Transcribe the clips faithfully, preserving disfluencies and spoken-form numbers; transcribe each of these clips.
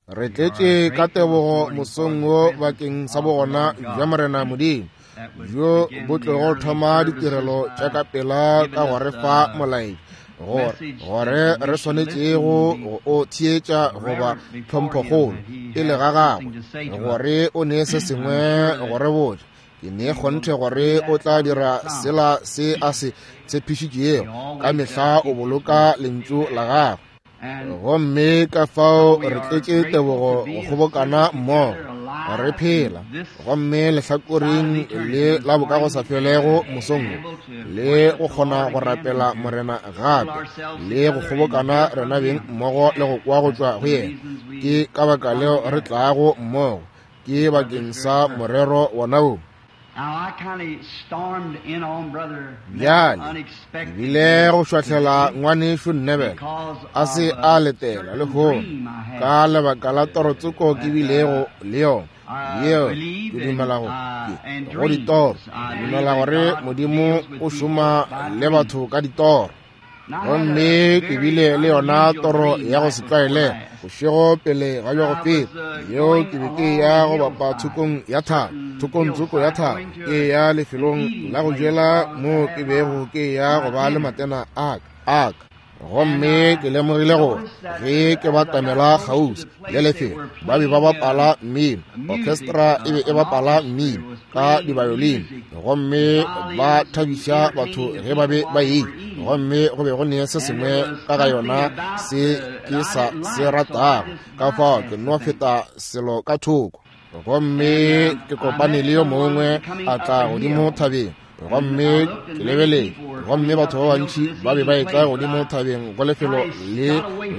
Re tletše ka tebogo mosong wo bakeng sa bogona bja Morena Modimo bjo bo tlogo thoma ditirelo tša ka pela ka go re fa molaetša gore gore re swanetšego go o theetša goba tlhomphokgolo pele ga gagwe gore o ne se sengwe go re botša. Ke ne kgonthe gore o tla dira sela se a se tshepišitšego, ka mehla o boloka lentšu la gagwe. Gomme ka fao re tletše tebogo go kgobokana mmogo re phela gomme lehlakoreng le la bokagosafelego mosong wo, le go kgona go rapela Morena gape le go kgobokana rena beng mmogo le go kwa go tšwa go yena. Ke ka baka leo re tlago mmogo, ke bakeng sa morero wona wo. Bjale ke bile go šwahlela ngwanešu Neville a se a letela lehono ka lebaka la torotsoko ke bilego le yona yeo ke dumela go go ditoro. Ke dumela gore Modimo o šoma le batho ka ditoro. Gomme ke bile le yona toro ya go se tlwaelege bošego pele ga bja go feta, yeo ke be ke ya go bapa thokong ya thaba, thokong tsoko ya thaba, ke ya lefelong la go jela moo ke bego ke ya go ba le matena a ka a ka. Gomme ke lemogile gore ge ke batamela kgauswi le lefelo ba be ba bapala mmino, orchestra e be e bapala mmino ka dibayolini, gomme ba thabiša batho ge ba be ba ile. Gomme go be go ne se sengwe ka ga yona se ke sa se ratago, ka fao ke no feta selo ka thoko. Gomme ke kopane le yo mongwe a tla godimo thabeng, gomme ke lebeletše, gomme batho ba bantši ba be ba etla godimo thabeng go lefelo le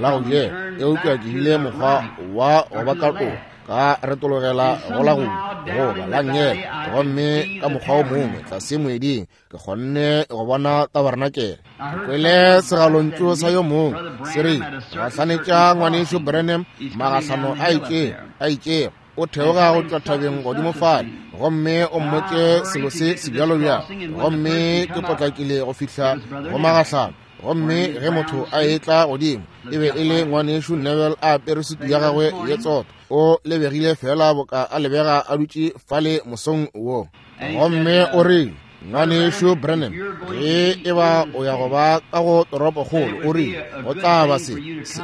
la go jela, eupša ke bile mokgwa wa go ba katoga ka retologela go la go goba la nngele. Gomme ka mokgwa o mongwe tlase moeding ke kgonne go bona tabarenakele. Ke kwele segalontšu sa yo mongwe se re, gahlanetša ngwanešu Branham magahlano a itšego a itšego o theoga go tšwa thabeng godimo fale, gomme o mmotše selo se sebjalobjalo. Gomme ke potlakile go fihla go magahlano. Gomme ge motho a etla godimo, e be e le ngwanešu Neville a apere sutu ya gagwe ye tsotho, o lebegile fela boka a lebega a dutše fale mosong wo. Gomme o rile, ngwanešu Branham, ge e ba o ya go ba ka go toropokgolo, o rile go tla ba se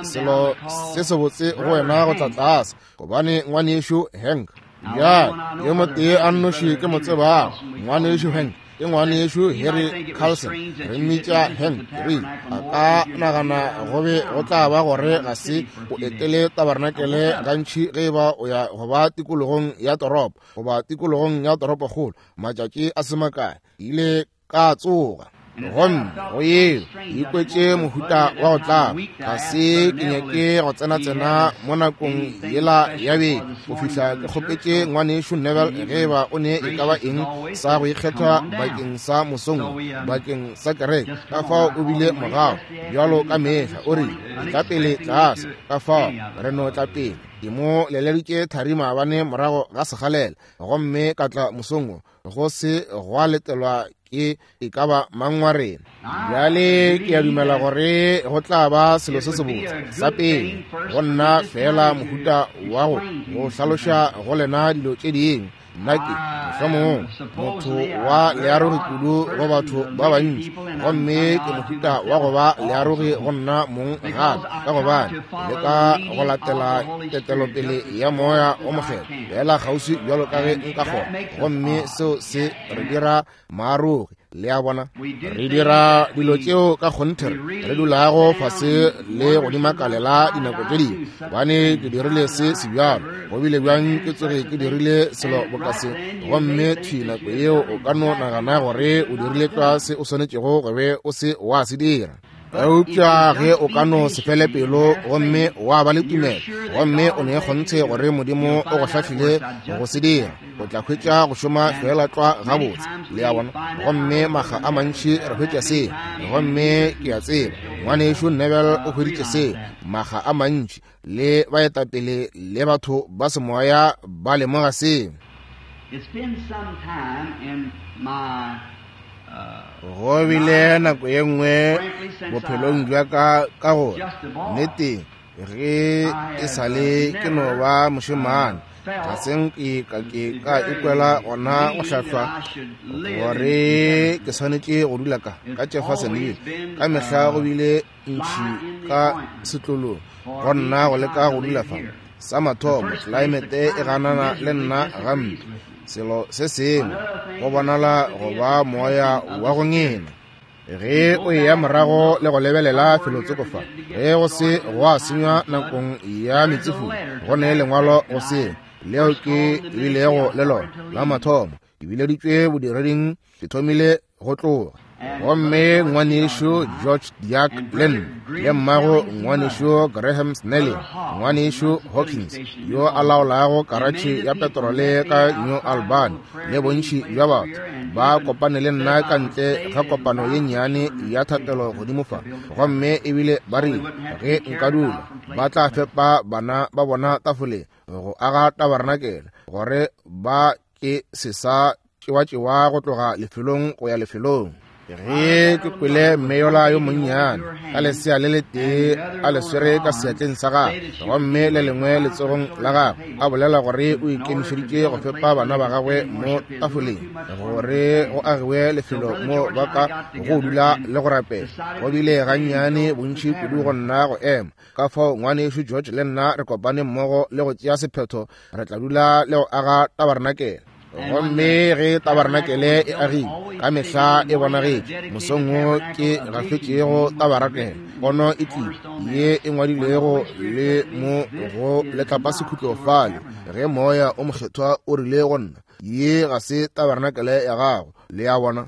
selo se sebotse go wena go tla tlase, gobane ngwanešu Hank, bjale yo motee a nnoši ke mo tsebago, ngwanešu Hank ke ngwanešu Harry Carlson, re mmitša Hank. Rile a ka nagana go be go tla ba gore ga se o etele tabarenakele gantši ge e ba o ya go ba tikologong ya toropo goba tikologong ya toropokgolo matšatši a se makae. Ile ka tsoga gomme go yeo ikwetše mohuta wa go tlaba. Ga se ke nyake go tsena-tsena mo nakong yela ya beke go fihla ke kgopetše ngwanešu Neville ge eba o ne e ka ba eng sa go ikgetha bakeng sa mosong bakeng sa kereke. Ka fao o bile mogao bjalo ka mehla, o rile tla pele tlase. Ka fao re no tla pele. Ke mo leleditše thari maabane morago ga segalela, gomme ka tla mosong wo go se gwa letelwa ke e ka ba mang wa rena. Bjale ke a dumela gore go tla ba selo se sebotse sa pele go nna fela mohuta wa go go hlaloša go lena dilo tše dingwe. Nna ke mohlomongwe motho wa learogi kudu go batho ba bantši, gomme ke mohuta wa go ba learogi go nna mong gape, ka gobane le ka go latela ketelopele ya Moya o Mokgethwa fela kgauswi bjalo ka ge nka kgona. Gomme seo se re dira maarogi. Le a bona, re dira dilo tšeo ka kgonthe re dulago fase le go di makalela dinako tše dingwe, gobane ke dirile se sebjalo, go bile bjang ke tsoge ke dirile selo boka se. Gomme thwi nako yeo o ka no nagana gore o dirile tlwa se o swanetšego go be o se wa se dira. Eupša ge o ka no se fele pelo gomme wa ba le tumelo, gomme o ne kgonthe gore Modimo o go hlahlile go se dira, o tla hwetša go šoma fela tlwa gabotse. Le a bona? Gomme makga a mantši re hwetša seo, gomme ke a tseba ngwanešu Neville o hweditše seo makga a mantši, le baetapele le batho ba semoya ba lemoga seo. Go bile nako ye nngwe bophelong bja ka ka gore nneteng Ge e sa le ke no ba mošemane, ga se nke ka ke ka ikwela gona go hlahlwa gore ke swanetše go dula ka ka Jeffersonville. Ka mehla go bile ntšhi ka setlolong go nna go leka go dula fa. Sa mathomo, tlelaemete e ganana le nna gampe. Selo se sengwe go bonala go ba moya wa go ngena. Ge o eya morago le go lebelela felotsoko fa, ge go se gwa senywa nakong ya metsefula, go ne lengwalo go se leo ke bilego le lona la mathomo. Ke bileditšwe bodireding, ke thomile go tloga. Gomme ngwanešu George Diak le nna, le mmago ngwanešu Graham Snelling, ngwanešu Hawkins yo a laolago karatšhe ya petrole ka New Albany, le bontši bja batho ba kopane le nna ka ntle ga kopano ye nnyane ya thapelo godimo fa. Gomme ebile ba rile ge nka dula ba tla fepa bana ba bona tafoleng go aga tabarenakele, gore ba ke se sa tšewatšewa go tloga lefelong go ya lefelong. Ge ke kwele mme yola yo monnyane ka lesea le letee a le swere ka seatleng sa gagwe gomme le lengwe letsogong la gagwe, a bolela gore o ikemišeditše go fepa bana ba gagwe mo tafoleng, gore go agiwe lefelo mo ba ka go dula le go rapela. Go bile gannyane bontši kudu go nna go ema. Ka fao ngwanešu George le nna re kopane mmogo le go tšea sephetho, re tla dula le go aga tabarenakele. Gomme ge tabarenakele e agile, ka mehla e bonagetše. Mosong wo ke gafetšego tabarenakele, pono e tlile ye e ngwadilwego le mo go letlapasekhutlo fale, ge moya o mokgethwa o rile go nna, ye ga se tabarenakele ya gago. Le a bona?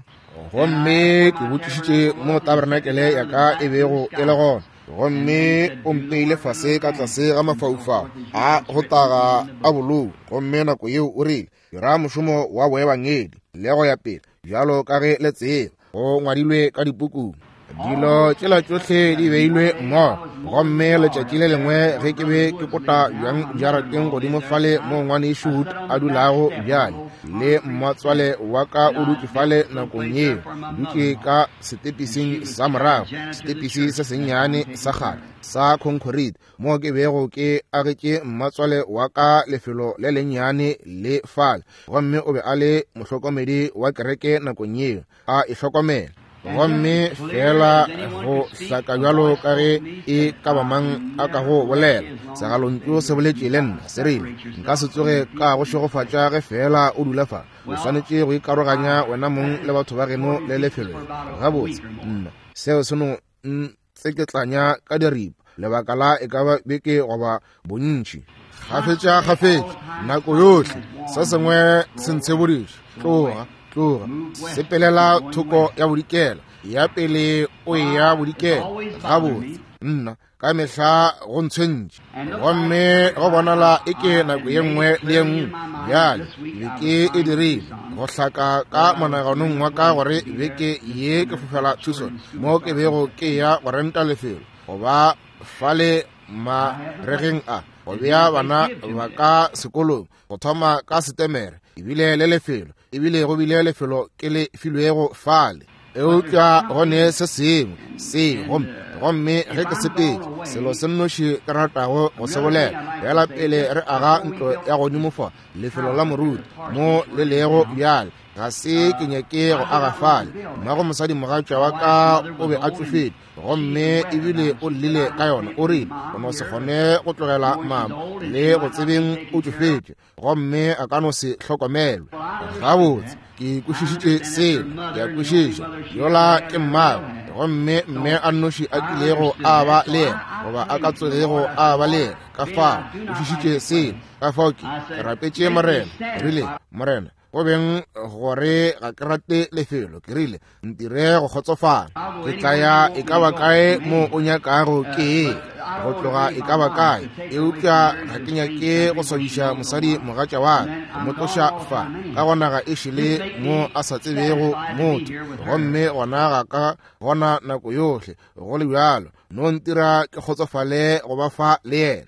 Gomme ke botšišitše mo tabarenakele ya ka e bego e le gona, gomme o mpeile fase ka tlase ga mafaufau a go taga a bolou. Gomme nako yeo o rile, dira mošomo wa boebangedi le go ya pele, bjalo ka ge le tseba, go ngwadilwe ka dipukung. Dilo tšela tšohle di beilwe mmogo. Gomme letšatši le lengwe ge ke be ke kota bjang jarateng godimo fale mo ngwanešu Wood a dulago bjale, le mmatswale wa ka o dutše fale nakong yeo, dutše ka setepising sa morago, setepisi se sennyane sa kgale sa concrete, mo ke bego ke agetše mmatswale wa ka lefelo le lennyane le fale. Gomme o be a le mohlokomedi wa kereke nakong yeo, a e hlokomela. Gomme fela go hlaka bjalo ka ge e ka ba mang a ka go bolela, segalontšu se boletše le nna se rile, nka se tsoge ka go šegofatša ge fela o dula fa. O swanetše go ikaroganya wena mong le batho ba geno le lefelo. Gabotse, nna seo se no ntseketlanya ka diripa lebaka la e ka ba beke goba bontši. Kgafetša kgafetša, nako yohle se sengwe se ntshebodiša, tloga, tloga, sepelela thoko ya bodikela, ya pele o eya bodikela. Gabotse, nna ka mehla go ntshwentše. Gomme go bonala e ke nako ye nngwe le ye nngwe bjale beke e dirile go hlaka ka monaganong wa ka gore beke ye ke fofela Tucson, mo ke bego ke ya go renta lefelo goba fale maregeng a go bea bana ba ka sekolong go thoma ka Setemere. Ebile le lefelo, ebile go bile lefelo ke le filwego fale. Eupša go ne se sengwe se gomme gomme ge ke sepetše, selo se nnoši ke ratago go se bolela, bjala pele re aga ntlo ya godimo fa, lefelo la moruti mo le lego bjale, ga se ke nyake go aga fale. Mmago mosadimogatša wa ka o be a tšofetše, gomme ebile o llile ka yona. O rile o no se kgone go tlogela mama le go tsebeng o tšofetše, gomme a ka no se hlokomelwe. Gabotse, ke kwešišitše seo, ke a kwešiša. Yola ke mmagwe, gomme mme a nnoši a kilego a ba le yena, goba a ka tsogego a ba le yena. Ka fao kwešišitše seo. Ka fao ke ke rapetše Morena, ke rile, Morena, go beng gore ga ke rate lefelo, ke rile, ntire go kgotsofala. Ke tla ya e ka ba kae mo o nyakago ke ye, go tloga e ka ba kae, eupša ga ke nyake go swabiša mosadi mogatša wa ka, go mo tloša fa, ka gona ga e šele mo a sa tsebego motho, gomme gona ga ka gona nako yohle go le bjalo. No ntira ke kgotsofale go ba fa le yena.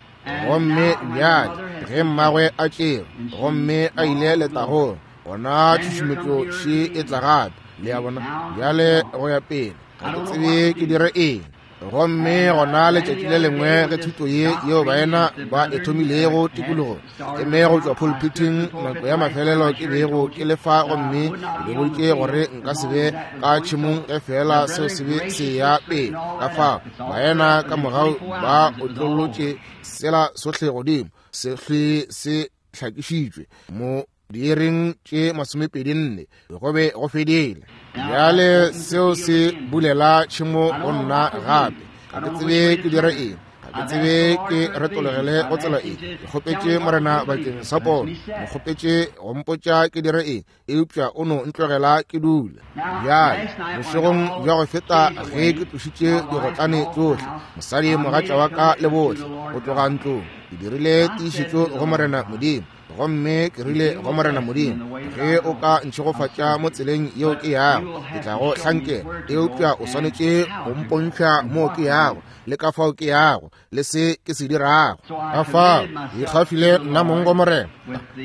Gomme bjale ge mmagwe a tšerwe gomme a ile letagong, gona tšhušumetšo še e tla gape. Le a bona? Bjale go ya pele, ga ke tsebe ke dire eng. Gomme gona letšatši le lengwe ge thuto ye yeo baena ba e thomilego tikologong e me go tšwa pulpiting nako ya mafelelo ke bego ke le fa, gomme ke le boditše gore nka se be ka tšhemong ge fela seo se be se ya pele. Ka fao baena ka mogau ba otlolotše sela sohle godimo, se hlwe se hlakišitšwe mo diiring tše masomepedi nne, go be go fedile. Bjale seo se bulela tšhemo go nna gape. Ga ke tsebe ke dire eng, ga ke tsebe ke retologele go tsela eng. Ke kgopetše Morena bakeng sa pono, mo kgopetše go mpotša ke dire eng, eupša o no ntlogela ke dula. Bjale bošegong bja go feta ge ke tlošitše digotlane tšohle, mosadi mogatša wa ka le bohle go tloga ntlong, ke dirile tiišetšo go Morena Modimo. Gomme ke rile go Morena Modimo, ge o ka ntšhegofatša mo tseleng yeo ke yago, ke tla go hlankela, eupša o swanetše go mpontšha moo ke yago le ka fao ke yago le se ke se dirago. Ka fao ke ikgafile nna mong go Morena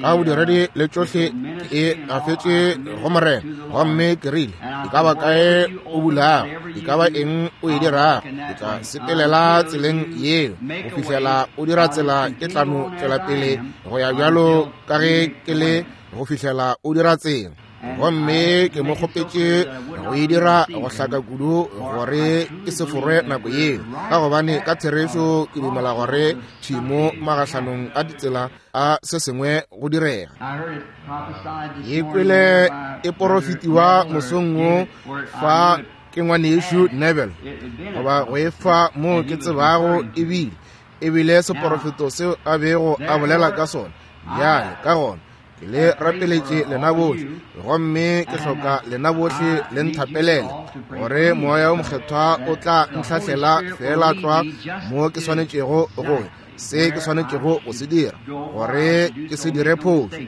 ka bodiredi le tšohle ke e gafetše go Morena. Gomme ke rile, e ka ba kae o bulago, e ka ba eng o e dirago, ke tla sepelela tseleng yeo go fihlela o dira tsela. Ke tla no tšwela pele go ya bjalo ka ge ke le go fihlela o dira tsela. Gomme ke mo kgopetše go e dira go hlaka kudu gore ke se forwe nako yeo, ka gobane ka therešo ke dumela gore tšhimo magahlanong a ditsela a se sengwe go direga. Ke kwele e porofetiwa mosong wo fa ke ngwanešu Neville, goba go e fa moo ke tsebago ebile ebile seporofeto seo a bego a bolela ka sona. Bjale ka gona ke le rapeletše lena bohle, gomme ke hloka lena bohle le nthapelele gore moya o mokgethwa o tla ntlhahlela fela tlwa mo ke swanetšego go se ke swanetšego go se dira, gore ke se dire phošo.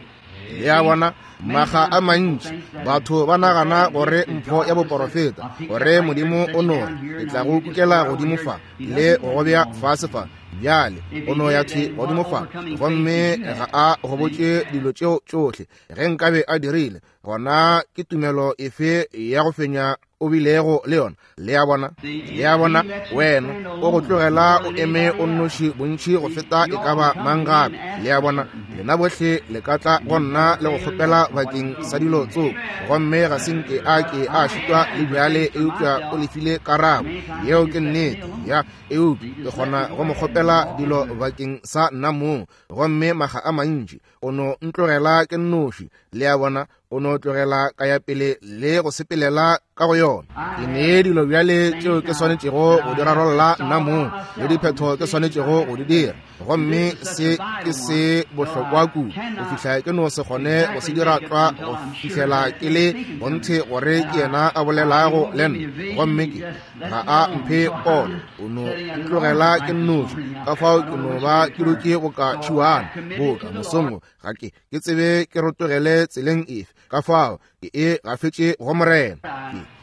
Le a bona, maga a mantši batho ba nagana gore mpho ya boporofeta, gore Modimo o no re ke tla go kukela godimo fa le go bea fase fa. Bjale o no ya thwi godimo fa, gomme ga a go botše dilo tšeo tšohle. Ge nkabe a dirile, gona ke tumelo efe ya go fenya o bilego le yona? Le a bona, le a bona, wena o go tlogela o eme o nnoši bontši go feta e ka ba mang gape. Le a bona, lena bohle le ka tla go nna le go kgopela bakeng sa dilo tsoko, gomme ga se nke a ke a šitwa le bjale, eupša o lefile karabo. Yeo ke nnete ya, eupša ke kgona go mo kgopela dilo bakeng sa nna mong, gomme maga a mantši o no ntlogela ke nnoši. Le a bona, o no tlogela ka ya pele le go sepelela ka go yona. Ke nee dilo bjale tšeo ke swanetšego go di rarolla nna mong, le diphetho ke swanetšego go di dira, gomme se ke se bohlokwa kudu go fihla ke no se kgone go se dira tlwa go fihlela ke le bonthe gore ke yena a bolelago le nna. Gomme ke ga a mphe pono, o no ntlogela ke nnoši. Ka fao ke no ba ke dutše boka tšhiwana boka mosong, ga ke ke tsebe ke rotogele tseleng efe. Ka fao ke e gafetše go Morena.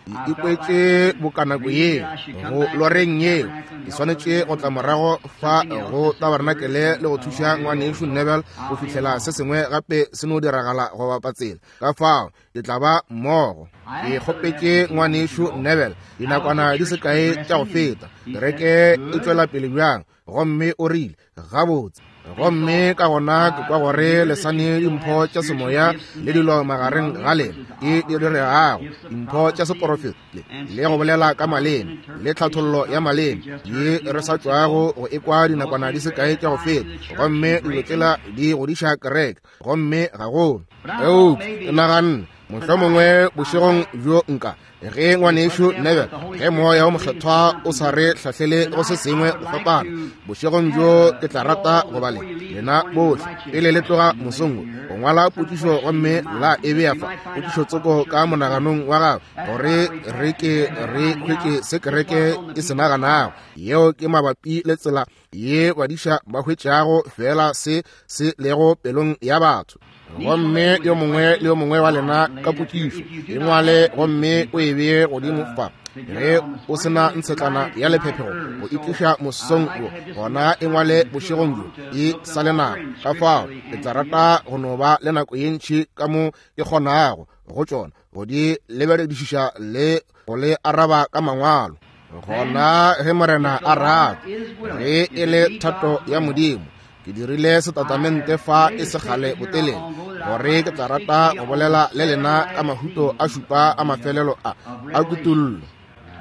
Ke ikwetše boka nako yeo go loreng yeo ke swanetše go tla morago fa go tabarnakele le go thuša ngwanešu Neville go fihlela se sengwe gape se no diragala go bapa tsela. Ka fao ke tla ba mmogo. Ke kgopetše ngwanešu Neville dinakwana di se kae tša go feta, kereke e tšwela pele bjang, gomme o rile gabotse. Gomme ka gona ke kwa gore le sane dimpho tša semoya le dilo magareng ga lena ke di diregago, dimpho tša seporofeto le go bolela ka maleme le tlhathollo ya maleme ye re sa tšwago go ekwa dinakwana di se kae tša go feta, gomme dilo tsela di godiša kereke, gomme gagolo. Eupša ke naganne mohlomongwe bošegong bjo nka ge ngwanešu Neville, ge moya o mokgethwa o sa re hlahlele go se sengwe go fapana, bošegong bjo ke tla rata go ba le lena bohle pele le tloga mosong go ngwala potšišo gomme la e bea fa, potšišo tsoko ka monaganong wa gago, gore re ke re hwetše se kereke e se naganago. Yeo ke mabapi le tsela ye badiša ba hwetšago fela se se lego pelong ya batho. Gomme yo mongwe le yo mongwe wa lena ka potšišo e ngwale gomme o e bee godimo fa. Ge o sena ntshetlana ya lephephego go itliša mosong wo, gona e ngwale bošegong bjo e sa le nako. Ka fao ke tla rata go no ba le nako ye ntši ka mo ke kgonago go tšona go di lebeledišiša le go le araba ka mangwalo. Gona ge Morena a rata, ge e le thato ya Modimo, ke dirile setatamente fa e se kgale botelele gore ke tla rata go bolela le lena ka mahuto a šupa a mafelelo a a kutollo.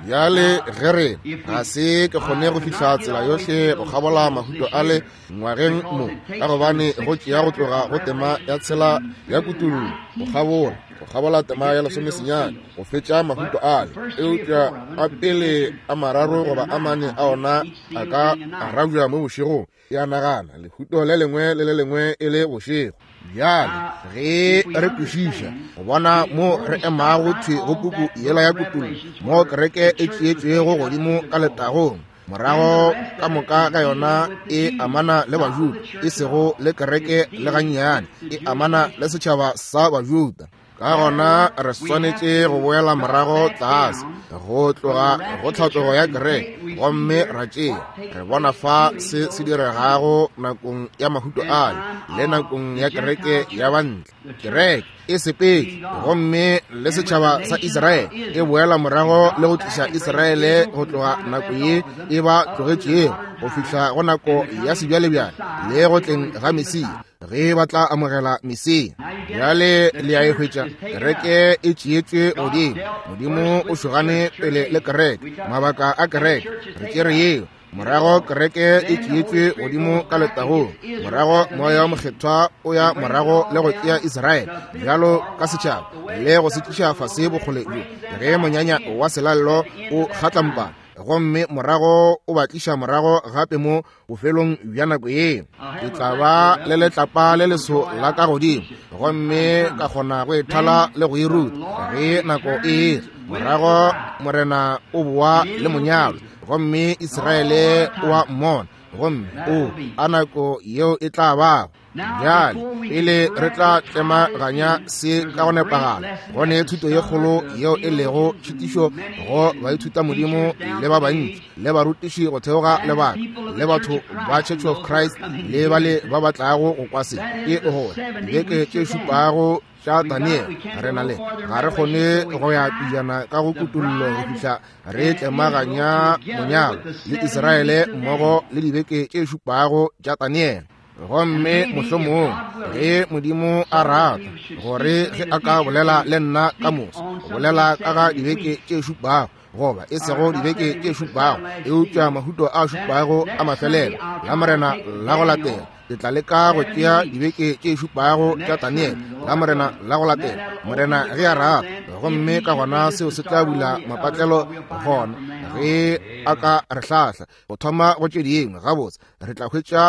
Bjale ge re ga se ke kgone go fihla tsela yohle go kgabola mahuto ale ngwageng mo, ka gobane go tšea go tloga go tema ya tshela ya kutollo go kgabola go kgabola tema ya lesomesenyane go fetša mahuto ale, eupša a pele a mararo goba a mane a ona a ka arabja mo bošegong. Ya nagana lehuto le lengwe le le lengwe e le bošego. Bjale ge re kwešiša go bona mo re emago thwi go puku yela ya kutollo, mo kereke e tšeetšwego godimo ka letagong, morago ka moka ka yona e amana le Bajuda, e sego le kereke le gannyane, e amana le setšhaba sa Bajuda. Ka gona re swanetše go boela morago tlase go tloga go tlhatlogo ya kereke, gomme ra tšea re bona fa se se diregago nakong ya mahuto ale le nakong ya kereke ya bantle. Kereke e sepetše gomme le setšhaba sa Israele e boela morago le go tliša Israele go tloga nako ye e ba tlogetšego go fihla go nako ya sebjalebjale le go tleng ga Mesia, ge ba tla amogela Mesia. Bjale le a e hwetša, kereke e tšeetšwe godimo. Modimo o šogane pele le kereke, mabaka a kereke, re tšere yeo. Morago kereke e tšeetšwe godimo ka letagong, morago moya wa mokgethwa o ya morago le go tšea Israele bjalo ka setšhaba le go se tliša fase bokgole bjo ge monyanya wa selallo o kgatlampana, gomme morago o ba tliša morago gape mo bofelong bja nako yeo. Ke tla ba le letlapa le leso la ka godimo, gomme ka kgona go e thala le go e ruta ge nako e etla. Morago Morena o boa le monyalwa, gomme Israele o a mmona, gomme o a nako yeo e tla bago. Bjale pele re tla tlemaganya se ka go nepagala, go ne thuto ye kgolo yeo e lego tšhitišo go baithuta Modimo le ba bantši le barutiši go theoga lebaka le batho ba Church of Christ le bale ba ba tlago go kwa se, ke gore dibeke tše šupago tša Daniel re na le ga re kgone go ya pejana ka go kutollo go fihla re tlemaganya monyalo le Israele mmogo le dibeke tše šupago tša Daniel. Gomme mohlomong ge Modimo a rata gore ge a ka bolela le nna ka moso, go bolela ka ga dibeke tše šupago, goba e sego dibeke tše šupago, eupša mahuto a šupago a mafelelo la Morena la go latela, ke tla leka go tšea dibeke tše šupago tša Daniel la Morena la go latela, Morena ge a rata, gomme ka gona seo se tla bula mapatlelo gona ge a ka re hlahla go thoma go tše dingwe. Gabotse re tla hwetša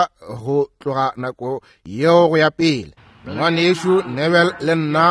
go tloga nako yeo go ya pele. Ngwanešu Neville le nna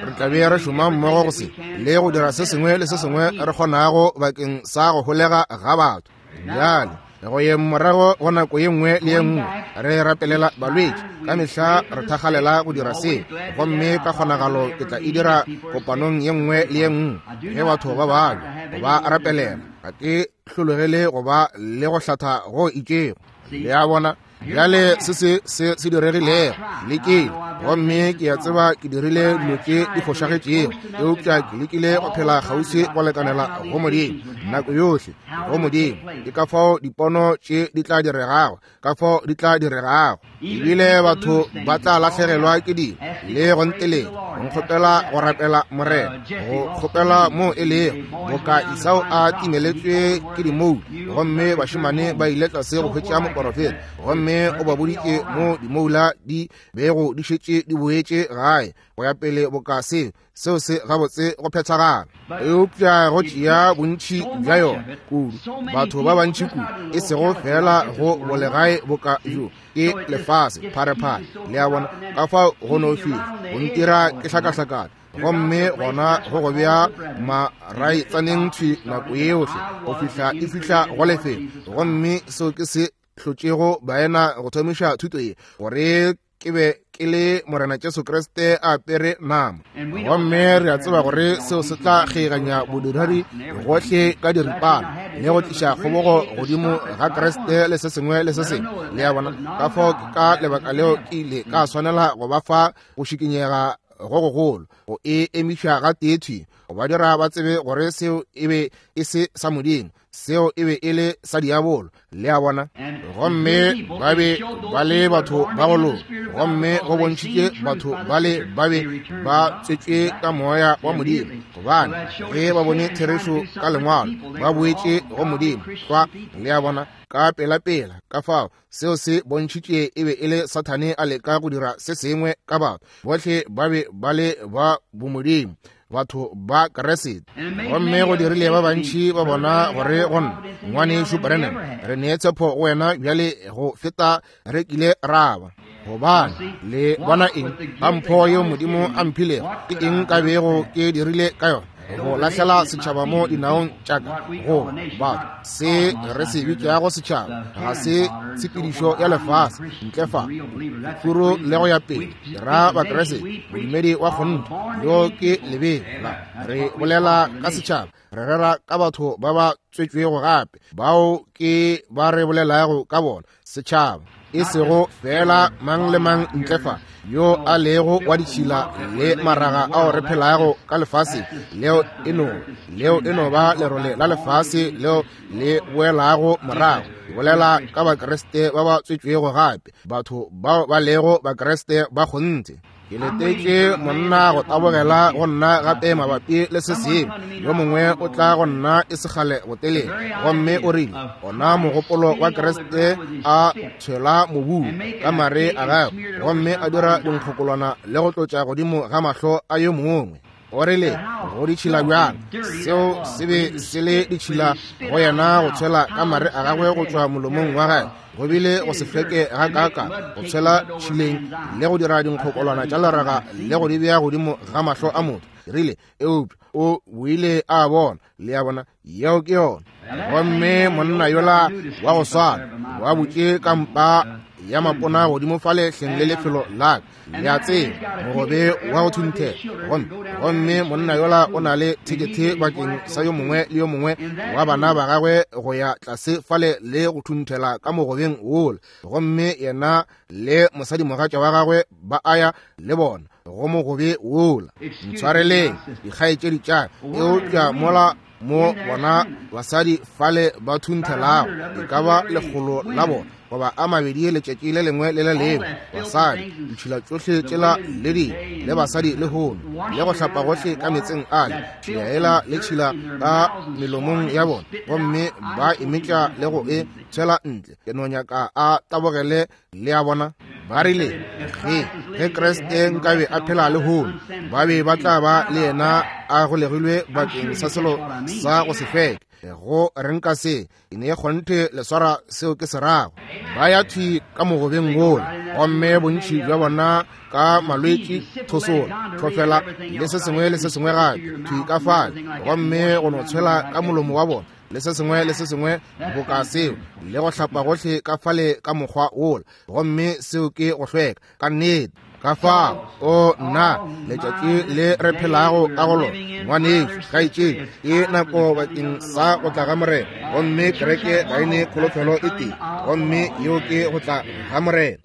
re tla be re šoma mmogo go se le go dira se sengwe le se sengwe re kgonago bakeng sa go holega ga batho. Bjale go ye morago go nako ye nngwe le ye nngwe re rapelela balwetši, ka mehla re thakgalela go dira se, gomme ka kgonagalo ke tla e dira kopanong ye nngwe le ye nngwe ge batho ba babja go ba rapelela. Ga ke hlologele go ba le go hlatha go itšego. Le a bona? Bjale se se se se diregilego lekile, gomme ke a tseba ke dirile dilo tše di fošagetšego, eupša ke lekile go phela kgauswi go lekanela go Modimo nako yohle, go Modimo. Ke ka fao dipono tše di tla diregago, ka fao di tla diregago. Ebile batho ba tla lahlegelwa ke dilo le go nteletša, go nkgopela go rapela Morena, go kgopela mo e lego boka Esau a timeletšwe ke dimoula, gomme bašemane ba ile tlase go hwetša moporofeta, gomme o ba boditše mo dimoula di bego di šetše di boetše gae go ya pele boka se seo se gabotse go phethagala. Eupša go tšea bontši bja yona kudu, batho ba bantši kudu, e sego fela go bolegae boka bjo, ke lefase pharephare. Le a bona? Ka fao go no fihla go ntira ke hlakahlakana, gomme gona go go bea maraitsaneng thwi nako yohle go fihla e fihla go lefelo. Gomme seo ke se hlotšego baena go thomiša thuto ye, gore ke be ke le Morena Jesu Kriste a apere nama. Gomme re a tseba gore seo se tla kgeiganya bodiredi gohle ka diripana le go tliša kgobogo godimo ga Kriste le se sengwe le se sengwe. Le a bona? Ka fao ke ka lebaka leo ke ile ka swanela go ba fa go šikinyega go gogolo go e emiša ga tee thwi, go ba dira ba tsebe gore seo e be e se sa Modimo, seo e be e le sa diabolo. Le a bona? Gomme ba be ba le batho ba go loka, gomme go bontšhitše batho ba le ba be ba tswetšwe ka moya wa Modimo, gobane ge ba bone therešo ka lengwalo ba boetše go Modimo. Kwa, le a bona, ka pela-pela. Ka fao seo se bontšhitše e be e le Sathane a leka go dira se sengwe ka batho bohle ba be ba le ba bomodimo, batho ba Kriste. Gomme go dirile ba bantši ba bona gore go nna, ngwanešu Branham, re nee tshepo go wena bjale go feta re kile ra ba. Gobane le bona eng ka mpho yeo Modimo a mphilego, ke eng ka bego ke dirile ka yona? Go lahlela setšhaba mo dinaong tša ka. Go batho, se re se bitšago setšhaba ga se tshepedišo ya lefase ntle fa furu le go ya pele. Ra Bakriste, modumedi wa kgonthe, yo ke lebelo. Re bolela ka setšhaba, re rera ka batho ba ba tswetšwego gape, bao ke ba re bolelago ka bona, setšhaba, e sego fela mang le mang ntle fa yo a lego wa ditšhila le maraga ao re phelago ka lefase leo e no leo e no ba lerole la lefase leo le boelago morago. Ke bolela ka Bakriste ba ba tswetšwego gape, batho bao ba lego Bakriste ba kgonthe. Ke letetše monna go tabogela go nna gape mabapi le se sengwe. Yo mongwe o tla go nna e sekgale botelele, gomme o rile ona mogopolo wa Kriste a tshwela mobung ka mare a gagwe, gomme a dira dinkgokolwana le go tlotša godimo ga mahlo a yo mongwe. O rile go ditšhila bjang, seo se be se le ditšhila go yena go tshwela ka mare a gagwe go tšwa molomong wa gagwe. Go bile go se hlweke ga kaka go tshwela tšhileng le go dira dinkgokolwana tša leraga le go di bea godimo ga mahlo a motho. Rile eupša o boile a bona. Le a bona, yeo ke yona. Gomme monna yola wa go swana wa butše kampa ya mapona godimo fale hleng le lefelo la ka, le a tseba, mogobe wa go thunthela. Gomme gomme monna yola o na le thekethe bakeng sa yo mongwe le yo mongwe wa bana ba gagwe go ya tlase fale le go thunthela ka mogobeng wola. Gomme yena le mosadimogatša wa gagwe ba aya le bona go mogobe wola. Ntshwareleng dikgaetšedi tša ka, eupša mola mo bona basadi fale ba thunthelago e ka ba lekgolo la bona goba a mabedi letšatši le lengwe le le lengwe, basadi ditšhila tšohle tšela le di le basadi le hono le go hlapa gohle ka metseng ale, tšhila ela le tšhila ka melomong ya bona, gomme ba emetša le go e tshwela ntle. Ke no nyaka a tabogele. Le a bona, ba rile ge ge Kriste nkabe a phela le hono, ba be ba tla ba le yena a golegilwe bakeng sa selo sa go se hlweke. Go renka se e ne kgonthe le swara seo ke se rago. Ba ya thwi ka mogobeng wola, gomme bontši bja bona ka malwetši, thosola, thofela le se sengwe le se sengwe gape thwi ka fale, gomme go no tshwela ka molomo wa bona le se sengwe le se sengwe boka seo, le go hlapa gohle ka fale ka mokgwa wola, gomme seo ke go hlweka ka nnete. Ka fao o nna letšatši le re phelago ka go lona, ngwanešu, kgaetšedi, ke nako bakeng sa go tla ga Morena. Gomme kereke ga e ne kholofelo e tee, gomme yeo ke go tla ga Morena.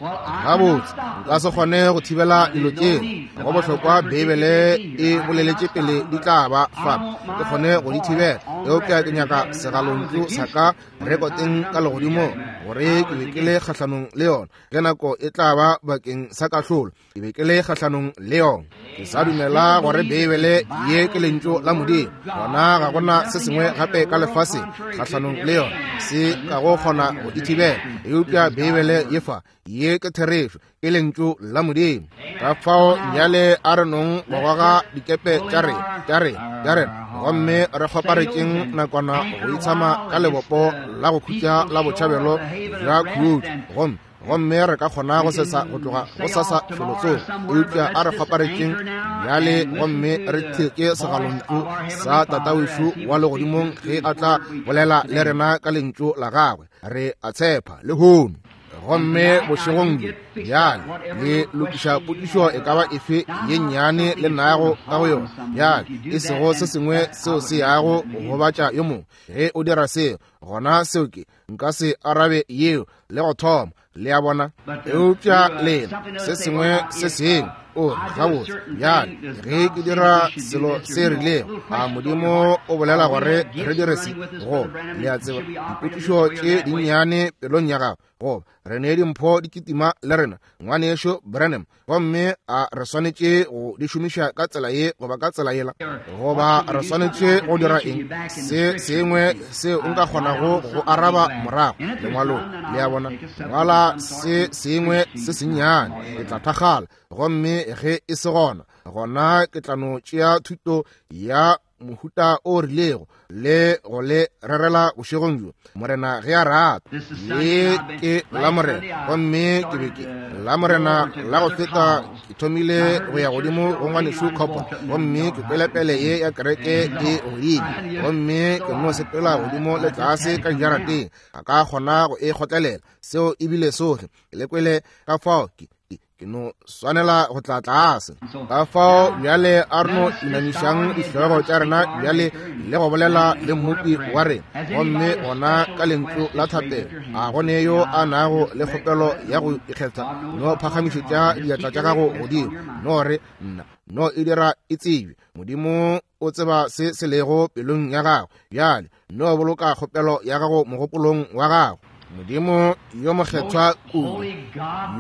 Gabotse nka se kgone go thibela dilo tšeo, go bohlokwa Beibele e boleletše pele di tla ba fa, ke kgone go di thibela, eupša ke nyaka segalontšu sa ka rekoteng ka legodimong gore ke be ke le kgahlanong le yona ge nako e tla ba bakeng sa kahlolo. Ke be ke le kgahlanong le yona. Ke sa dumela gore Beibele ye ke lentšu la Modimo, gona ga gona se sengwe gape ka lefaseng kgahlanong le yona se ka go kgona go e thibela. Eupša Beibele ye fa, ye ke therešo, ke lentšu la Modimo. Ka fao bjale a re nong go goga dikepe tša rena tša rena tša rena, gomme re kgoparetšeng nakwana go itshama ka lebopo la go khutša la botšhabelo bja khutšo, gomme gomme re ka kgona go sesa go tloga go sasa felotsoko. Eupša a re kgoparetšeng bjale gomme re theke segalontšu sa Tatawešu wa legodimong ge a tla bolela le rena ka lentšu la gagwe. Re a tshepa lehono. Gomme bošegong bjo bjale le lokiša potšišo e ka ba efe ye nnyane le nago ka go yona bjale, e sego se sengwe seo se yago go gobatša yo mongwe. Ge o dira seo, gona seo ke nka se arabe yeo le go thoma. Le a bona? Eupša lena se sengwe se sengwe O gabotse bjale ge ke dira selo se rilego, a Modimo o bolela gore re dire se? Goba le a tseba, dipotšišo tše dinnyane pelong ya gago, goba re ne dimpho di kitima le rena, ngwanešo Branham, gomme a re swanetše go di šomiša ka tsela ye goba ka tsela yela, goba re swanetše go dira eng se sengwe seo nka kgonago go araba morago lengwalong. Le a bona, ngwala se sengwe se sennyane, ke tla thakgala, gomme ge e se gona, gona ke tla no tšea thuto ya mohuta o rilego le go le rerela bošegong bjo, Morena ge a rata. Le ke la Morena, gomme ke be ke la Morena la go feta ke thomile go ya godimo go ngwanešu Copper, gomme ke kwelepele ye ya kereke e godimo, gomme ke no sepela godimo le tlase ka dijarateng, a ka kgona go e kgotlelela. Seo ebile sohle ke le kwele ka fao ke ke no swanela go tla tlase. Ka fao bjale a re no inamišang dihlogo tša rena bjale le go bolela le Mmopi wa rena, gomme gona ka lentšu la thapelo. A go ne yo a nago le kgopelo ya go ikgetha, no phagamišetša diatla tša gago godimo, no re nna, no e dira e tsebje. Modimo o tseba se se lego pelong ya gago. Bjale no boloka kgopelo ya gago mogopolong wa gago. Modimo yo mokgethwa kudu,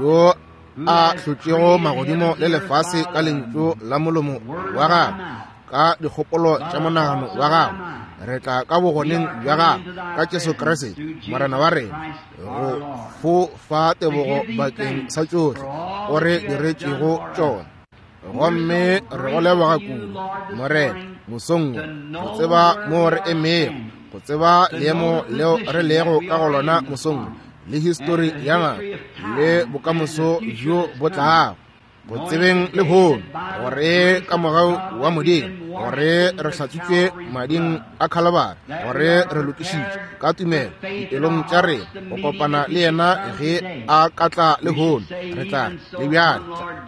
yo a hlotšego magodimo le lefase ka lentšu la molomo wa gago, ka dikgopolo tša monagano wa gago, re tla ka bogoneng bja gago ka Jesu Kriste Morena wa rena, go fo fa tebogo bakeng sa tšohle o re diretšego tšona. Gomme re go leboga kudu, Morena, mosong wo, go tseba mo re emego, go tseba leemo leo re lego ka go lona mosong wo, le histori ya nako le bokamoso bjo bo tlago, go tsebeng lehono gore ka mogau wa Modimo gore re hlatswitšwe mading a Khalibari, gore re lokišitšwe ka tumelo dipelong tša rena go kopana le yena ge a ka tla lehono. Re tla le bjale,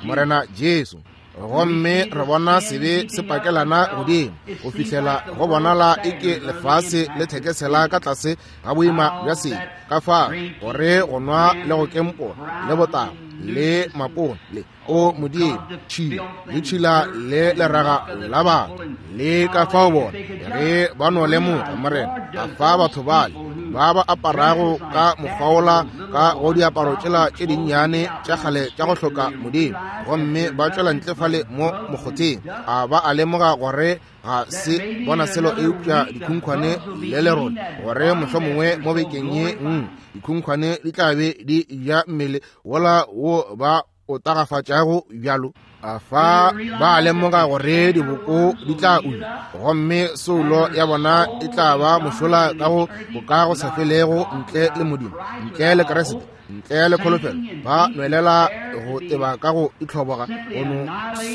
Morena Jesu. Gomme re bona sebe se pakelana godimo go fihlela go bonala eke lefase le thekesela ka tlase ga boima bja sebe, ka fao gore go nwa le go kempola le botago le mapone le o Modimo tšhila le tšhila le leraga la batho le ka fao bona ge ba no lemoga, Morena, a fa batho bale ba ba aparago ka mokgwaola ka go diaparo tšela tše dinnyane tša kgale tša go hloka Modimo, gomme ba tšwela ntle fale mo mokgotheng, a ba a lemoga gore ga se bona selo eupša dikhunkhwane le lerole, gore mohlomongwe mo bekeng ye nngwe dikhunkhwane di tla be di ja mmele wola wo ba o tagafatšago bjalo. A fa ba lemoga gore diboko di tla ula, gomme soulo ya bona e tla ba mošola ka go boka go sa felego ntle le Modimo, ntle le Kriste, ntle le kholofelo. Ba nwelela go teba ka go itlhoboga, go no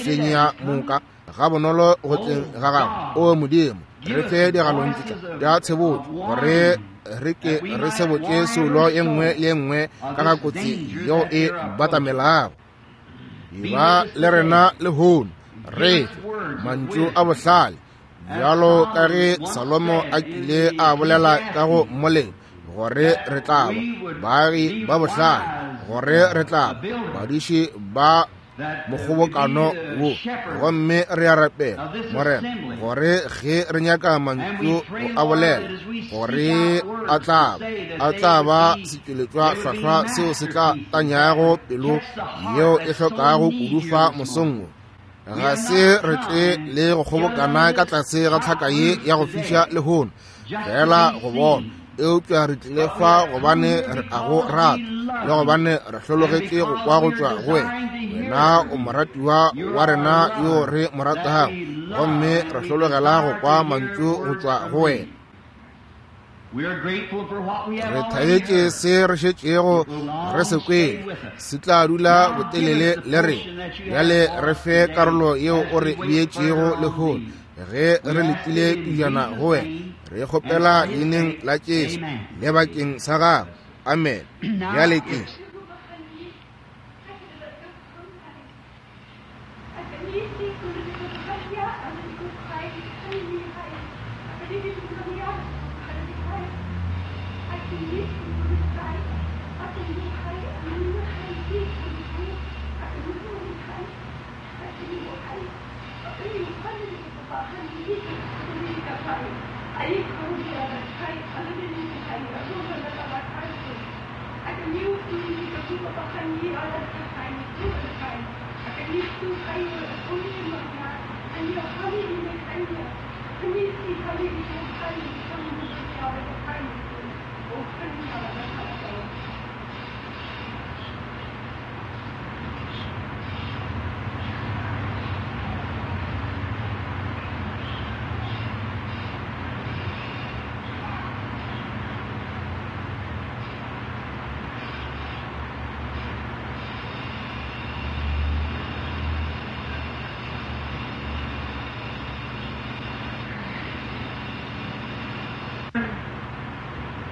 senya moka ga bonolo go tleng ga gago. O Modimo, re fe digalontša tša tshebotšo gore re ke re sebotše soulo ye nngwe le ye nngwe ka ga kotsi yeo e batamelago. Eba le rena lehono, re fe mantšu a bohlale bjalo ka ge Salomo a kile a bolela ka go mmolelo, gore re tla ba baagi ba bohlale, gore re tla ba badiši ba mokgobokano wo. Gomme re a rapela, Morena, gore ge re nyaka mantšu go a bolela, gore a tla ba a tla ba setšweletšwa hlwahlwa seo se tla tanyago pelo yeo e hlokago kudu fa mosong wo. Ga se re tle le go kgobokana ka tlase ga tlhaka ye ya go fiša lehono fela go bona, eupša re tlile fa gobane re a go rata le gobane re hlologetše go kwa go tšwa go wena. Wena o moratiwa wa rena yo re mo ratago, gomme re hlologela go kwa mantšu go tšwa go wena. Re thabetše se re šetšego re se kwele, se tla dula botelele le rena. Bjale re fe karolo yeo o re beetšego lehono ge re letile pejana go wena. Re kgopela leineng la Jesu le bakeng sa gago. Amen. Bjale ke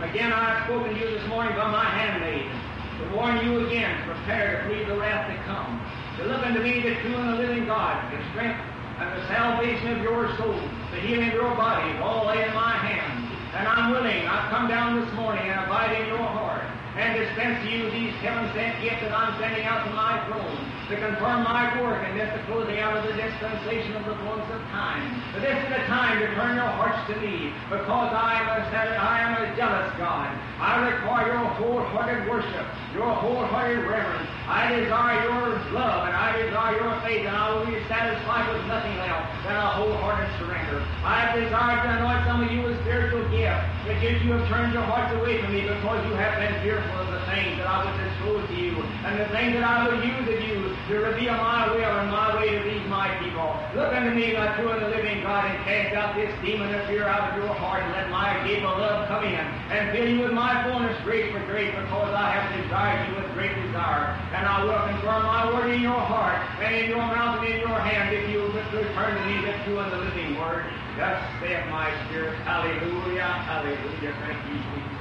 Again, I have spoken to you this morning by my handmaid, to warn you again, to prepare to flee the wrath to come, to look unto me, the true and the living God, the strength and the salvation of your soul, the healing of your body, all lay in my hand. And I'm willing, I've come down this morning and abide in your heart, and dispense to you these heaven-sent gifts that I'm sending out from my throne, to confirm my work and this the closing out of the dispensation of the fullness of time. But this is the time to turn your hearts to me, because I am a, I am a jealous God. I require your wholehearted worship, your wholehearted reverence. I desire your love, and I desire your faith, and I will be satisfied with nothing else than a wholehearted surrender. I have desired to anoint some of you with spiritual gifts, but yet you have turned your hearts away from me because you have been fearful of the things that I would disclose to you, and the things that I would use of you to reveal my will and my way to these my people. Look unto me, my true and the living God, and cast out this demon of fear out of your heart, and let my gift of love come in, and fill you with my fullness grace for grace, because I have desired you with great desire. And I will confirm my word in your heart, and in your mouth, and in your hand, if you will return to me the true and the living word. Thus saith my spirit. Hallelujah, hallelujah. Thank you, Jesus.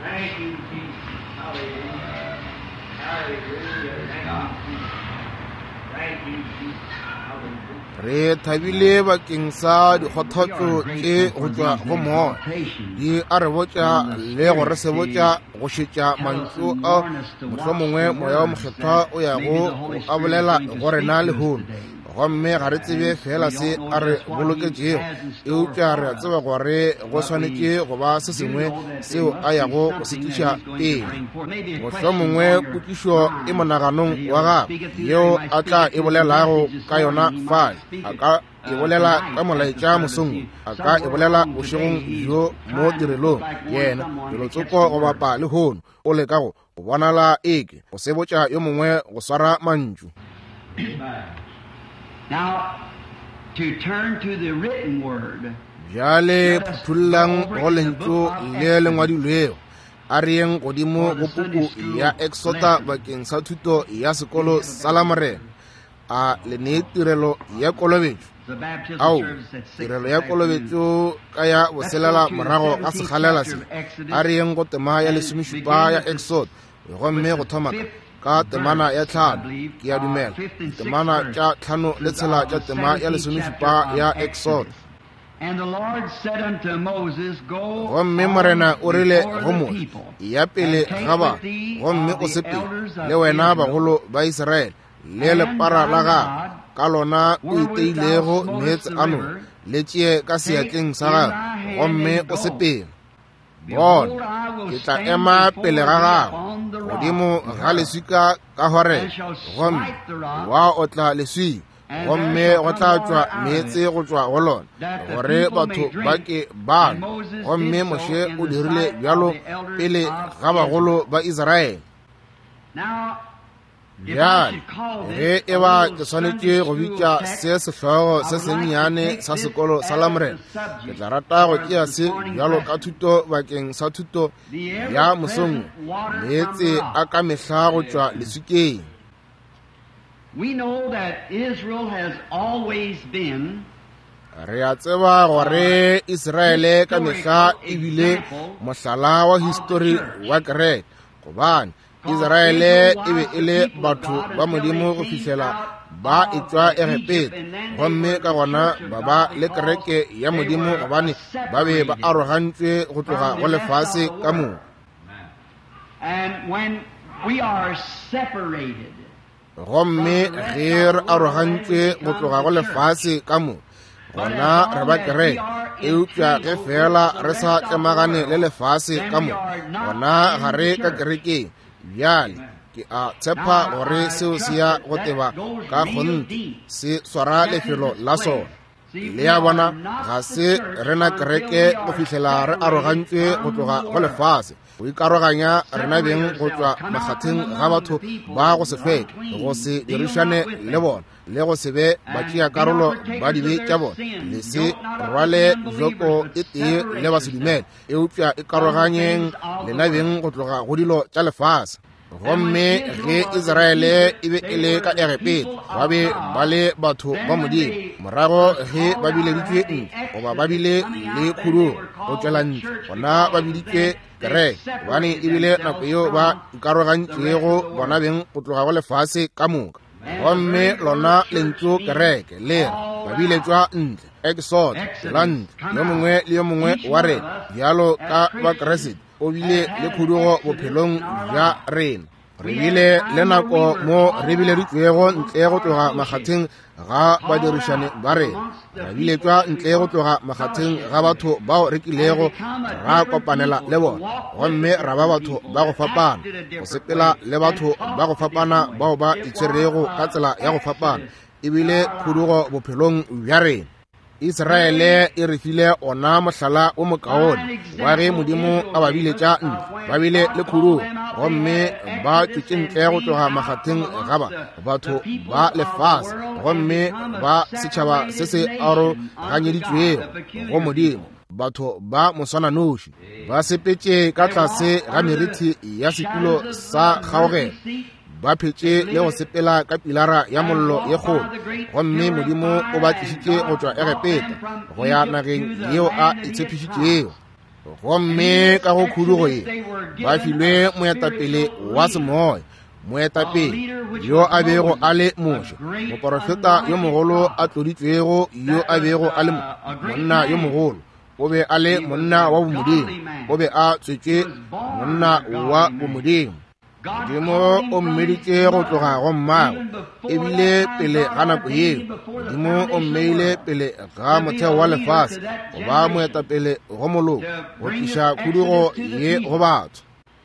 Thank you, Jesus. Hallelujah. Hallelujah. Thank you, Jesus. Thank you, Jesus. Hallelujah. Re thabile bakeng sa dikgothatso tše go tšwa go moya, di a re botša le go re sebotša go šetša mantšu a mohlomongwe moya wa mokgethwa o yago a bolela go rena lehono. Gomme ga re tsebe fela se a re boloketšego, eupša re a tseba gore go swanetše go ba se sengwe seo a yago go se tliša pele. Mohlomongwe potšišo e monaganong wa gagwe yeo a tla e bolelago ka yona fale, a ka e bolela ka molaetša mosong, a ka e bolela bošegong bjo mo tirelong. Yena felotsoko go bapa lehono o leka go bonala eke go sebotša yo mongwe go swara mantšu. Now, to turn to the written word. Bjale phuthollang go lentšu le le ngwadilwego. A re yeng godimo go puku ya Exota bakeng sa thuto ya sekolo sa Lamorena. A le nee tirelo ya kolobetšo. Ao, tirelo ya kolobetšo ka ya boselela morago ga sekgalela se. A re yeng go tema ya lesomešupa ya Exota, gomme go thoma ka ka temana ya tlhano, ke a dumela temana tša tlhano le tshela tša tema ya lesomešupa ya Exodo. Gomme Morena o rile go Moshe, ya pele ga batho, gomme o sepele le wena bagolo ba Israele le lepara la gago, ka lona o iteilego meetse a noka, le tšee ka seatleng sa gago, gomme o sepele. Bona, ke tla ema pele ga gago godimo ga leswika ka Horebe, gomme wa otla leswika, gomme go tla tšwa meetse go tšwa go lona, gore batho ba ke ba nwe. Gomme Moshe o dirile bjalo pele ga bagolo ba Israele. Bjale, ge e ba ke swanetše go bitša se sehlogo se sennyane sa sekolo sa Lamorena, ke tla rata go tšea se bjalo ka thuto bakeng sa thuto ya mosong, meetse a ka mehla go tšwa leswikeng. We know that Israel has always been Re a tseba gore Israele ka mehla e bile mohlala wa histori wa kereke, gobane Israele e be e le batho ba Modimo go fihlela ba etšwa Egepeta, gomme ka gona ba ba le kereke ya Modimo gobane ba be ba arogantšwe go tloga go lefase ka moka. And when we are separated, Gomme ge re arogantšwe go tloga go lefase ka moka, gona re ba kereke, eupša ge fela re sa tlemagane le lefase ka moka, gona ga re ka kerekeng. Bjale Ke a tshepa gore seo se ya go teba ka kgonthe, se swara lefelo la sona. Le a bona, ga se rena kereke go fihlela re arogantšwe go tloga go lefase, go ikaroganya rena beng go tšwa makgatheng ga batho ba go se hlweke, go se dirišane le bona, le go se be batšeakarolo ba dibe tša bona. Le se rwale joko e tee le basedumele, eupša ikaroganyeng lena beng go tloga go dilo tša lefase. Gomme ge Israele e be e le ka Egepeta, ba be ba le batho ba Modimo. Morago ge ba bileditšwe ntle, goba ba bile le khudugo go tšwela ntle, gona ba biditšwe kereke, gobane e bile nako yeo ba ikarogantšego bona beng go tloga go lefase ka moka. Gomme lona lentšu kereke le re ba biletšwa ntle, exod, tšwela ntle, yo mongwe le yo mongwe wa rena bjalo ka Bakriste o bile le khudugo bophelong bja rena. Re bile le nako mo re bileditšwego ntle go tloga makgatheng ga badirišane ba rena, ra biletšwa ntle go tloga makgatheng ga batho bao re kilego ra kopanela le bona, gomme ra ba batho ba go fapana, go sepela le batho ba go fapana bao ba itshwerego ka tsela ya go fapana. E bile khudugo bophelong bja rena. Israele e re file ona mohlala o mokaone wa ge Modimo a ba biletša ntle. Ba bile le khudugo, gomme ba tšwetše ntle go tloga makgatheng ga ba batho ba lefase, gomme ba setšhaba se se aroganyeditšwego go Modimo, batho ba moswananoši. Ba sepetše ka tlase ga merithi ya setulo sa kgaogelo, ba phetše le go sepela ka pilara ya mollo ye kgolo, gomme Modimo o ba tlišitše go tšwa Egepeta go ya nageng yeo a e tshepišitšego. Gomme ka go khudugo ye ba filwe moetapele wa semoya, moetapele yo a bego a le Moshe, moporofeta yo mogolo a tloditšwego, yo a bego a le monna yo mogolo. O be a le monna wa bomodimo, o be a tswetšwe monna wa bomodimo. Modimo o mmeditše go tloga go mmagwe, ebile pele ga nako yeo Modimo o mmeile pele ga motheo wa lefase go ba moetapele go moloko, go tliša khudugo ye go batho.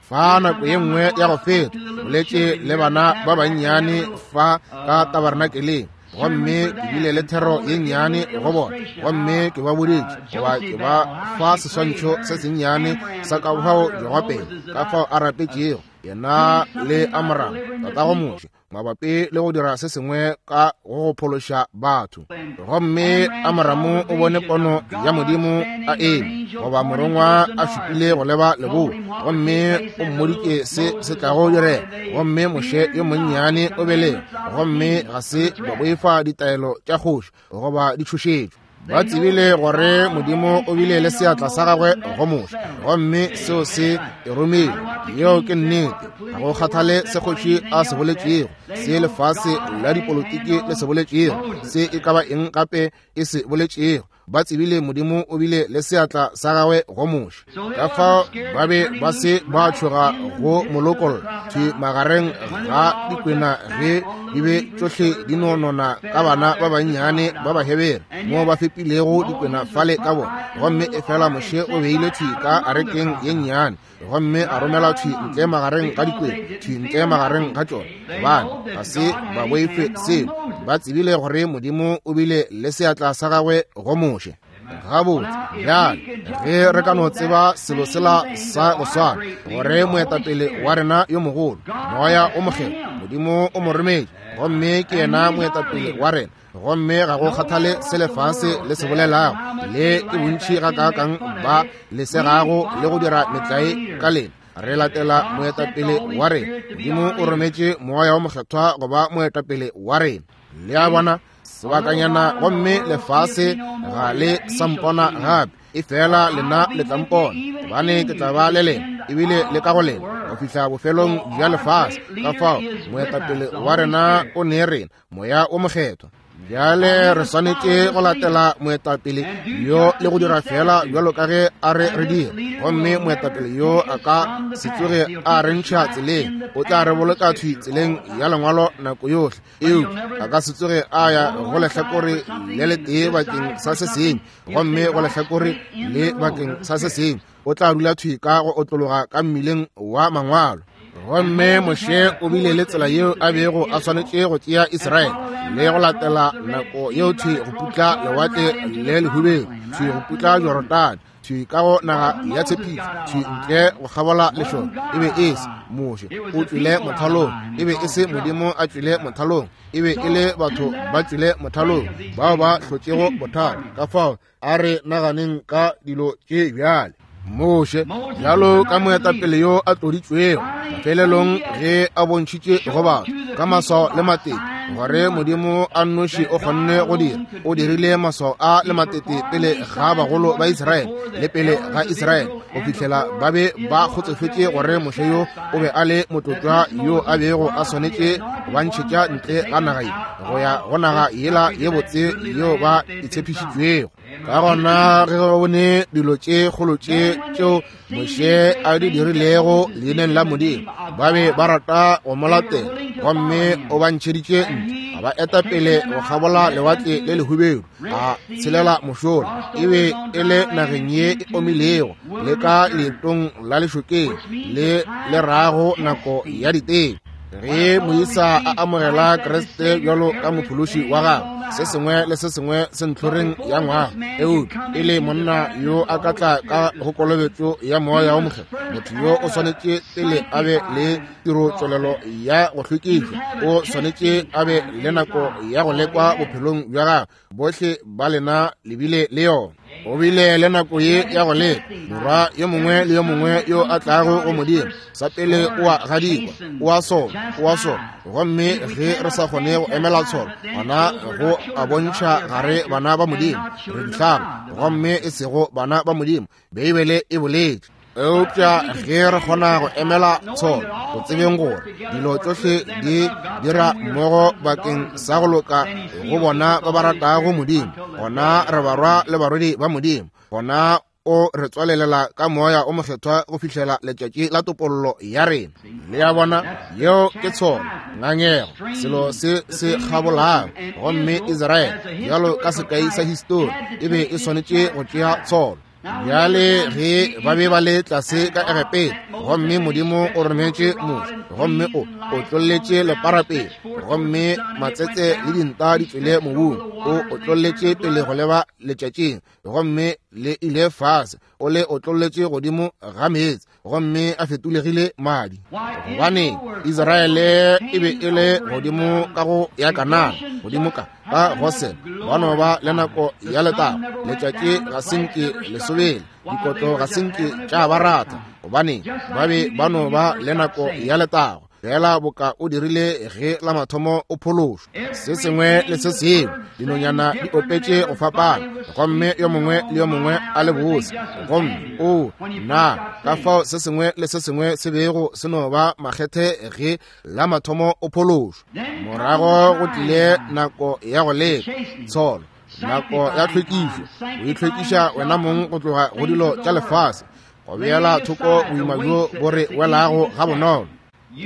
Fa nako ye nngwe ya go feta boletše le bana ba bannyane fa ka tabernakeleng, gomme ke bile le thero ye nnyane go bona, gomme ke ba boditše goba ke ba fa seswantšho se sennyane sa ka fao Jogopele, ka fao a rapetšego yena le Amram tatago Moshe mabapi le go dira se sengwe ka go go phološa batho. Gomme Amramu o bone pono ya Modimo a eme, goba morongwa a šupile go leba leboa, gomme o mmoditše se se tlago direga. Gomme Moshe yo monnyane o belege, gomme ga se ba boifa ditaelo tša kgoši goba ditšhošetšo. Ba tsebile gore Modimo o bile le seatla sa gagwe go Moshe, gomme seo se e romile. Yeo ke nnete. Ga go kgathale se kgoši a se boletšego, se lefase la dipolotiki le se boletšego, se e ka ba eng gape e se boletšego, ba tsebile Modimo o bile le seatla sa gagwe go Moshe. Ka fao ba be ba se ba tšhoga go molokolla thwi magareng ga dikwena ge di be tšohle di nonona ka bana ba bannyane ba Bahebere mo ba fepilego dikwena fale ka bona. Gomme efela Moshe o beile thwi ka arekeng ye nnyane, gomme a romela thwi ntle magareng ga dikwena, thwi ntle magareng ga tšona, gobane ga se ba boife selo. Ba tsebile gore Modimo o bile le seatla sa gagwe go Moshe. Gabotse bjale ge re ka no tseba selo sela sa go swana, gore moetapele wa rena yo mogolo, Moya o Mokgethwa, Modimo o mo rometše, gomme ke yena moetapele wa rena, gomme ga go kgathale se lefase le se bolelago, le ke bontši gakaakang ba le segago le go dira metlae ka lena, re latela moetapele wa rena. Modimo o rometše Moya o Mokgethwa go ba moetapele wa rena. Le a bona, sebakanyana gomme lefase ga le sa mpona gape, efela lena le tla mpona, gobane ke tla ba le lena ebile le ka go lena go fihla bofelong bja lefase. Ka fao moetapele wa rena o ne rena Moya o Mokgethwa. Bjale re swanetše go latela moetapele yo le go dira fela bjalo ka ge a re re dira. Gomme moetapele yo a ka se tsoge a re ntšha tseleng, o tla re boloka thwi tseleng ya lengwalo nako yohle, eupša a ka se tsoge a ya go lehlakore le letee bakeng sa se sengwe, gomme go lehlakore le bakeng sa se sengwe. O tla dula thwi ka go otlologa ka mmileng wa mangwalo. Gomme Moshe o bile le tsela yeo a bego a swanetše go tšea Israele le go latela nako yeo thwi go putla lewatle le lehubedu, thwi go putla Jorodane, thwi ka go naga ya tshepišo, thwi ntle go kgabola lešoka. E be e se Moshe o tšwile mothalong, e be e se Modimo a tšwile mothalong, e be e le batho ba tšwile mothalong bao ba hlotšego bothata. Ka fao a re naganeng ka dilo tše bjale. Moshe bjalo ka moetapele yo a tloditšwego, mafelelong ge a bontšhitše go batho ka maswao le matete gore Modimo a nnoši o kgonne go dira, o dirile maswao a le matete pele ga bagolo ba Israele le pele ga Israele go fihlela ba be ba kgotsofetše gore Moshe yo o be a le motlotlwa yo a bego a swanetše go ba ntšhetša ntle ga naga ye go ya go naga yela ye botse yeo ba e tshepišitšwego. Ka gona ge ba bone dilo tše kgolo tše tšeo Moshe a di dirilego leineng la Modimo, ba be ba rata go mo latela, gomme o ba ntšheditše ntle, a ba eta pele go kgabola lewatle le lehubedu, a tshelela mošola. E be e le nageng ye e omilego le ka leetong la lešokeng le le rago nako ya diteko. Ge moisa a amogela Kriste bjalo ka mophološi wa gagwe, se sengwe le se sengwe se ntlhoreng ya ngwaga, eupša e le monna yo a ka tla ka go kolobetšo ya moya wo mokgethwa, motho yo o swanetše pele a be le tirotšwelelo ya go hlwekišwa, o swanetše a be le nako ya go lekwa bophelong bja gagwe. Bohle ba lena le bile le yona. O bile le nako ye ya go leka. Morwa yo mongwe le yo mongwe yo a tlago go Modimo, sa pele o a gadikwa, o a sola, o a sola. Gomme ge re sa kgone go emela tsholo, gona go a bontšha gare bana ba Modimo, re dihlaba, gomme e sego bana ba Modimo. Beibele e boletše. Eupša ge re kgona go emela tsholo, go tsebeng gore dilo tšohle di dira mmogo bakeng sa go loka go bona ba ba ratago Modimo, gona re barwa le barwedi ba Modimo, gona o re tswalelela ka moya o mokgethwa go fihlela letšatši la topollo ya rena. Le ya bona, yeo ke tsholo, ngangego, selo se se kgabolago. Gomme Israele bjalo ka sekai sa histori e be e swanetše go tšea tsholo. Bjale ge ba be ba le tlase ka Egepeta, gomme Modimo o rometše Moshe, gomme o otlolletše lepara pele, gomme matsetse le dinta di tšwele mobung, o otlolletše pele go leba letšatšing, gomme le ile fase, o le otlolletše godimo ga meetse, gomme a fetolegile madi. Gobane Israele e be e le godimo ka go ya Kanana, godimo ka ka Gosen, ba no ba le nako ya letago. Letšatši ga se nke le sobele, dikotlo ga se nke tša ba rata, gobane ba be ba no ba le nako ya letago, fela boka o dirile ge la mathomo o phološwa. Se sengwe le se sengwe, dinonyana di opetše go fapana, gomme yo mongwe le yo mongwe a le bose. Gomme o na ka fao se sengwe le se sengwe se bego se no ba makgethe ge la mathomo o phološwa. Morago go tlile nako ya go leka tsholo, nako ya tlhwekišo, o itlhwekiša wena mong go tloga go dilo tša lefase, go beela thoko boima bjo bo re welago ga bonolo.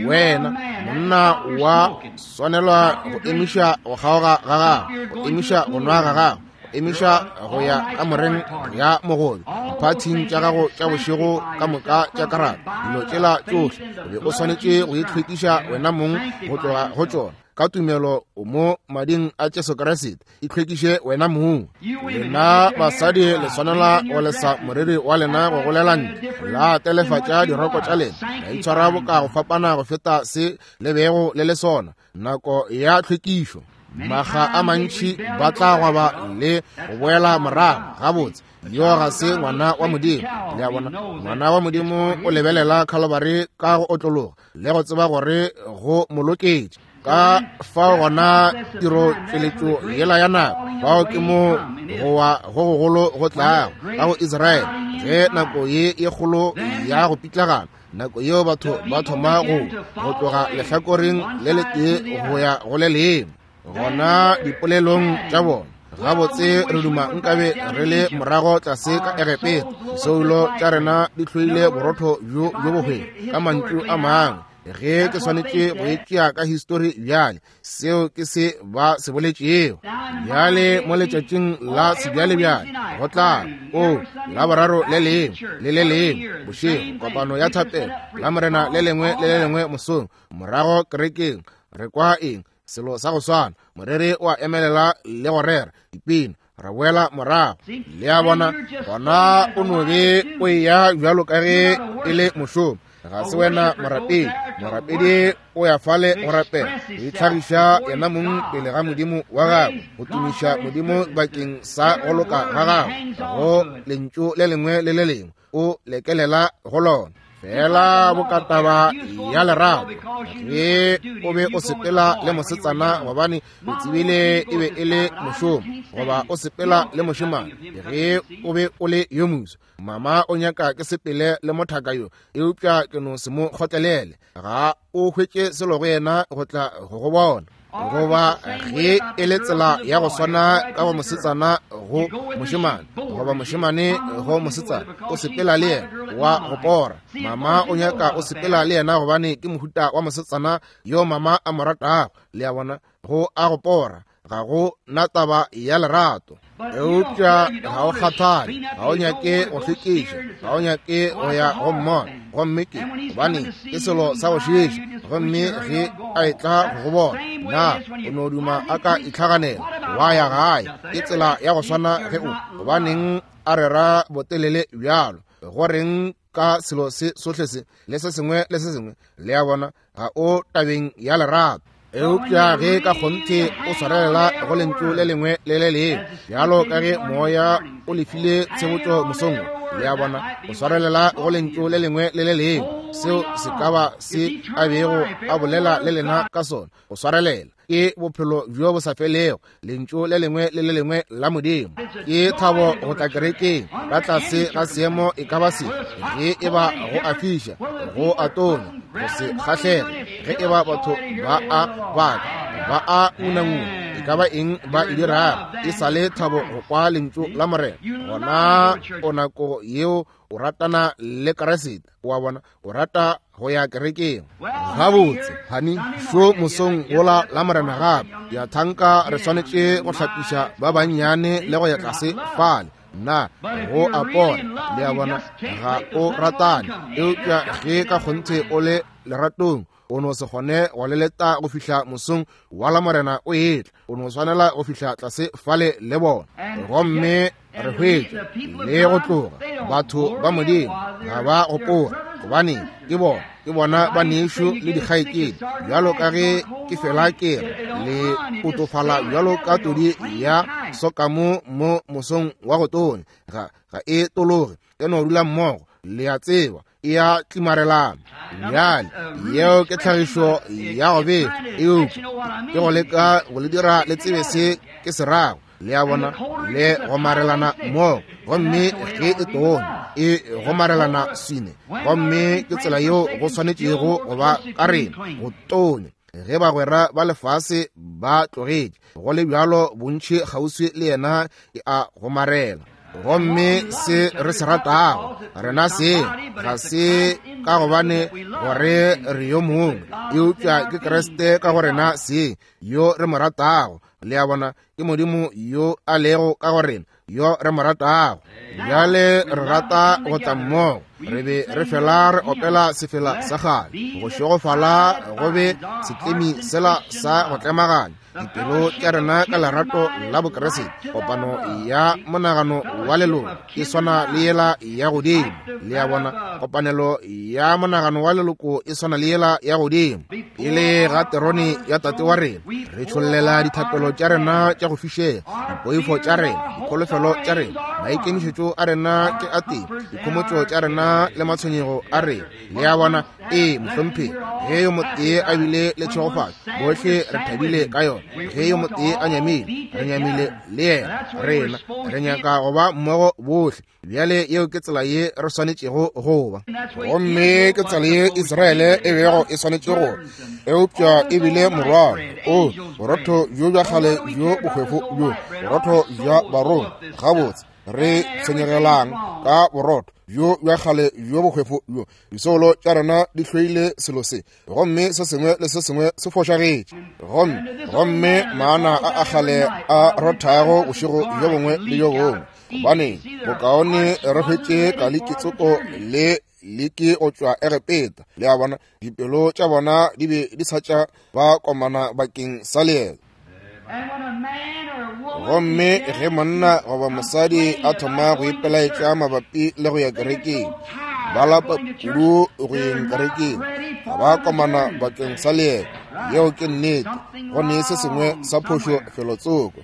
Wena monna wa swanelwa go emiša go kgaoga ga gago, go emiša go nwa ga gago, go emiša go ya kamoreng ya mogobe, diphathing tša gago tša bošego ka moka tša karata, dilo tšela tšohle o be o swanetše go itlhwekiša wena mong go tloga go tšona. Ka tumelo o mo mading a Jesu Kriste, itlhwekiše wena mong. Lena basadi le swanela go lesa moriri wa lena go golela ntle, la telefatša diroko tša lena, la itshwara boka go fapana go feta se le bego le le sona. Nako ya tlhwekišo, makga a mantši ba tla gwaba le go boela morago. Gabotse, yo ga se ngwana wa Modimo. Le a bona, ngwana wa Modimo o lebelela Calvary ka go otlologa le go tseba gore go mo loketše. Ka fao gona tiro tšweletšo yela ya nako, fao ke mo go wa go gogolo go tlago ka go Israele, ge nako ye e kgolo ya go pitlagana, nako yeo batho ba thoma go go tloga lehlakoreng le letee go ya go le lengwe. Gona dipolelong tša bona, gabotse re duma nkabe re le morago tlase ka Egepeta, disoulo tša rena di hloile borotho bjo bjo bohwefo. Ka mantšu a mangwe, Ge ke swanetše go e tšea ka histori bjale, seo ke se ba se boletšego. Bjale mo letšatšing la sebjalebjale go tla o Laboraro le lengwe le le lengwe bošego, kopano ya thapelo, Lamorena le lengwe le le lengwe mosong, morago kerekeng re kwa eng? Selo sa go swana. Moreri o a emelela le go rera dipina, ra boela morago. Le a bona, gona o no be o eya bjalo ka ge e le mošomo. Ga se wena morapedi. Morapedi o ya fale go rapela, go itlhagiša yena mong pele ga Modimo wa gagwe, go tumiša Modimo bakeng sa go loka ga gagwe go lentšu le lengwe le le lengwe o lekelela go lona. Fela bokataba ya lerato, ge o be o sepela le mosetsana gobane o tsebile e be e le mošomo, goba o sepela le mošemane ge o be o le yo moso. Mama o nyaka ke sepele le mothaka yo, eupša ke no se mo kgotlelele. Ga o hwetše selo go yena go tla go go bona. Goba ge e le tsela ya go swana ka go mosetsana go mošemane, goba mošemane go mosetsana, o sepela le yena wa go pora. Mama o nyaka o sepela le yena gobane ke mohuta wa mosetsana yo mama a mo ratago. Le a bona, go a go pora, ga go na taba ya lerato. Eupša ga o kgathale, ga o nyake go hlwekiša, ga o nyake go ya go mmona, gomme ke gobane ke selo sa go šiiša. Gomme ge a etla go go bona, na o no duma a ka itlhaganela wa ya gae. Ke tsela ya go swana ge o gobaneng a rera botelele bjalo, go reng ka selo se sohle se le se sengwe le se sengwe. Le a bona, ga o tabeng ya lerato. Eupša ge ka kgonthe o swarelela go lentšu le lengwe le le lengwe, bjalo ka ge moya o lefile tshebotšo mosong, le a bona, o swarelela go lentšu le lengwe le le lengwe, seo se ka ba se a bego a bolela le lena ka sona. O swarelela ke bophelo bjo bo sa felego, lentšu le lengwe le le lengwe la Modimo. Ke thabo go tla kerekeng ka tlase ga seemo e ka ba se, ge e ba go a fiša, go a tonya, go se kgahlege, ge e ba batho ba a baka, ba a ngunanguna, e ka ba eng ba e dirago, e sa le thabo go kwa lentšu la Morena. Gona o nako yeo o ratana le Kriste, wa bona, o rata go ya kerekeng. Gabotse, hani, šo mosong wola la Morena gape, ya thanka re swanetše go hlapiša ba bannyane le go ya tlase fale. Na go a pona, le a bona, ga o ratane. Eupša ge ka kgonthe o le leratong, o no se kgone go leleta go fihla mosong wa la Morena o etla. O no swanela go fihla tlase fale le bona. Gomme re hwetša le go tloga batho ba Modimo ga ba gopola, gobane ke bona, ke bona ba nešo le dikgaetšedi. Bjalo ka ge ke fela ke re, le otofala bjalo ka todi ya sokamo mo mosong wa go tonya, ga ga e tologe, e no dula mmogo, le a tseba, e a tlimarelana. Bjale yeo ke tlhagišo ya go befa, eupša ke go leka go le dira le tsebe se ke se rago. Le a bona, le gomarelana mmogo, gomme ge e tonya e gomarelana swine. Gomme ke tsela yeo go swanetšego go ba ka rena, go tonya. Ge bagwera ba lefase ba tlogetše, go le bjalo bontši kgauswi le yena e a gomarela. Gomme se re se ratago rena se ga se ka gobane gore re yo mongwe, eupša ke Kriste ka go rena se yo re mo ratago. Le a bona, ke Modimo yo a lego ka go rena yo re mo ratago. Bjale re rata go tla mmogo, re be re fela re opela sefela sa kgale, go šegofala go be setlemi sela sa go tlemaganya dipelo tša rena ka lerato la Bokriste. Kopano ya monagano wa leloko e swana le yela ya godimo. Le a bona, kopanelo ya monagano wa leloko e swana le yela ya godimo. Pele ga terone ya Tate wa rena re tšhollela dithapelo tša rena tša go fišega, dipoifo tša rena, dikholofelo tša rena, maikemišetšo a rena ke a teng, dikhomotšo tša rena le matshwenyego a rena. Le a bona, ee mohlomphegi, ge yo motee a bile le tšhegofatšo, bohle re thabile ka yona. Ge yo motee a nyamile, re nyamile le yena. Rena re nyaka go ba mmogo bohle. Bjale yeo ke tsela ye re swanetšego go ba, gomme ke tsela ye Israele e bego e swanetše go ba, eupša e bile morwalo. O borotho bjo bja kgale bjo bohwefo bjo, borotho bja barongwa. Gabotse, Re tshwenyegelang ka borotho bjo bja kgale bjo bohwefo bjo? Disoulo tša rena di hloile selo se, gomme se sengwe le se sengwe se fošagetše. Gomme gomme maana a a kgale a rothago bošego bjo bongwe le bjo bongwe, gobane bokaone re hwetše kalikitsoko le leke go tšwa Egepeta. Le a bona, dipelo tša bona di be di sa tša ba komana bakeng sa leeto. Gomme ge monna goba mosadi a thoma go ipelaetša mabapi le go ya kerekeng, ba lapa kudu go yeng kerekeng, ga ba komana bakeng sa leeto. Yeo ke nnete, go ne se sengwe sa phošo felotsoko.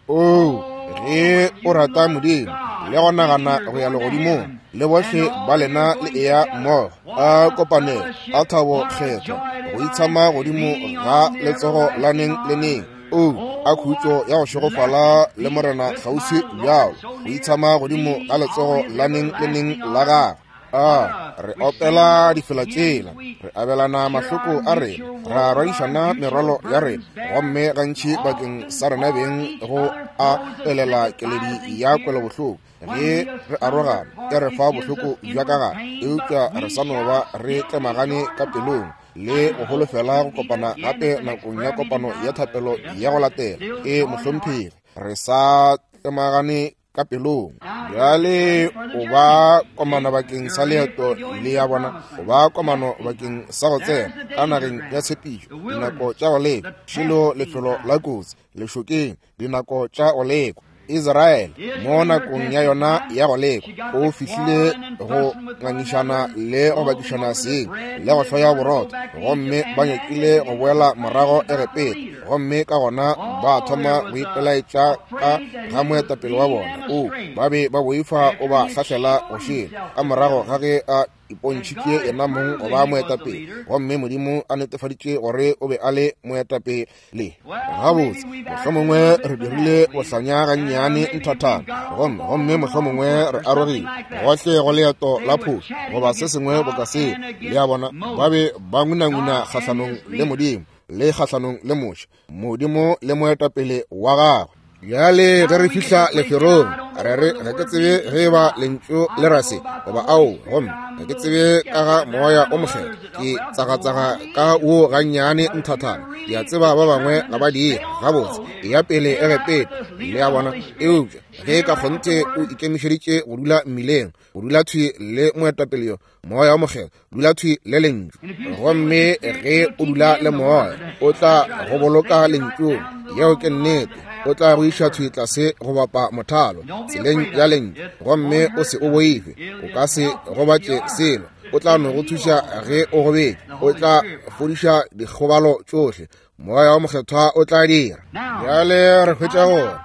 Oo, ge o rata Modimo le go nagana go ya legodimong, le bohle ba lena le eya mmogo, a kopanelo, a thabo kgethwa, go itshama godimo ga letsogo la neng le neng. O a khutšo ya go šegofala le Morena kgauswi bjalo, go itshama godimo ga letsogo la neng le neng la gagwe. A re opela difela tšela, re abelana mahloko a rena, ra rwadišana merwalo ya rena, gomme gantši bakeng sa rena beng go a elela keledi ya kwelobohloko. Ge re arogana, e re fa bohloko bja ka gare, eupša re sa no ba re tlemagane ka pelong le go holofela go kopana gape nakong ya kopano ya thapelo ya go latela. E mohlomphegi, re sa tlemagane ka pelong. Bjale o ba komano bakeng sa leeto le ya bona, o ba komano bakeng sa go tsena ka nageng ya tshepišo. Dinako tša go lekwa, šilo lefelo la kotsi, lešokeng, dinako tša go lekwa. Israel mo nakong ya yona ya go lekwa o fihlile go ngangišana le go bakišana seng le go hloya borotho, gomme ba nyakile go boela morago Egepeta, gomme ka gona ba thoma go ipelaetša ka ga moetapele wa bona. O ba be ba boifa o ba hlahlela go šele ka morago ga ge a ipontšhitše yena mong go ba moetapele, gomme Modimo a netefaditše gore o be a le moetapele. Gabotse, mohlomongwe re dirile bohlanya gannyane nthathana, gomme gomme mohlomongwe re arogile gohle go leeto la phošo goba se sengwe boka seo. Le a bona, ba be ba ngunanguna kgahlanong le Modimo le kgahlanong le Moshe, Modimo le moetapele wa gagwe. Bjale ge re fihla leferong, re re ga ke tsebe ge ba lentšu le ra se goba ao, gomme ga ke tsebe ka ga moya o mokgethwa, ke tsagatsaga ka wo gannyane nthathana. Ke a tseba ba bangwe ga ba dire gabotse, e ya pele Egepeta, le a bona. Eupša ge ka kgonthe o ikemišeditše go dula mmileng, go dula thwi le moetapele yo, moya o mokgethwa, dula thwi le lentšu. Gomme ge o dula le moya, o tla go boloka lentšung. Yeo ke nnete. O tla go iša thwi tlase go bapa mothalo tseleng ya lentšu, gomme o se o boife, o ka se gobatše selo. O tla no go thuša ge o gobetše, o tla fodiša dikgobalo tšohle. Moya o mokgethwa o tla dira. Bjale re hwetša gore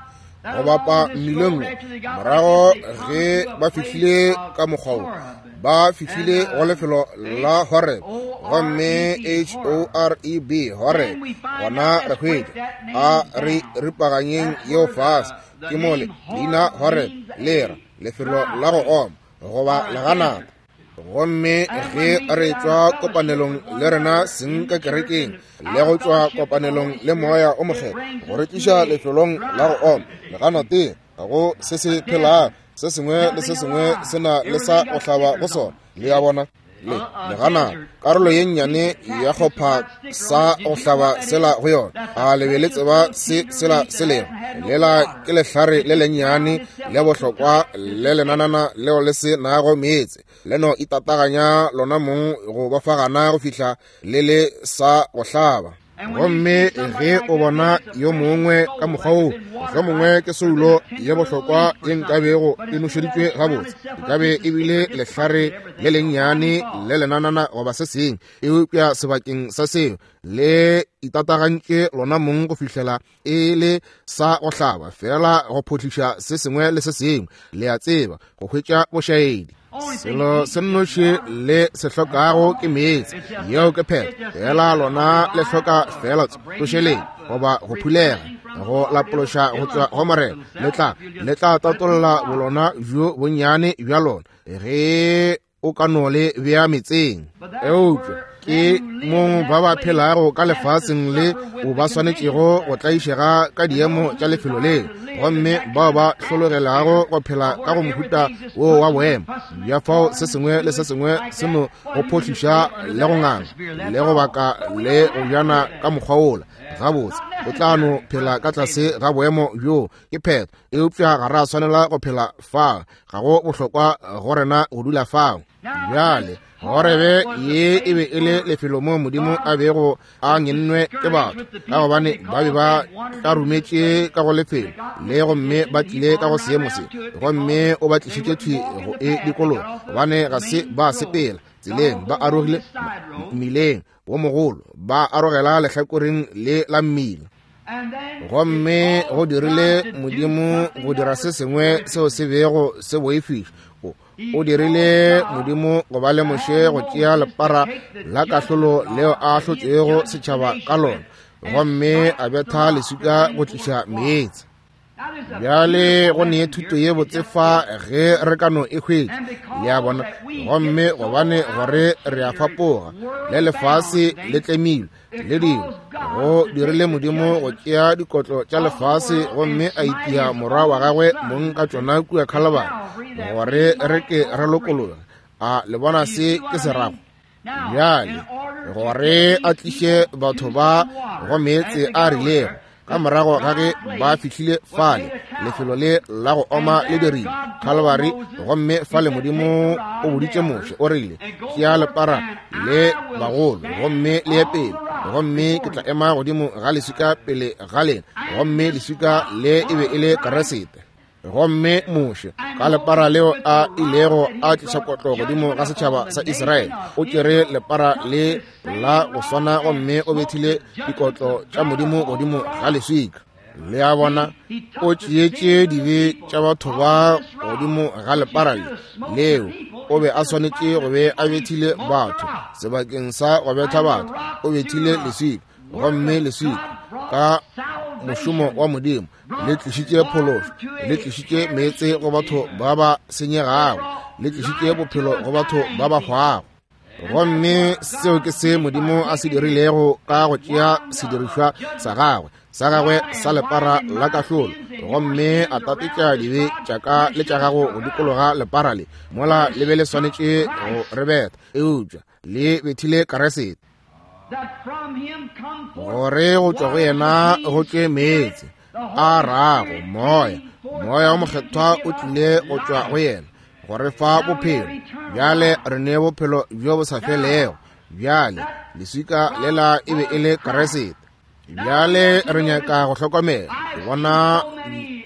go bapa mmileng morago ge ba fihlile ka mokgwa wo, ba fihlile go lefelo la Horeb, gomme H O R E B, Horeb. Gona re hwetša a re ripaganyeng yeo fase, ke mole leina Horeb le ra lefelo la go oma goba leganata. Gomme ge re tšwa kopanelong le rena seng ka kerekeng le go tšwa kopanelong le moya o mokgethwa go re tliša lefelong la go oma leganateng, ga go se se phelago, se sengwe le se sengwe se na le sa go hlaba go sona. Le a bona, le leganata, karolo ye nnyane ya kgopha sa go hlaba sela go yona. A le be le tseba se sela se lego? Lela ke lehlare le lennyane le bohlokwa le lenanana leo le se nago meetse, le no itataganya lona mong go bafagana go fihla le le sa go hlaba. Gomme ge o bona yo mongwe ka mokgwa wo, mohlomongwe ke soulo ye bohlokwa ye nkabego e nošeditšwe gabotse, e ka be e bile lehlare le lennyane le lenanana goba se sengwe, eupša sebakeng sa seo le itatagantše lona mong go fihlela e le sa go hlaba, fela go photliša se sengwe le se sengwe, le a tseba, go hwetša bošaedi. Selo se nnoši le se hlokago ke meetse, yeo ke phetho. Fela lona le hloka fela tsošeleng goba go phulega, go lapološa go tšwa go Morena. Le tla le tla tatolla bolona bjo bonnyane bja lona ge o ka no le bea metseng. Eupša Ke mo ba ba phelago ka lefaseng le o ba swanetšego go tlaišega ka diemo tša lefelo leo, gomme bao ba hlologelago go phela ka go mohuta wo wa boemo bja fao se sengwe le se sengwe se no go phohliša le go nganga le go baka le go bjana ka mokgwa wola. Gabotse o tla no phela ka tlase ga boemo bjo, ke phetho. Eupša ga ra swanela go phela fao, ga go bohlokwa go rena go dula fao. Bjale Horebe ye e be e le lefelo mo Modimo a bego a ngennwe ke batho, ka gobane ba be ba tlarumetše ka go lefelo le, gomme ba tlile ka go seemo se, gomme o ba tlišitše thwi go e dikologa, gobane ga se ba sepela tseleng, ba arogile mmileng wo mogolo, ba arogela lehlakoreng le la mmila. Gomme go dirile Modimo go dira se sengwe seo se bego se boifiša. O dirile Modimo go ba le Moshe go tšea lepara la kahlolo leo a ahlotšego setšhaba ka lona, gomme a betha leswika go tliša meetse. Bjale go ne thuto ye botse fa ge re ka no e hwetša, le a bona. Gomme gobane gore re a fapoga, le lefase le tlemilwe le dingwe, go dirile Modimo go tšea dikotlo tša lefase gomme a itia morwa wa gagwe mong ka tšona kua Khalabari, gore re ke re lokologe. A le bona se ke se rago? Bjale gore a tliše batho ba go meetse a rilego, ka morago ga ge ba fihlile fale, lefelo le la go oma le dirile Khalabari, gomme fale Modimo o boditše Moshe, o rile, tšea lepara le bagolo gomme le ye pele, gomme ke tla ema godimo ga leswika pele ga lena. Gomme leswika le e be e le Keresete. Gomme Moshe ka lepara leo a ilego a tliša kotlo godimo ga setšhaba sa Israele, o tšere lepara le la go swana gomme o bethile dikotlo tša Modimo godimo ga leswika. Le a bona, o tšeetše dibe tša batho ba godimo ga lepara le leo. O be a swanetše go be a bethile batho sebakeng sa go betha batho, o bethile leswika, gomme leswika ka mošomo wa Modimo le tlišitše phološo, le tlišitše meetse go batho ba ba senyegago, le tlišitše bophelo go batho ba ba hwago. Gomme seo ke se Modimo a se dirilego ka go tšea sedirišwa sa gagwe sa gagwe sa lepara la kahlolo, gomme a tatetša dibe tša ka le tša gago go dikologa lepara le, mola le be le swanetše go re betha, eupša le bethile Keresete, gore go tšwa go yena go tšwe meetse a rago moya. Moya o mokgethwa o tlile go tšwa go yena go re fa bophelo. Bjale re ne bophelo bjo bo sa felego. Bjale leswika lela e be e le Keresete. Bjale re nyaka go hlokomela go bona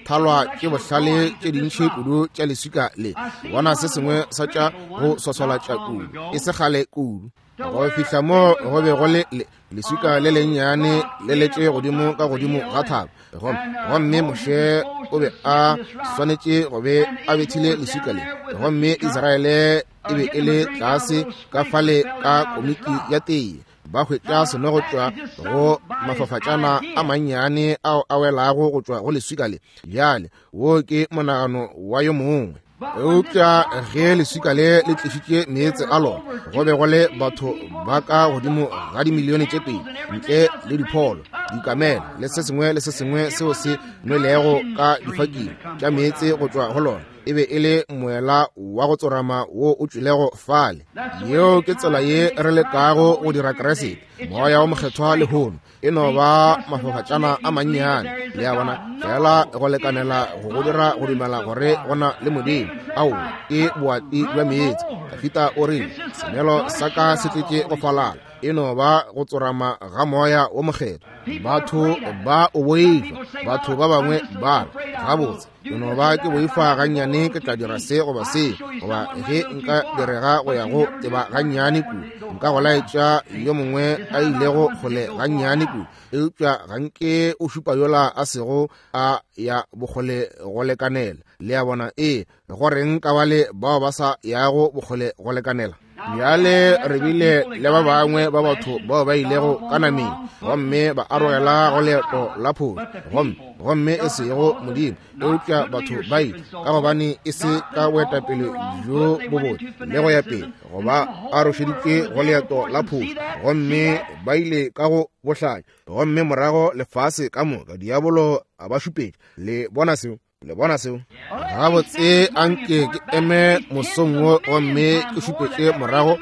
thalwa tše bohlale tše dintši kudu tša leswika le, bona se sengwe sa tša go swaswalatša kudu, e se kgale kudu. Go fihla mo go be go le leswika le lennyane le letše godimo ka godimo ga thaba, gomme Moshe o be a swanetše go be a bethile leswika le, gomme Israele e be e le tlase ka fale ka komiki ya teye, ba hwetša seno go tšwa go mafafatšana a mannyane ao a welago go tšwa go leswika le. Bjale wo ke monagano wa yo mongwe. Eupša ge leswika le le tlišitše meetse a lona, go be go le batho ba ka godimo ga dimilione tše pedi, ntle le dipholo, dikamela le se sengwe le se sengwe seo se nwelego ka difaking tša meetse go tšwa go lona. E be e le moela wa go tsorama wo o tšwilego fale. Yeo ke tsela ye re lekago go dira Keresete, moya o mokgethwa lehono. E no ba mafafatšana a mannyane, le a bona, fela go lekanela go go dira go dumela gore go na le Modimo. Ao, ke boati bja meetse. Dafita o rile, senelo sa ka se tletše go falala. E no ba go tsorama ga moya wo mokgethwa. Batho ba o boifa, batho ba bangwe ba re, gabotse ke no ba ke boifa gannyane, ke tla dira se goba se, goba ge nka direga go ya go teba gannyane kudu, nka go laetša yo mongwe a ilego kgole gannyane kudu. Eupša ga nke o šupa yola a sego a ya bokgole go lekanela. Le a bona? Ee, goreng ka bale bao ba sa yago bokgole go lekanela? Bjale re bile le ba bangwe ba batho bao ba ilego ka nameng gomme ba arogela go leeto la phošo, gomme gomme e sego Modimo, eupša batho ba ile ka gobane e se ka boetapele bjo bobotse le go ya pele, goba arošeditše go leeto la phošo, gomme ba ile ka go bohlanya, gomme morago lefase ka moka diabolo a ba šupetša. Le bona seo? Le bona seo? Gabotse anke ke eme mosong wo gomme ke šupetše morago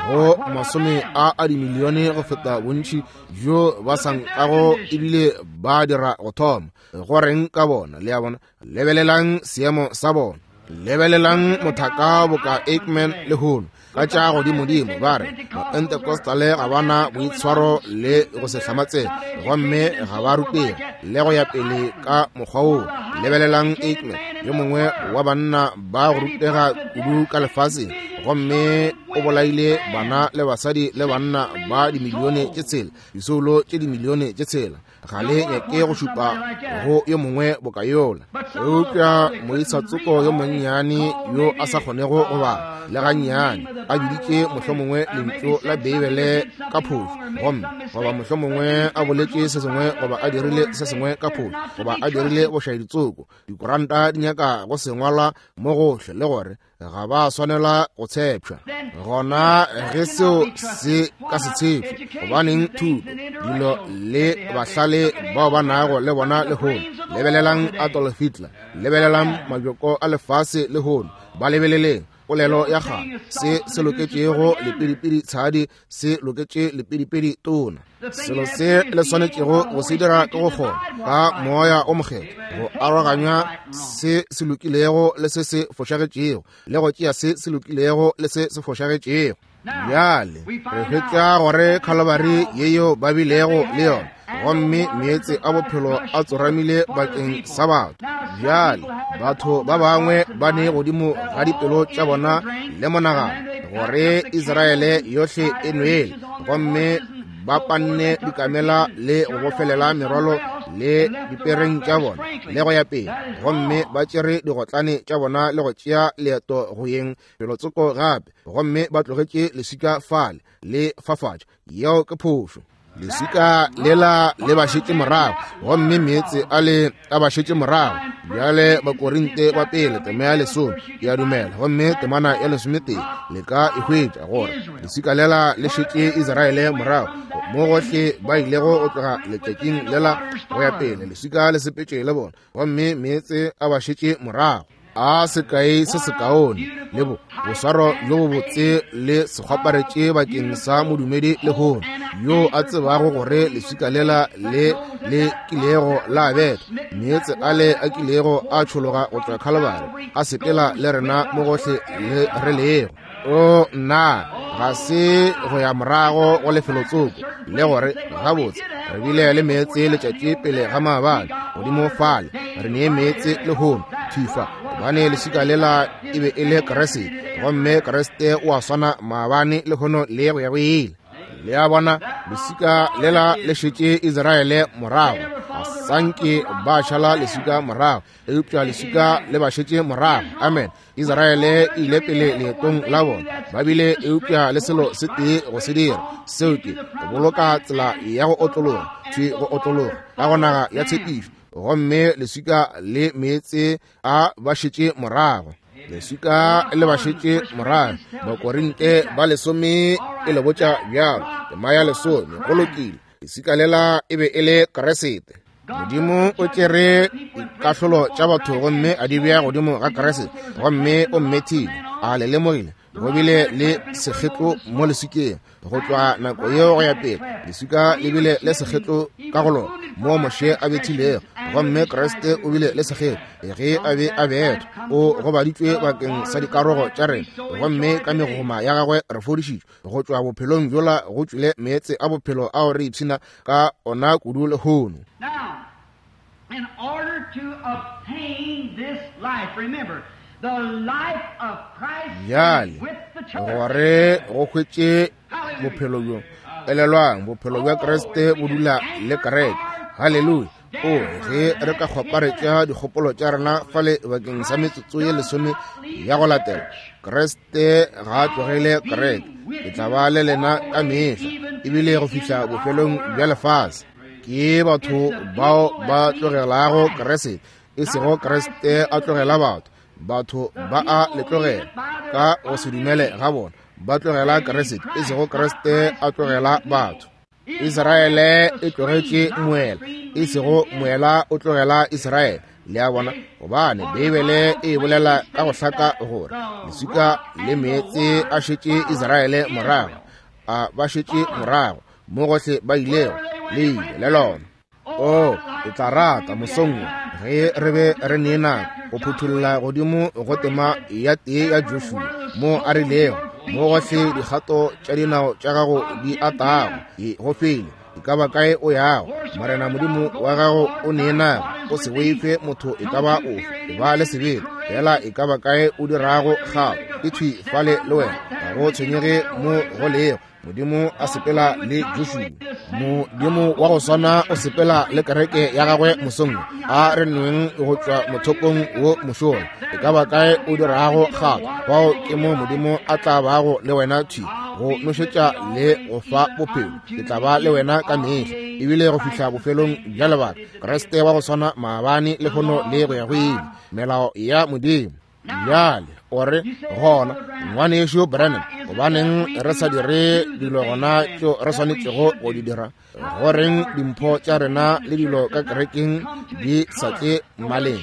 go masome a a dimilione go feta bontši bjo ba sa nkago ebile ba dira go thoma. Go reng ka bona? Le a bona? Lebelelang seemo sa bona. Lebelelang mothaka boka Aikman lehono ka tša godimodimo, ba re Mapentecostale ga bana boitshwaro le go se hlamatsega, gomme ga ba rutega le go ya pele ka mokgwa woo. Lebelelang Aikman, yo mongwe wa banna ba go rutega kudu ka lefaseng, gomme o bolaile bana le basadi le banna ba dimilione tše tshela, disoulo tše dimilione tše tshela. Ga le nyake go šupa go yo mongwe boka yola, eupša moisa-tsoko yo monnyane yo a sa kgonego go bala le gannyane a biditše mohlomongwe lentšu la Beibele ka phošo, gomme goba mohlomongwe a boletše se sengwe goba a dirile se sengwe ka phošo goba a dirile bošaeditsoko. Dikoranta di nyaka go sengwalwa mo gohle le gore ga ba swanela go tshepša. Gona ge seo se ka se tshepše, gobaneng thuto dilo le bahlale bao ba nago le bona lehono. Lebelelang Adolf Hitler, lebelelang majoko a lefase lehono, ba lebeleleng polelo ya kgale, se se loketšego lepidipidi tshadi se loketše lepidipidi tona. Selo se le swanetšego go se dira ke go kgona ka moya o mokgethwa go aroganya se se lokilego le se se fošagetšego, le go tšea se se lokilego le se se fošagetšego. Bjale re hwetša gore Calvary yeo ba bilego le yona, gomme meetse a bophelo a tsoramile bakeng sa batho. Bjale batho ba bangwe ba ne godimo ga dipelo tša bona le monagano gore Israele yohle e nwele, gomme ba panne dikamela le go bofelela merwalo le dipereng tša bona le go ya pele, gomme ba tšere digotlane tša bona le go tšea leeto go yeng felotsoko gape, gomme ba tlogetše leswika fale le fafatša. Yeo ke phošo. Leswika lela le ba šetše morago, gomme meetse a le a ba šetše morago. Bjale Bakorinte ba pele tema ya lesome ke a dumela, gomme temana ya lesometee le ka e hwetša gore leswika lela le šetše Israele morago mo gohle ba ilego go tloga letšatšing lela go ya pele. Leswika le sepetše le bona, gomme meetse a ba šetše morago. A sekae se sekaone le bo boswaro bjo bobotse le sekgwaparetše bakeng sa modumedi lehono yo a tsebago gore leswika lela le le kilego la betha, meetse ale a kilego a tšhologa go tšwa Calvary a sepela le rena mo gohle le re lego. O nna ga se go ya morago go lefelotsoko le gore gabotse re bile le meetse letšatši pele ga maabane godimo fale, re nee meetse lehono thifa, gobane leswika lela e be e le Kriste, gomme Kriste o a swana maabane lehono le go ya go ile. Le a bona, leswika lela le šetše Israele morago, ga sanke ba šala leswika morago, eupša leswika le ba šetše morago. Amen. Israele e ile pele leetong la bona, ba bile eupša le selo se tee go se dira, seo ke go boloka tsela ya go otlologa, thwi go otlologa ka go naga ya tshepišo, gomme leswika le meetse a ba šetše morago. Leswika le ba šetše morago. Bakorinte ba lesome e le botša bjalo, tema ya lesome, go lokile. Leswika lela e be e le Kriste. Modimo o tšere dikahlolo tša batho gomme a di bea godimo ga Kriste, gomme o mmethile. A le lemogile go bile le sekgetlo mo leswikeng go tloga nako yeo go ya pele. Leswika le bile le sekgetlo ka go lona mo Moshe a bethilego, gomme Kriste o bile le sekgetlo ge a be a bethwa. O gobaditšwe bakeng sa dikarogo tša rena, gomme ka megoma ya gagwe re fodišitšwe. Go tšwa bophelong bjola go tšwile meetse a bophelo ao re ipshina ka ona kudu lehono. In order to obtain this life, remember, the life of Christ Bjale with the church. gore go hwetše bophelo bjo, elelwang, bophelo bja Kriste bo dula le kereke. Haleluya. O, ge re ka kgwaparetša dikgopolo tša rena fale bakeng sa metsotso ye lesome ya go latela, Kriste ga a tlogele kereke. Ke tla ba le lena ka mehla, ebile go fihla bofelong bja lefase. Ke batho bao ba tlogelago Kriste, e sego Kriste a tlogela batho. Batho ba a le tlogela ka go se dumele ga bona, ba tlogela Kriste, e sego Kriste a tlogela batho. Israele e tlogetše moela, e sego moela o tlogela Israele. Le a bona, gobane Beibele e bolela ka go hlaka gore leswika le meetse a šetše Israele morago, a ba šetše morago mo gohle ba ilego, le ile le lona. O, ke tla rata mosong wo ge re be re ne nako go phuthulla godimo go tema ya tee ya Joshua, mo a rilego mo gohle dikgato tša dinao tša gago di atago, go fele e ka ba kae o yago, Morena Modimo wa gago o ne nako. O se boife motho e ka ba ofe, e ba le sebete fela e ka ba kae o dirago kgato, ke thwi fale le wena, ga go tshwenyege mo go lego. Modimo a sepela le Joshua. Modimo wa go swana o sepela le kereke ya gagwe mosong. A re nweng go tšwa mothopong wo mošola, e ka ba kae o dirago kgato, fao ke mo Modimo a tla bago le wena thwi go nošetša le go fa bophelo. Ke tla ba le wena ka mehla, ebile go fihla bofelong bja lebaka. Kriste wa go swana maabane, lehono le go ya go ile. Melao ya Modimo. Bjale o re gona, ngwanešu Branham, gobaneng re sa dire dilo gona tšeo re swanetšego go di dira? Goreng dimpho tša rena le dilo ka kerekeng di sa tle mmaleng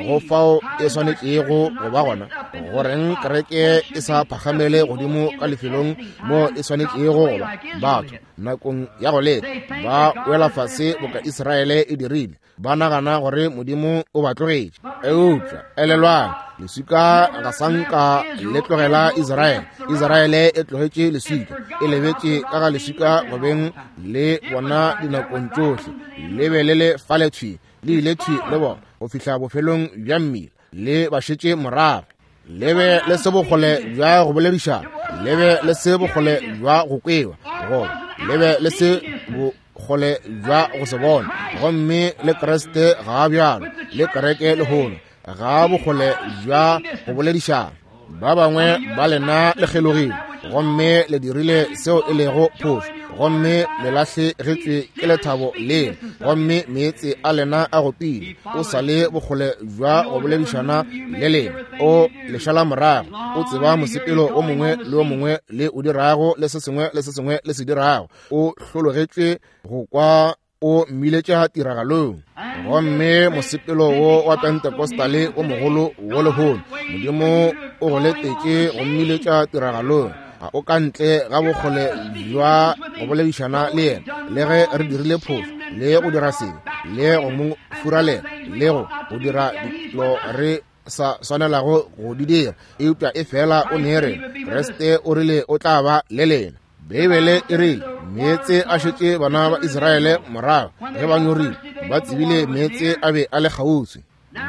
go fao e swanetšego go ba gona? Goreng kereke e sa phagamele godimo ka lefelong mo e swanetšego go ba? Batho nakong ya go leka ba wela fase boka Israele e dirile, ba nagana gore Modimo o ba tlogetše. Eupša elelwang, leswika ga sa nka le tlogela Israele. Israele e tlogetše leswika, e lebetše ka ga leswika go beng le bona dinakong tšohle. Le be le le fale thwi, le ile thwi le bona go fihla bofelong bja mmila, le ba šetše morago. Le be le se bokgole bja go boledišana, le be le se bokgole bja go kwewa, goba le be le se bokgole bja go se bona. Gomme le Kriste ga a bjalo, le kereke lehono ga bokgole bja go boledišana. Ba bangwe ba lena le kgelogile, gomme le dirile seo e lego phošo, gomme le lahlegetšwe ke lethabo lena, gomme meetse a lena a gopile. O sa le bokgole bja go boledišana le lena, o le šala morago, o tseba mosepelo o mongwe le o mongwe le o dirago, le se sengwe le se sengwe le se dirago. O hlologetšwe go kwa o mmiletša tiragalong. Gomme mosepelo wo wa Pentecostale o mogolo wo lehono, Modimo o go letetše go mmiletša tiragalong. Ga o ka ntle ga bokgole bja go boledišana le yena, le ge re dirile phošo le go dira sebe le go mo furalela le go go dira dilo re sa swanelago go di dira, eupša e fela o ne re Kriste o rile o tla ba le lena. Beibele e rile meetse a šetše bana ba Israele morago ge ba nyorile, ba tsebile meetse a be a le kgauswi.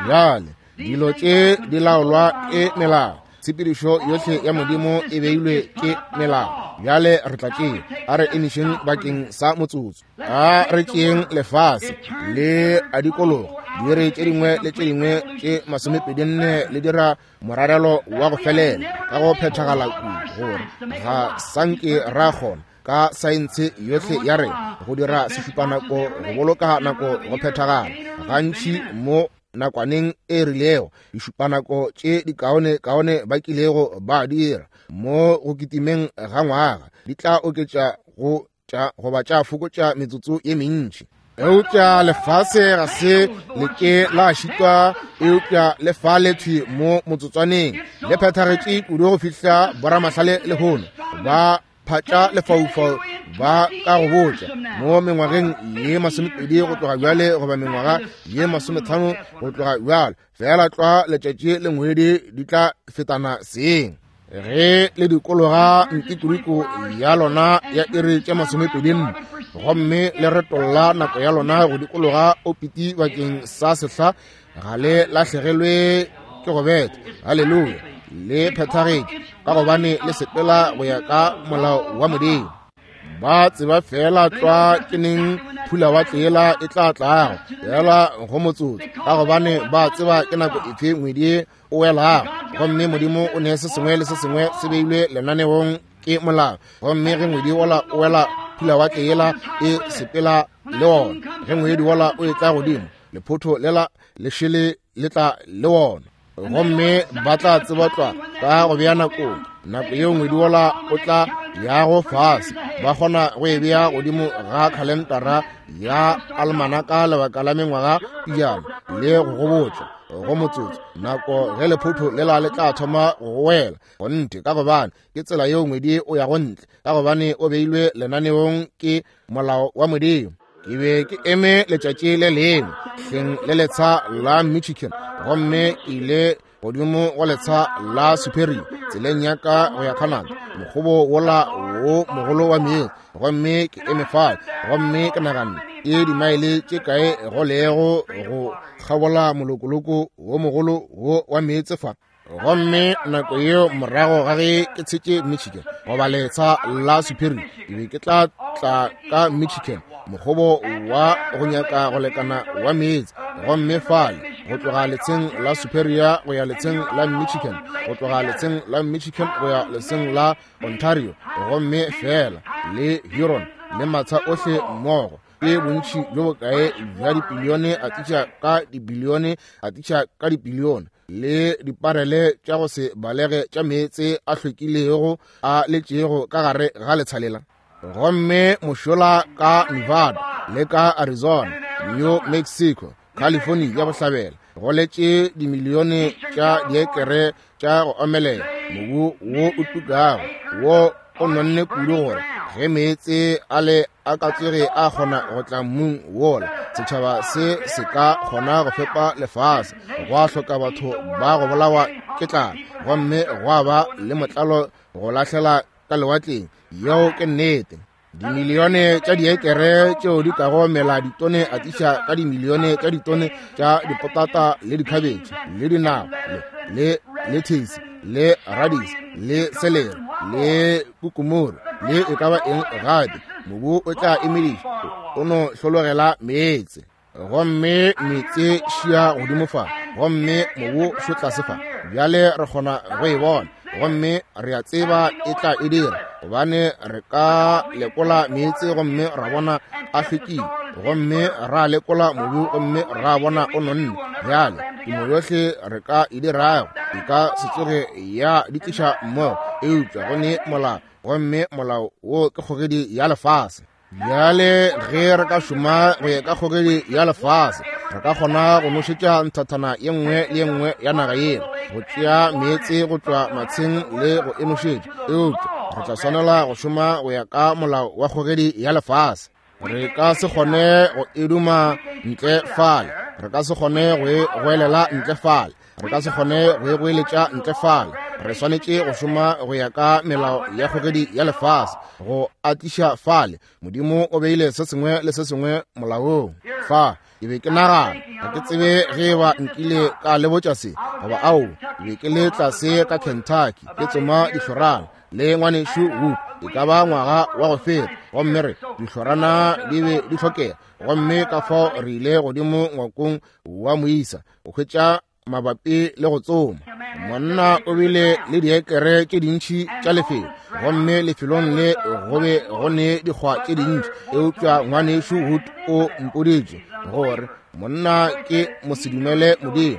Bjale dilo tše di laolwa ke melao. Tshepedišo yohle ya Modimo e beilwe ke melao. Bjale re tla tšea, a re emišeng bakeng sa motsotso. A re tšeeng lefase le a dikologa, diiri tše dingwe le tše dingwe tše masomepedi nne le dira morarelo wa go felela ka go phethagala kudu gore ga sanke ra kgona ka saense yohle ya rena go dira sešupanako go boloka nako go phethagala. Gantši mo nakwaneng e rilego dišupanako tše dikaone kaone ba kilego ba dira mo go kitimeng ga ngwaga di tla oketša go tša goba tša fokotša metsotso ye mentši. Eupša lefase ga se le ke la šitwa, eupša le fale thwi mo motsotswaneng le phethagetše kudu go fihla boramahlale lehono ba phatša lefaufau ba ka go botša mo mengwageng ye masomepedi go tloga bjale goba mengwaga ye masometlhano go tloga bjale, fela tlwa letšatši le ngwedi di tla fetana seng. Ge le dikologa ntikodiko ya lona ya iri tše masomepedi nne, gomme le retolla nako ya lona go dikologa opiti bakeng sa sehla, ga le lahlegelwe ke go betha. Haleluya! Le phethagetše ka gobane le sepela go ya ka molao wa Modimo. Ba tseba fela tlwa ke neng phulawatle yela e tla tlago, fela go motsotso, ka gobane ba tseba ke nako efe ngwedi o welago. Gomme Modimo o ne se sengwe le se sengwe se beilwe lenaneong ke molao. Gomme ge ngwedi wola o wela, phulawatle yela e sepela le wona. Ge ngwedi wola o etla godimo, lephotho lela le šele le tla le wona. Gomme ba tla tseba tlwa ka go bea nakong, nako yeo ngwedi wola o tla yago fase, ba kgona go e bea godimo ga khalentara ya almanaka lebaka la mengwaga pejana le go gobotša go motsotso nako ge lephotho lela le tla thoma go wela. Gonthe, ka gobane ke tsela yeo ngwedi o yago ntle, ka gobane o beilwe lenaneong ke molao wa Modimo. Ke be ke eme letšatši le lengwe hleng le letsha la Michigan, gomme ke ile godimo go letsha la Superior tseleng ya ka go ya Canada, mokgobo wola wo mogolo wa meetse. Gomme ke eme fale, gomme ke naganne ke dimaele tše kae go lego go kgabola molokoloko wo mogolo wo wa meetse fa. Gomme nako yeo morago ga ge ke tshetše Michigan goba letsha la Superior, ke be ke tla tla ka Michigan, mokgobo wa go nyaka go lekana wa meetse. Gomme fale go tloga letsheng la Superior go ya letsheng la Michigan, go tloga letsheng la Michigan go ya letsheng la Ontario, gomme fela le Huron le matsha ohle mmogo, ke bontši bjo bokae bja dibilione a tliša ka dibilione a tliša ka dibilione le diparele tša go se balege tša meetse a hlwekilego a letšego ka gare ga letsha lela. Gomme mošola ka Nevada le ka Arizona, New Mexico, California ya bohlabela, go letše dimilione tša diekere tša go omelela, mobu wo o tukago wo o nonne kudu gore ge meetse a le a ka tsoge a kgona go tla mmung wola, setšhaba se se ka kgona go fepa lefase. Gwa hloka batho ba go bolawa ke tlala, gomme gwa ba le motlalo go lahlela ka lewatleng. Yeo ke nnete. Dimilione tša diekere tšeo di kago mela ditone a tliša ka dimilione tša ditone tša dipotata le dikhabetšhe le dinawa le le lettuce le radish le celery le kukumuru le e ka ba eng gape. Mobu o tla emediša, o no hlologela meetse. Gomme meetse šia godimo fa, gomme mobu šo tlase fa. Bjale re kgona go e bona, gomme re a tseba e tla e dira, gobane re ka lekola meetse gomme ra bona a hlwekile, gomme ra lekola mobu gomme ra bona o nonne. Bjale temo yohle re ka e dirago e ka se tsoge ya di tliša mmogo, eupša go ne molao, gomme molao wo ke kgogedi ya lefase. Bjale ge re ka šoma go ya ka kgogedi ya lefase, re ka kgona go nošetša nthathana ye nngwe le ye nngwe ya naga yela, go tšea meetse go tšwa matsheng le go e nošetša, eupša re tla swanela go šoma go ya ka molao wa kgogedi ya lefase. Re ka se kgone go e duma ntle fale, re ka se kgone go e goelela ntle fale, re ka se kgone go e goeletša ntle fale. Re swanetše go šoma go ya ka melao ya kgogedi ya lefase go atliša fale. Modimo o beile se sengwe le se sengwe molaong fa. Ke be ke nagana, ga ke tsebe ge ba nkile ka le botša se goba ao. Ke be ke le tlase ka Kentucky ke tsoma dihlorana le ngwanešu Wood, e ka ba ngwaga wa go feta, gomme re dihlorana di be di hlokega. Gomme ka fao re ile godimo ngwakong wa moisa go hwetša mabapi le go tsoma. Monna o bile le diekere tše dintši tša lefelo, gomme lefelong le go be go ne dikgwa tše dintši, eupša ngwanešu Wood o mpoditše gore monna ke mosedumele Modimo,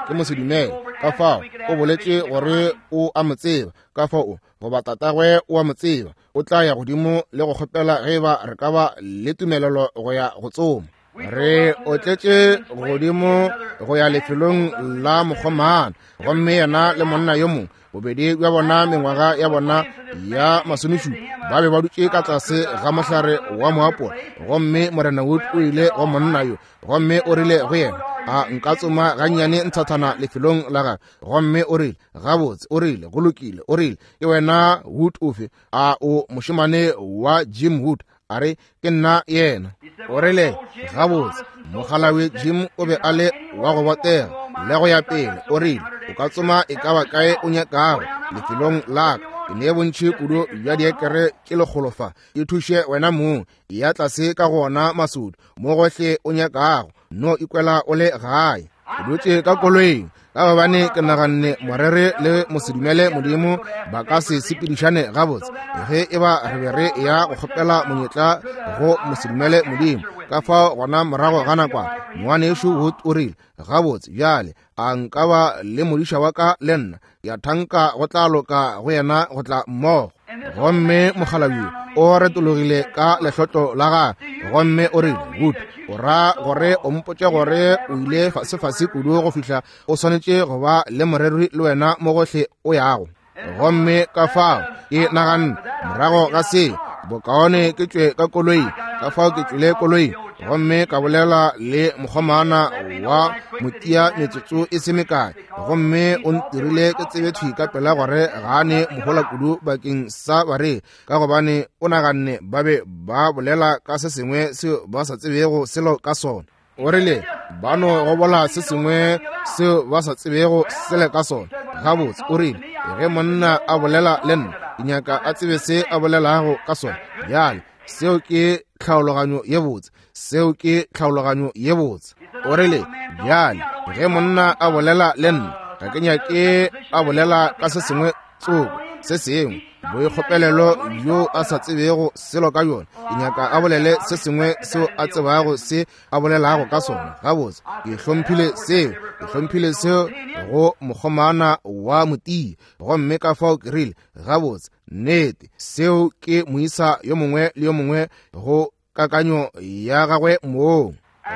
ke mosedumele. Ka fao o boletše gore o a mo tseba, ka fao goba tatagwe o a mo tseba, o tla ya godimo le go kgopela ge ba re ka ba le tumelelo go ya go tsoma. Re otletše godimo go ya lefelong la mokgomana, gomme yena le monna yo mongwe, bobedi bja bona mengwaga ya bona ya masomešupa, ba be ba dutše ka tlase ga mohlare wa moapola. Gomme Morena Wood o ile go monna yo, gomme o rile go yena, a nka tsoma gannyane nthathana lefelong la gagwe. Gomme o rile, gabotse, o rile, go lokile, o rile, ke wena Wood ofe? A o mošemane wa Jim Wood? A re, ke nna yena. O rile, gabotse, mogalawe Jim o be a le wa go botega le go ya pele. O rile, o ka tsoma e ka ba kae o nyakago lefelong la ka, Ke ne bontši kudu bja diekere tše lekgolo fa. E thuše wena mong, ya tlase ka gona masodi, mo gohle o nyakago, no ikwela o le gae. Ke dutše ka koloing, ka gobane ke naganne morere le mosedumele Modimo ba ka se sepedišane gabotse ge e ba re be re ya go kgopela monyetla go mosedumele Modimo. Ka fao gona morago ga nakwana ngwanešu Wood o rile, gabotse bjale a nka ba le modiša wa ka le nna, ya thanka go tla loka go yena go tla mmogo. Gomme mokgalabje o retologile ka lehlotlo la gagwe gomme o rile, Wood, o ra gore o mpotše gore o ile fasefase kudu go fihla o swanetše go ba le moreri le wena mo gohle o yago? Gomme ka fao ke naganne morago ga se bokaone ke tšwe ka koloi. Ka fao ke tšwile koloi gomme ka bolela le mokgomana wa motia metsotso e se mekae, gomme o ntirile ke tsebe thwi ka pela gore ga a ne mohola kudu bakeng sa bareri, ka gobane o naganne ba be ba bolela ka se sengwe seo ba sa tsebego selo ka sona. O rile ba no gobola se sengwe seo ba sa tsebego selo ka sona. Gabotse, o rile ge monna a bolela le nna, ke nyaka a tsebe se a bolelago ka sona. Bjale seo ke tlhaologanyo ye botse, seo ke tlhaologanyo ye botse. O rile bjale ge monna a bolela le nna, ga ke nyake a bolela ka se sengwe tsoko se sengwe boikgopelelo bjo a sa tsebego selo ka yona, ke nyaka a bolele se sengwe seo a tsebago se a bolelago ka sona. Gabotse, ke hlomphile seo, ke hlomphile seo go mokgomana wa motia. Gomme ka fao ke rile, gabotse, nnete, seo ke moisa yo mongwe le yo mongwe go kakanyo ya gagwe mong.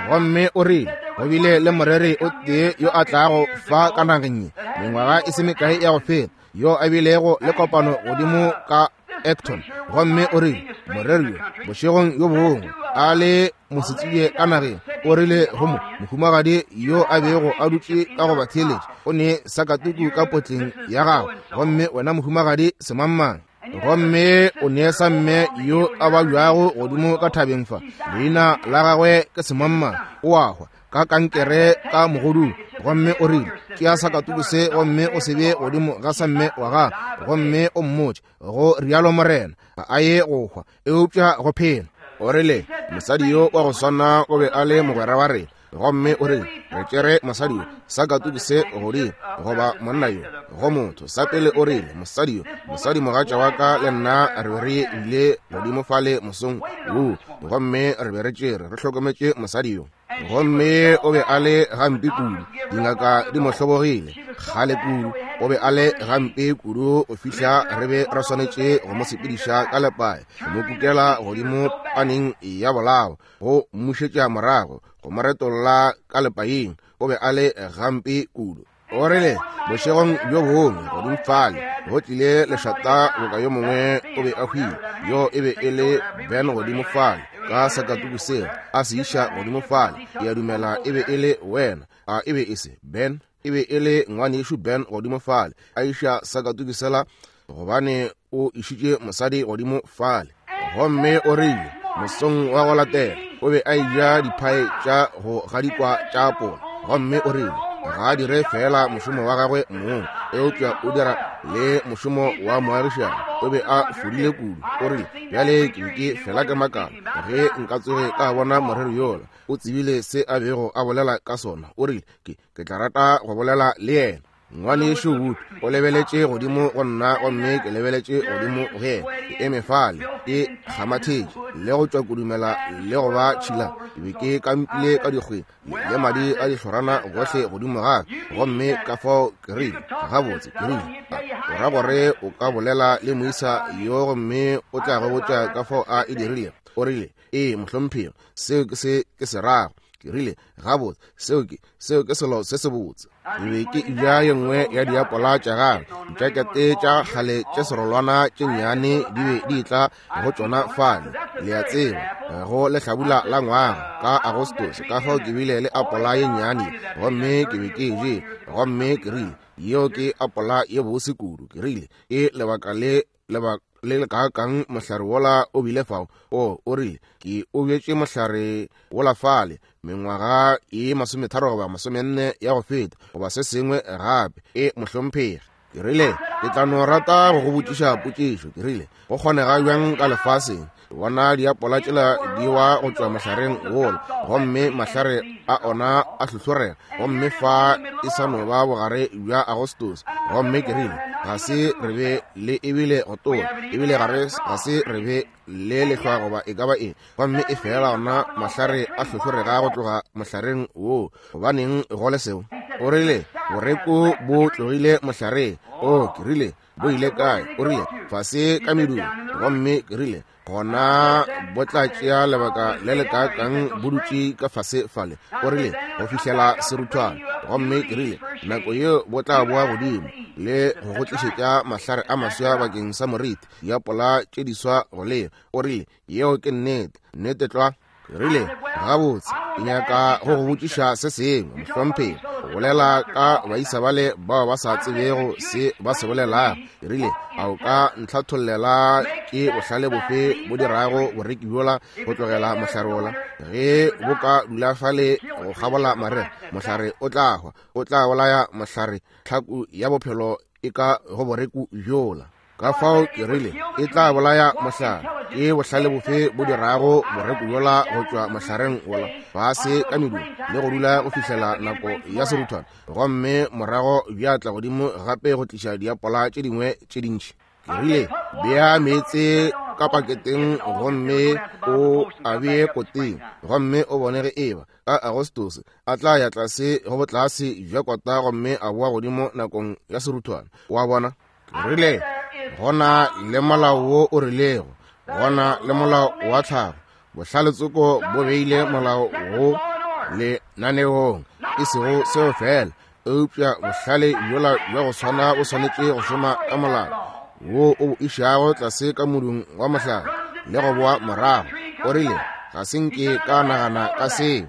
Gomme o rile go bile le moreri o tee yo a tlago fa ka nageng ye mengwaga e se mekae ya go feta, yo a bilego le kopano godimo ka Acton. Gomme o rile moreri yo bošegong yo bongwe a le mosetsebje ka nageng, o rile go mo mohumagadi yo a bego a dutše ka go ba theeletša, o ne sakatuku ka potleng ya gagwe, gomme wena mohumagadi semangmang, gomme o ne sa mme yo a babjago godimo ka thabeng fa, leina la gagwe ke semangmang, o a hwa ka kankere ka mogodung. Gomme o rile tšea sakatuku se gomme o se bee godimo ga sa mme wa gagwe, gomme o mmotše go rialo morena, ga a ye go hwa eupša go phela. O rile mosadi yo wa go swana o be a le mogwera wa rena, gomme o rile re tšere mosadi yo sakatuku se godimo goba monna yo go motho sa pele. O rile mosadi yo, mosadi mogatša wa ka le nna re be re ile godimo fale mosong woo, gomme re be re tšere re hlokometše mosadi yo, gomme o be a le gampe kudu, dingaka di mo hlobogile kgale kudu, o be a le gampe kudu go fihla re be re swanetše go mo sepediša ka lepae, go mo kukela godimo paneng ya bolao, go mmušetša morago, go mo retolla ka lepaeng. O be a le gampe kudu. O rile bošegong bjo bongwe godimo fale go tlile lešata boka yo mongwe o be a hwile, yo e be e le Ben godimo fale ka sakatuku seo a se iša godimo fale. Ke a dumela e be e le wena, a e be e se Ben? E be e le ngwanešu Ben godimo fale a iša sakatuku sela, gobane o išitše mosadi godimo fale. Gomme o rile mosong wa go latela o be a eja diphae tša go gadikwa tša apola, gomme o rile ga a dire fela mošomo wa gagwe mong, eupša o dira le mošomo wa moagišane. O be a fodile kudu. O rile bjale ke be ke fela ke makala ge nka tsoge ka bona moreri yola, o tsebile se a bego a bolela ka sona. O rile ke ke tla rata go bolela le yena. Ngwanešu Wood o lebeletše godimo go nna, gomme ke lebeletše godimo go yena. Ke eme fale ke kgamathetše le go tšwa kudumela le go ba tšhila, ke be ke kampile ka dikgweng le madi a dihlorana gohle godimo ga ka. Gomme ka fao ke rile gabotse, ke rile o ra gore o ka bolela le moisa yo gomme o tla go botša ka fao a e dirile? O rile ee mohlomphegi, seo ke se ke se rago. Ke rile gabotse, seo ke seo ke selo se sebotse. Ke be ke eja ye nngwe ya diapola tša gagwe, dijakete tša kgale tše serolwana tše nnyane di be di tla go tšona fale, le a tseba, go lehlabula la ngwaga ka Agostose. Ka fao ke bile le apola ye nnyane gomme ke be ke je, gomme ke rile yeo ke apola ye bose kudu. Ke rile ke lebaka le lebaka le le kaakang mohlare wola o bile fao? O o rile ke o bjetše mohlare wola fale mengwaga e masometharo goba masomenne ya go feta goba se sengwe gape. E mohlomphegi. Ke rile, ke tla no rata go go botšiša potšišo. Ke rile, go kgonega bjang ka lefaseng bona diapola tšela di wa go tšwa mohlareng wola, gomme mahlare a ona a hlohlorega, gomme fa e sa no ba bogare bja Agostose. Gomme ke rile, ga se re be le ebile go tola, ebile ga se re be le lehlwa goba e ka ba eng, gomme e fela ona mahlare a hlohlorega go tloga mohlareng woo. Gobaneng go le seo? O rile, boreku bo tlogile mohlareng. O, ke rile, bo ile kae? O rile, fase ka medung. Gomme ke rile, gona bo tla tšea lebaka le le kaakang bo dutše ka fase fale? O rile, go fihlela seruthwane. Gomme ke rile, nako yeo bo tla boa godimo le go go tlišetša mahlare a maswa bakeng sa moriti, diapola tše diswa go leo. O rile, yeo ke nnete, nnete tlwa. Ke rile, gabotse, ke nyaka go go botšiša se sengwe, mohlomphegi. O bolela ka baisa bale bao ba sa tsebego se ba se bolelago. Ke rile, a o ka ntlhathollela ke bohlale bofe bo dirago boreki bjola go tlogela mohlare wola? Ge bo ka dula fale go kgabola marega, mohlare o tla hwa, o tla bolaya mohlare, tlhaku ya bophelo e ka go boreku bjola. Ka fao ke rile, e tla bolaya mohlare. Ke bohlale bofe bo dirago boreku bjola go tšwa mohlareng wola fase ka medung le go dula go fihlela nako ya seruthwane, gomme morago bja tla godimo gape go tliša diapola tše dingwe tše dintši? Ke rile, bea meetse ka paketeng gomme o a bee koteng, gomme o bone ge eba ka Agostose a tla ya tlase go botlase bja kota gomme a boa godimo nakong ya seruthwane. Wa bona? Ke rile, gona le molao wo o rilego, gona le molao wa tlhago. Bohlale-tsoko bo beile molao wo lenaneong, e sego seo fela, eupša bohlale bjola bja go swana bo swanetše go šoma ka molao wo o bo išago tlase ka modung wa mohlare le go boa morago. O rile, ga se nke ka nagana ka seo.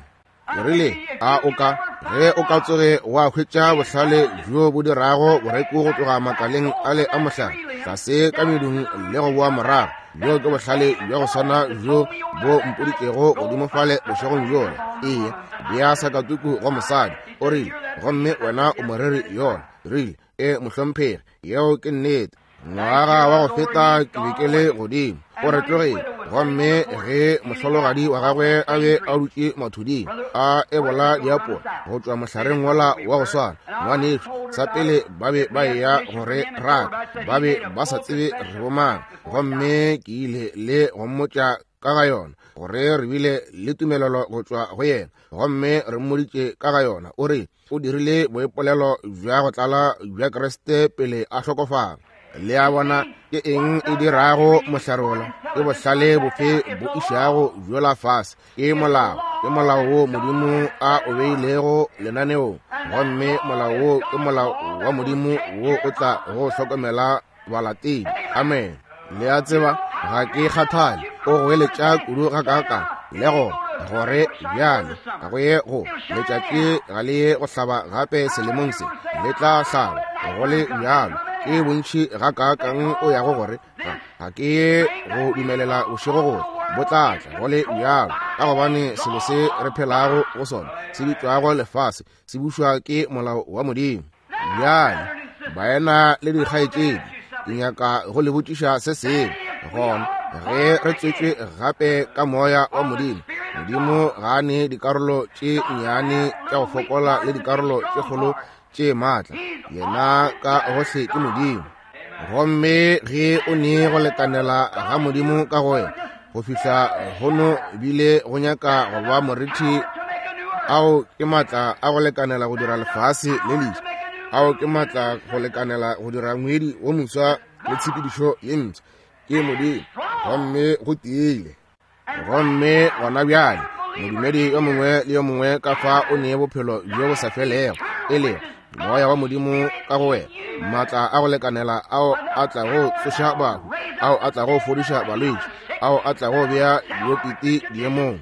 Ke rile, a o ka ge o ka tsoge wa hwetša bohlale bjo bo dirago boreku go tloga makaleng ale a mohlare tlase ka medung le go boa morago, bjo ke bohlale bja go swana bjo bo mpoditšego godimo fale bošegong bjola. Ee, bea sakatuku go mosadi. O rile, gomme wena o moreri yona. Rile, e mohlomphegi, yeo ke nnete. Ngwaga wa go feta ke be ke le godimo. O re tlogile, gomme ge mohlologadi wa gagwe a be a dutše mathuding a ebola diapola go tšwa mohlareng wola wa go swana, ngwanešu, sa pele ba be ba eya go re raka, ba be ba sa tsebe re bomang. Gomme ke ile le go mmotša ka ga yona, gore re bile le tumelelo go tšwa go yena, gomme re mmoditše ka ga yona. O re o dirile boipolelo bja go tlala bja Kriste pele a hlokofala. Le a bona ke eng e dirago mohlare wola? Ke bohlale bofe bo išago bjola fase? Ke molao, ke molao wo Modimo a o beilego lenaneong, gomme molao wo ke molao wa Modimo wo o tla go hlokomela balatedi. Amen. Le a tseba, ga ke kgathale o goeletša kudu gakaakang, le gona gore bjale ga go ye go letšatši ga le ye go hlaba gape selemong se, le tla hlaba go le bjalo. Ke bontši gakaakang o yago gore ga ga ke ye go dumelela bošego gore bo tla tla go le bjalo, ka gobane selo se re phelago go sona se bitšwago lefase se bušwa ke molao wa Modimo. Bjale baena le dikgaetšedi, ke nyaka go le botšiša se sengwe. Gona ge re tswetšwe gape ka moya wa Modimo, Modimo ga a ne dikarolo tše nnyane tša go fokola le dikarolo tše kgolo tše maatla. Yena ka gohle ke Modimo. Gomme ge o ne go lekanela ga Modimo ka go wena go fihla gono bile go nyaka go ba morithi, ao ke maatla a go lekanela go dira lefase le leswa, ao ke maatla go lekanela go dira ngwedi wo moswa le tshepedišo ye mpsha. Ke Modimo, gomme go tiile. Gomme gona bjale modumedi yo mongwe le yo mongwe ka fa o nee bophelo bjo bo sa felego, e le moya wa Modimo ka go wena, maatla a go lekanela ao a tlago tsoša bahu, ao a tlago fodiša balwetši, ao a tlago bea diopiti diemong.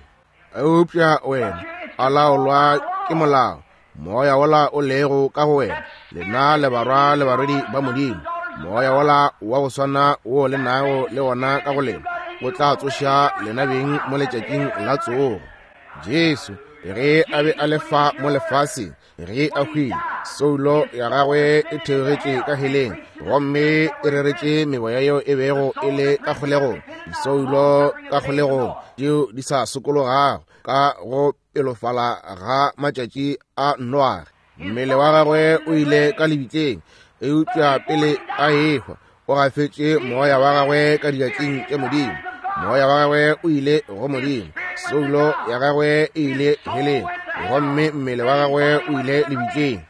Eupša wena a laolwa ke molao, moya wola o lego ka go wena, lena le barwa le barwedi ba Modimo. Moya wola wa go swana wo le nago le wona ka go lena o tla tsoša lena beng mo letšatšing la tsogo. Jesu Ge a be a le fa mo lefaseng, ge a hwile, soulo ya gagwe e theogetše ka heleng, gomme e reretše meboya yeo e bego e le ka kgolegong, disoulo ka kgolegong tšeo di sa sokologago ka go pelofala ga matšatši a Noage. Mmele wa gagwe o ile ka lebitleng, eupša pele a ehwa o gafetše moya wa gagwe ka diatleng tša Modimo. Moya wa gagwe o ile go Modimo, soulo ya gagwe e ile heleng, gomme mmele wa gagwe o ile lebitleng.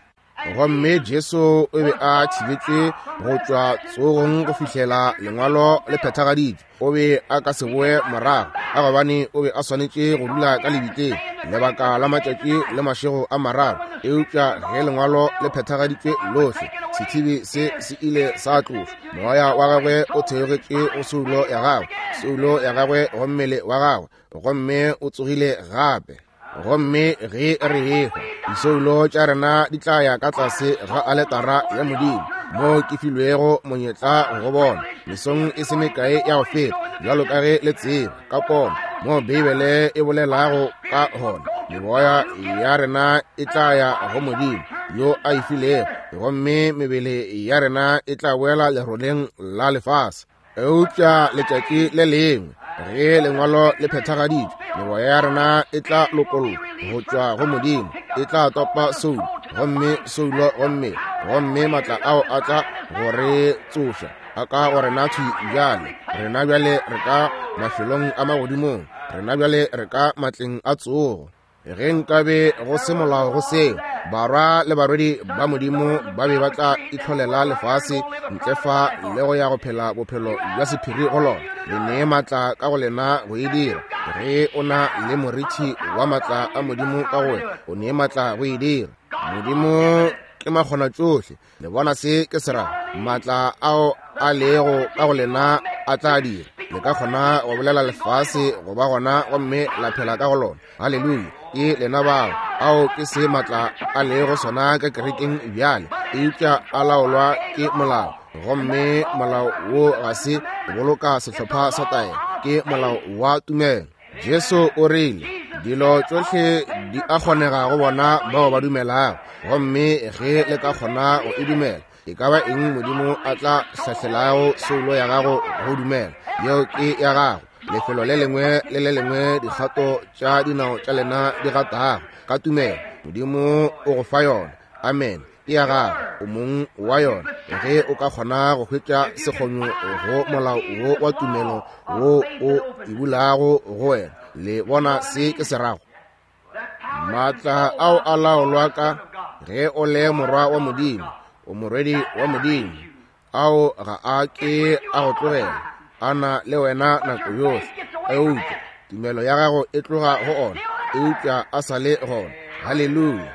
Gomme Jesu o be a thibetšwe go tšwa tsogong go fihlela lengwalo le phethagaditšwe. O be a ka se boe morago, ka gobane o be a swanetše go dula ka lebitleng lebaka la matšatši le mašego a mararo. Eupša ge lengwalo le phethagaditšwe lohle, sethibi se se ile sa tlošwa. Moya wa gagwe o theogetše go soulo ya gagwe, soulo ya gagwe go mmele wa gagwe, gomme o tsogile gape. Gomme ge re ehwa, disoulo tša rena di tla ya ka tlase ga aletara ya Modimo, moo ke filwego monyetla go bona mesong e se mekae ya go feta, bjalo ka ge le tseba ka pono moo Beibele e bolelago ka gona. Meboya ya rena e tla ya go Modimo yo a e filego, gomme mebele ya rena e tla boela leroleng la lefase. Eupša letšatši le lengwe ge lengwalo le phethagaditšwe, meboya ya rena e tla lokollwa go tšwa go Modimo, e tla topa soulo, gomme soulo gomme gomme matla ao a tla go re tsoša a ka go rena thwi bjale. Rena bjale re ka mafelong a magodimong, rena bjale re ka matleng a tsogo. Ge nkabe go se molao go seo, barwa le barwedi ba Modimo ba be ba tla itlholela lefase ntle fa le go ya go phela bophelo bja sephiri go lona. Le nee matla ka go lena go e dira. Ge o na le morithi wa matla a Modimo ka go wena, o nee matla go e dira. Modimo ke makgona tšohle. Le bona se ke se rago? Matla ao a lego ka go lena a tla dira. Le ka kgona go bolela lefase go ba gona gomme la phela ka go lona. Haleluya! Ke lena bao. Ao ke se matla a lego sona ka kerekeng bjale, eupša a laolwa ke molao, gomme molao wo ga se go boloka sehlopha sa taelo, ke molao wa tumelo. Jesu o rile dilo tšohle di a kgonega go bona bao ba dumelago, gomme ge le ka kgona go e dumela, e ka ba eng Modimo a tla hlahlelago soulo ya gago go dumela, yeo ke ya gago. Lefelo le lengwe le le lengwe dikgato tša dinao tša lena di gatago ka tumelo, Modimo o go fa yona. Amen. Ke ya gago, o mong wa yona. Ge o ka kgona go hwetša sekgonyo go molao wo wa tumelo wo o e bulago go wena, le bona se ke se rago? Matla ao a laolwa ka ge o le morwa wa Modimo, o morwedi wa Modimo. Ao ga a ke a go tlogela, a na le wena nako yohle. Eupša tumelo ya gago e tloga go ona, eupša a sa le gona. Haleluya!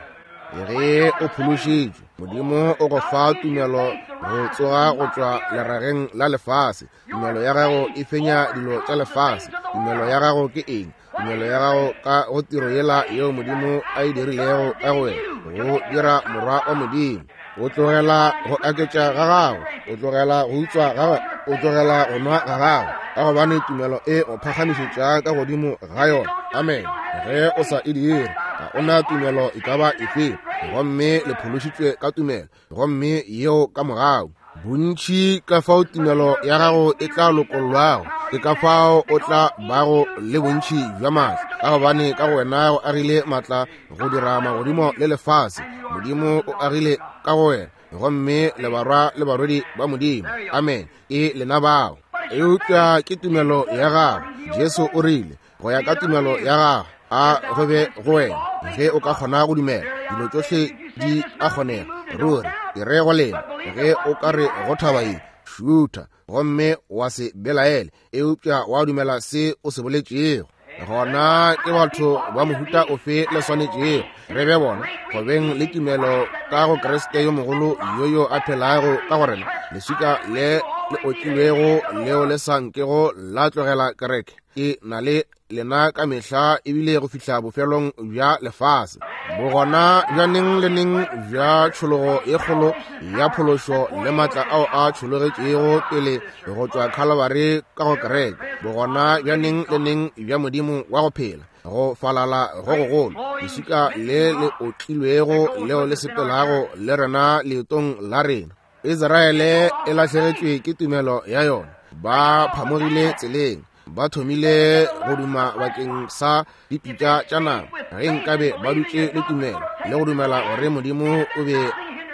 Ge o phološitšwe, Modimo o go fa tumelo go tsoga go tšwa lerageng la lefase. Tumelo ya gago e fenya dilo tša lefase. Tumelo ya gago ke eng? Tumelo ya gago ka go tiro yela yeo Modimo a e dirilego ka go wena, go dira morwa wa Modimo. O tlogela go aketša ga gago, o tlogela go utswa ga gago, o tlogela go nwa ga gago, ka gobane tumelo e go phagamišetša ka godimo ga yona. Amen. Ge o sa e dire, ga o na tumelo e ka ba efe, gomme le phološitšwe ka tumelo, gomme yeo ka mogau. Bontši ka fao tumelo ya gago e tla lokollwago, ke ka fao o tla bago le bontši bja matla, ka gobane ka go wena go agile matla go dira magodimo le lefase. Modimo o agile ka go wena, gomme le barwa le barwedi ba Modimo. Amen. Ke lena bao. Eupša ke tumelo ya gago. Jesu o rile, go ya ka tumelo ya gago a go be go wena. Ge o ka kgona go dumela, dilo tšohle di a kgonega. Ruri ke re go lena, ge o ka re go thaba ye, šutha, gomme wa se belaele, eupša wa dumela se o se boletšego, gona ke batho ba mohuta ofe le swanetšego re be bona go beng le tumelo ka go Kriste yo mogolo yo yo a phelago ka go rena, leswika le le otlilwego leo le sa nkego la tlogela kereke. Ke na le lena ka mehla ebile go fihla bofelong bja lefase. Bogona bja neng le neng bja tšhologo ye kgolo ya phološo le matla ao a tšhologetšego pele go tšwa Calvary ka go kereke. Bogona bja neng le neng bja Modimo wa go phela. Go falala go gogolo, leswika le le otlilwego leo le sepelago le rena leetong la rena. Israele e lahlegetšwe ke tumelo ya yona. Ba phamogile tseleng, ba thomile go duma bakeng sa dipitša tša nama. Ge nkabe ba dutše le tumelo le go dumela gore Modimo o be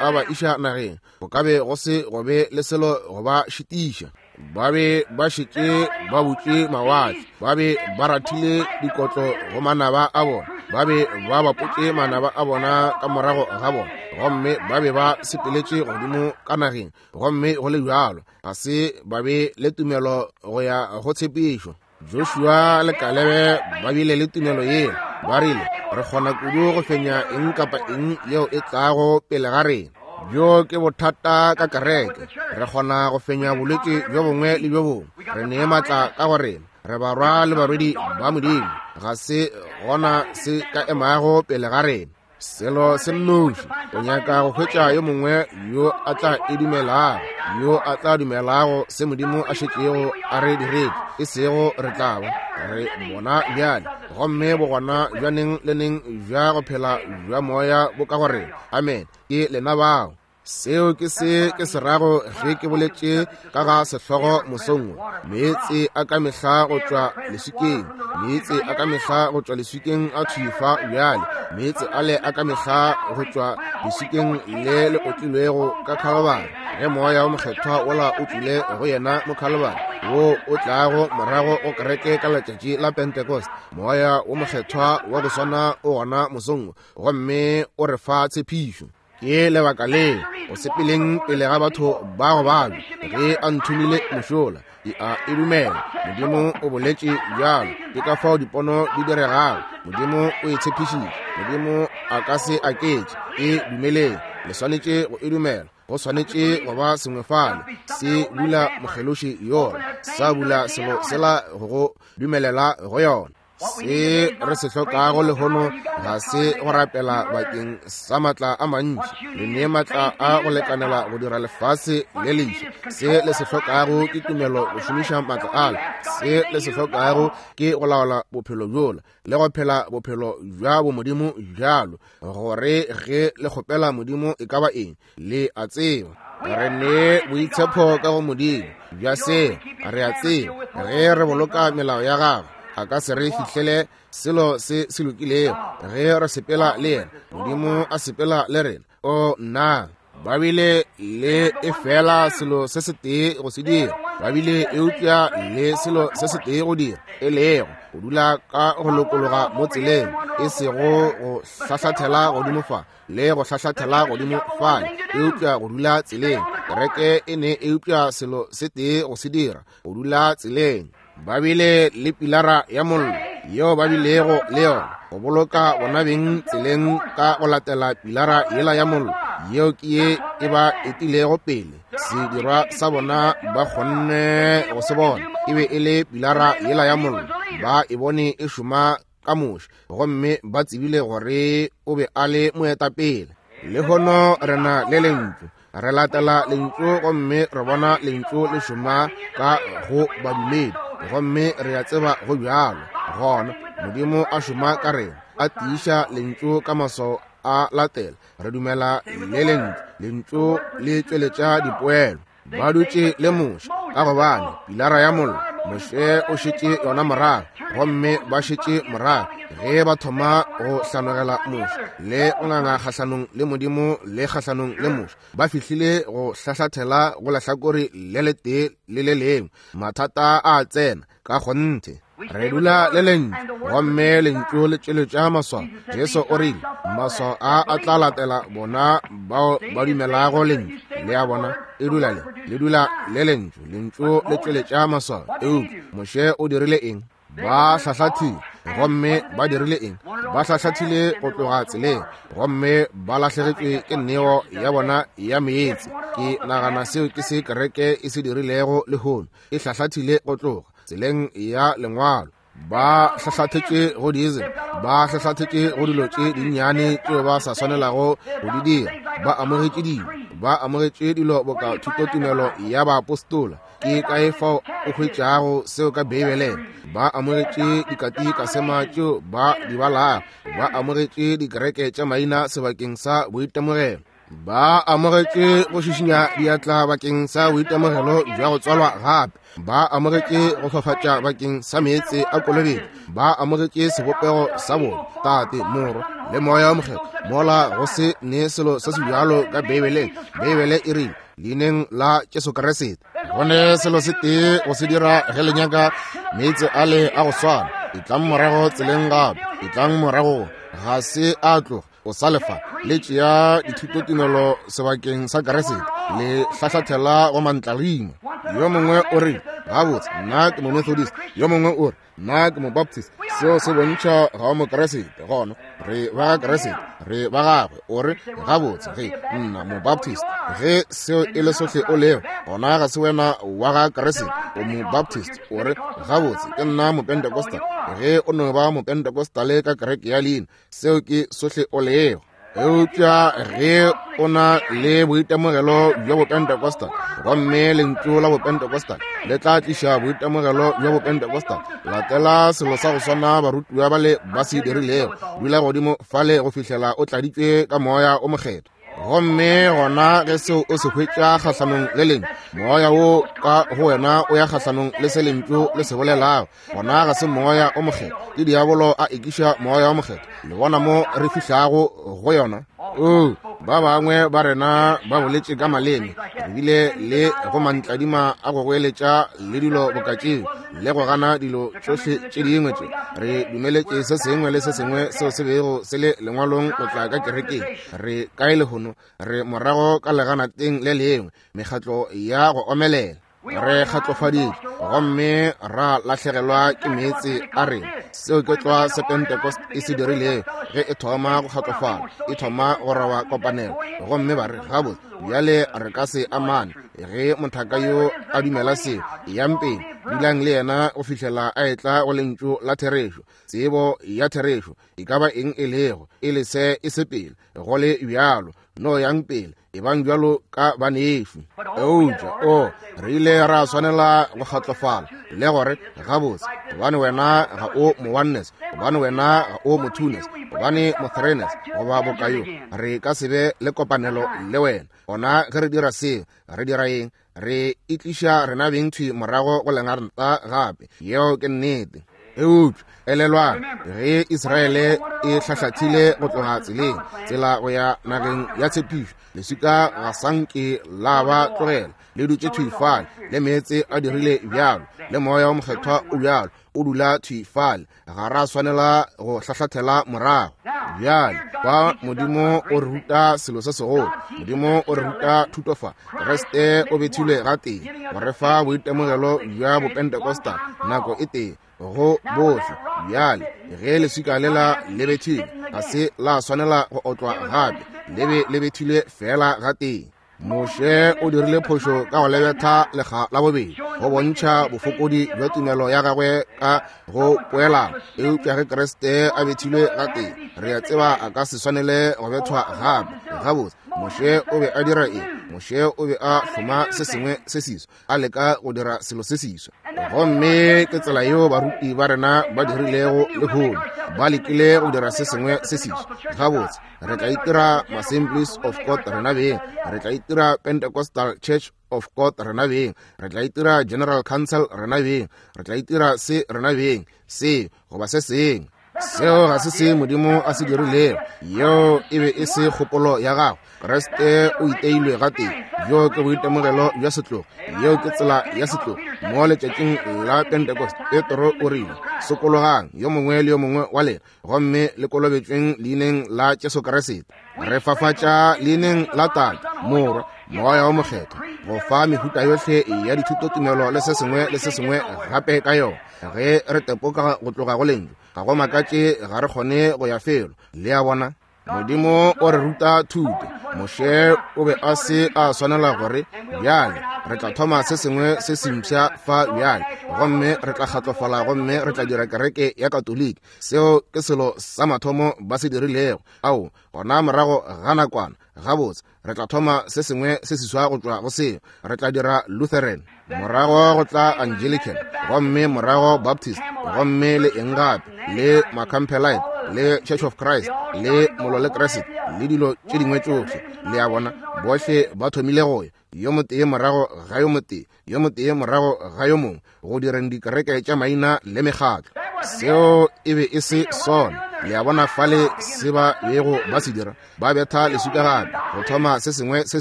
a ba iša nageng, go ka be go se go be le selo go ba šitiša. Ba be ba šetše ba butše mawatle, ba be ba rathile dikotlo go manaba a bona, ba be ba bapotše manaba a bona ka morago ga bona, gomme ba be ba sepeletše godimo ka nageng. Gomme go le bjalo ga se ba be le tumelo go ya go tshepišo. Joshua le Kalebe ba bile le tumelo yeo. Ba rile, re kgona kudu go fenya eng kapa eng yeo e tlago pele ga rena. Bjo ke bothata ka kereke. Re kgona go fenya bolwetši bjo bongwe le bjo bongwe. Re ne maatla ka go rena. Re barwa le barwedi ba Modimo. Ga se gona se ka emago pele ga rena. Selo se nnoši, o nyaka go hwetša yo mongwe yo a tla e dumelago, yo a tla dumelago se Modimo a šetšego a re diretše, e sego re tla ba re bona bjale. Gomme bogona bja neng le neng bja go phela bja moya bo ka go rena. Amen. Ke lena bao. Seo ke se ke se rago ge ke boletše ka ga sehlogo mosong wo. Meetse a ka mehla go tšwa leswikeng, meetse a ka mehla go tšwa leswikeng a thwifa bjale, meetse ale a ka mehla go tšwa leswikeng le le otlilwego ka Khalibari. Ge moya wo mokgethwa wola o tlile go yena mo Khalibari, wo o tlago morago go kereke ka letšatši la Pentecost, moya wo mokgethwa wa go swana o gona mosong wo, gomme o re fa tshepišo. Ke lebaka le o sepeleng pele ga batho ba go babja. Ge a nthomile mošola, ke a e dumela. Modimo o boletše bjalo. Ke ka fao dipono di diregago. Modimo o e tshepišitše. Modimo a ka se aketše. E dumeleng. Le swanetše go e dumela. Go swanetše go ba sengwe fale se bula mokgeloši yola, sa bula selo sela go go dumelela go yona. Se re se hlokago lehono ga se go rapela bakeng sa maatla a mantši. Le ne maatla a go lekanela go dira lefase le leswa. Se le se hlokago ke tumelo go šomiša maatla ale. Se le se hlokago ke go laola bophelo bjola le go phela bophelo bja bomodimo bjalo, gore ge le kgopela Modimo e ka ba eng, le a tseba. Re ne boitshepo ka go Modimo bja seo. Re a tseba ge re boloka melao ya gagwe, a ka se re fihlele selo se se lokilego. Ge re sepela le yena, Modimo a sepela le rena. O nna, ba bile le e fela selo se setee go se dira. Ba bile eupša le selo se setee go dira, e lego go dula ka go lokologa mo tseleng, e sego go hlahlathela godimo fa le go hlahlathela godimo fale, eupša go dula tseleng. Kereke e ne eupša selo se tee go se dira, go dula tseleng. Ba bile le pilara ya mollo yeo ba bilego le yona go boloka bona beng tseleng ka go latela pilara yela ya mollo yeo ke ye e ba etilego pele. Sedirwa sa bona ba kgonne go se bona e be e le pilara yela ya mollo. Ba e bone e šoma ka Moshe, gomme ba tsebile gore o be a le moetapele. Lehono re na le lentšu. Re latela lentšu gomme re bona lentšu le šoma ka go badumedi, gomme re a tseba go bjalo. Gona Modimo a šoma ka rena, a tiiša lentšu ka maswao a latela. Re dumela le lentšu. Lentšu le tšweletša dipoelo. Ba dutše le Moshe ka gobane pilara ya mollo, Moshe o šetše yona morago, gomme ba šetše morago ge ba thoma go hlanogela Moshe le go nganga kgahlanong le Modimo le kgahlanong le Moshe. Ba fihlile go hlahlathela go lehlakore le letee le le lengwe. Mathata a tsena ka kgonthe. Re dula le lentšu, gomme lentšu le tšweletša maswao. Jesu o rile, maswao a a tla latela bona bao ba dumelago lentšu. Le a bona, e dula le, le dula le lentšu. Lentšu le tšweletša maswao. Eupša Moshe o dirile eng? Ba hlahlathile, gomme ba dirile eng? Ba hlahlathile go tloga tseleng, gomme ba lahlegetšwe ke neo ya bona ya meetse. Ke nagana seo ke se kereke e se dirilego lehono. E hlahlathile go tloga tseleng ya lengwalo. Ba hlahlathetše go diesel, ba hlahlathetše go dilo tše dinnyane tšeo ba sa swanelago go di dira. Ba amogetše dilo, ba amogetše dilo boka thutotumelo ya baapostola. Ke kae fao o hwetšago seo ka Beibeleng? Ba amogetše dikatikasema tšeo ba di balago, ba amogetše dikereke tša maina sebakeng sa boitemogelo, ba amogetše go šišinya diatla bakeng sa boitemogelo bja go tswalwa gape, ba amogetše go fafatša bakeng sa meetse a kolobetšo, ba amogetše sebopego sa bona, Tate, Morwa le Moya o Mokgethwa, mola go se ne selo se se bjalo ka Beibeleng. Beibele e rile leineng la Jesu Kriste. Go ne selo se tee go se dira ge le nyaka meetse ale a go swana. Etlang morago tseleng gape, etlang morago, ga se a tloga, o sa lefa. Le tšea dithutotumelo sebakeng sa Kriste, le hlahlathela go mantlarima. Yo mongwe o re, gabotse, nna ke mo-Methodist. Yo mongwe o re, nna ke mo-Baptist. Seo se bontšha ga o Mokriste. Gona re ba Kriste, re ba gagwe. O re, gabotse, ge nna mo-Baptist, ge seo e le sohle o lego, gona ga se wena wa ga Kriste, o mo-Baptist. O re, gabotse, ke nna mo-Pentecostal. Ge o no ba mo-Pentecostale ka kereke ya leina, seo ke sohle o lego. Eupša ge o na le boitemogelo bja bopentecostal, gomme lentšu la bopentecostal le tla tliša boitemogelo bja bopentecostal, latela selo sa go swana barutiwa bale ba se dirilego, dula godimo fale go fihlela o tladitšwe ka Moya o Mokgethwa. Gomme gona ge seo o se hwetša kgahlanong le lentšu, moya wo ka go wena o ya kgahlanong le se lentšu le se bolelago, gona ga se Moya o Mokgethwa, ke diabolo a ekiša Moya o Mokgethwa. Le bona mo re fihlago go yona? O, ba bangwe ba rena ba boletše ka maleme, re bile le go mantladima a go goeletša le dilo boka tšeo, le go gana dilo tšohle tše dingwe tše. Re dumeletše se sengwe le se sengwe seo se bego se le lengwalong go tla ka kerekeng. Re kae lehono? Re morago ka leganateng le lengwe, mekgatlo ya go omelela. Re kgatlofaditšwe gomme ra lahlegelwa ke meetse a rena. Seo ke tlwa se Pentecost e se dirilego ge e thoma go kgatlofala, e thoma go rawa kopanelo, gomme ba re, gabotse, bjale re ka se amane. Ge mothaka yo a dumela seo, eyang pele, dulang le yena go fihlela a etla go lentšu la therešo, tsebo ya therešo, e ka ba eng e lego, e le se e se pele, go le bjalo, no yang pele, e bang bjalo ka banešu. Eupša o re ile ra swanela go kgatlofala le gore, gabotse, gobane wena ga o mo-oneness, gobane wena ga o mo-twoness, gobane mo-threeness goba bokayo, re ka se be le kopanelo le wena. Gona ge re dira seo, re dira eng? Re itliša rena beng thwi morago go lengarta gape. Yeo ke nnete. Eupša elelwang, ge Israele e hlahlathile go tloga tseleng, tsela go ya nageng ya tshepišo, leswika ga sanke la ba tlogela, le dutše thwi fale, le meetse a dirile bjalo, le Moya o Mokgethwa o bjalo, o dula thwi fale. Ga ra swanela go hlahlathela morago. Bjale kwa Modimo o re ruta selo se segolo. Modimo o re ruta thuto fa. Kriste o bethilwe gatee go re fa boitemogelo bja bopentecostal nako e tee go bohle. Bjale ge leswika lela le bethilwe, ga se la swanela go otlwa gape, le be le bethilwe fela gatee. Moshe o dirile phošo ka go lebetha lekga la bobedi go bontšha bofokodi bja tumelo ya gagwe ka go poelana. Eupša ge Kriste a bethilwe gatee, re a tseba a ka se swanele go bethwa gape. Gabotse, Moshe o be a dira eng? Moshe o be a hloma se sengwe se seswa, a leka go dira selo se seswa. Gomme ke tsela yeo baruti ba rena ba dirilego lehono, ba lekile go dira se sengwe se seswa. Gabotse, re tla itira Assemblies of God rena beng, re tla itira Pentecostal Church of God rena beng, re tla itira General Council rena beng, re tla itira se rena beng, se goba se sengwe. Seo ga se se Modimo a se dirilego. Yeo e be e se kgopolo ya gagwe. Kriste o iteilwe gatee. Bjo ke boitemogelo bja setlogo. Yeo ke tsela ya setlogo. Mo letšatšing la Pentecost, Petro o rile, sokologang yo mongwe le yo mongwe wa lena, gomme le kolobetšweng leineng la Jesu Kriste. Re fafatša leineng la Tate, Morwa, Moya o Mokgethwa, go fa mehuta yohle ya dithutotumelo le se sengwe le se sengwe gape ka yona. Ge re tepoka go tloga go lentšu, ga go makatše ga re kgone go ya felo. Le a bona? Modimo o re ruta thuto. Moshe o be a se a swanela gore, bjale Re tla thoma se sengwe se sempša fa bjale, gomme re tla kgatlofala gomme re tla dira kereke ya Katoliki. Seo ke selo sa mathomo ba se dirilego. Ao, gona morago ga nakwana, gabotse, re tla thoma se sengwe se seswa go tšwa go seo. Re tla dira Lutheran, morago go tla Anglican, gomme morago Baptist, gomme le eng gape, le Macampbellite, le Church of Christ, le Molo le Kriste, le dilo tše dingwe tšohle. Le a bona, bohle ba thomile go ya, yo motee morago ga yo motee, yo motee morago ga yo mongwe, go direng dikereke tša maina le mekgatlo. Seo e be e se sona. Le a bona fale se ba bego ba se dira, ba betha leswika gape go thoma se sengwe se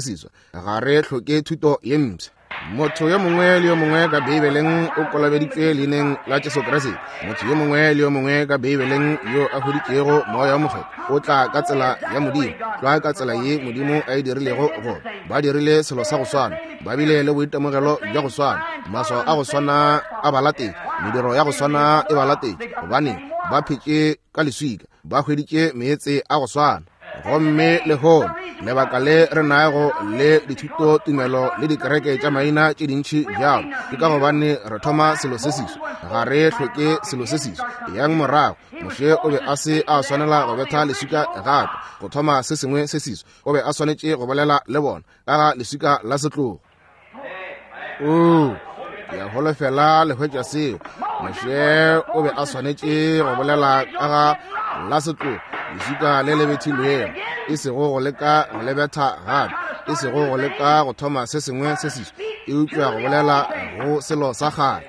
seswa. Ga re hloke thuto ye mpsha. Motho yo mongwe le yo mongwe ka Beibeleng o kolobeditšwe leineng la Jesu Kriste. Motho yo mongwe le yo mongwe ka Beibeleng yo a hweditšego Moya wo Mokgethwa o tla ka tsela ya Modimo, tlwa ka tsela ye Modimo a e dirilego. Go ba dirile selo sa go swana, ba bile le boitemogelo bja go swana, maswao a go swana a ba latetše, mediro ya go swana e ba latetše, gobane ba phetše ka leswika, ba hweditše meetse a go swana. Gomme lehono lebaka le re nago le dithuto tumelo le dikereke tša maina tše dintši bjalo ke ka gobane re thoma selo se seswa. Ga re hloke selo se seswa. Yang morago, Moshe o be a se a swanela go betha leswika gape go thoma se sengwe se seswa. O be a swanetše go bolela le bona ka ga leswika la setlogo. Oo, ke a holofela le hwetša seo. Moshe o be a swanetše go bolela ka ga la setlogo, leswika le le bethilwego, e sego go leka go le betha gape, e sego go leka go thoma se sengwe se seswa, eupša go bolela go selo sa kgale.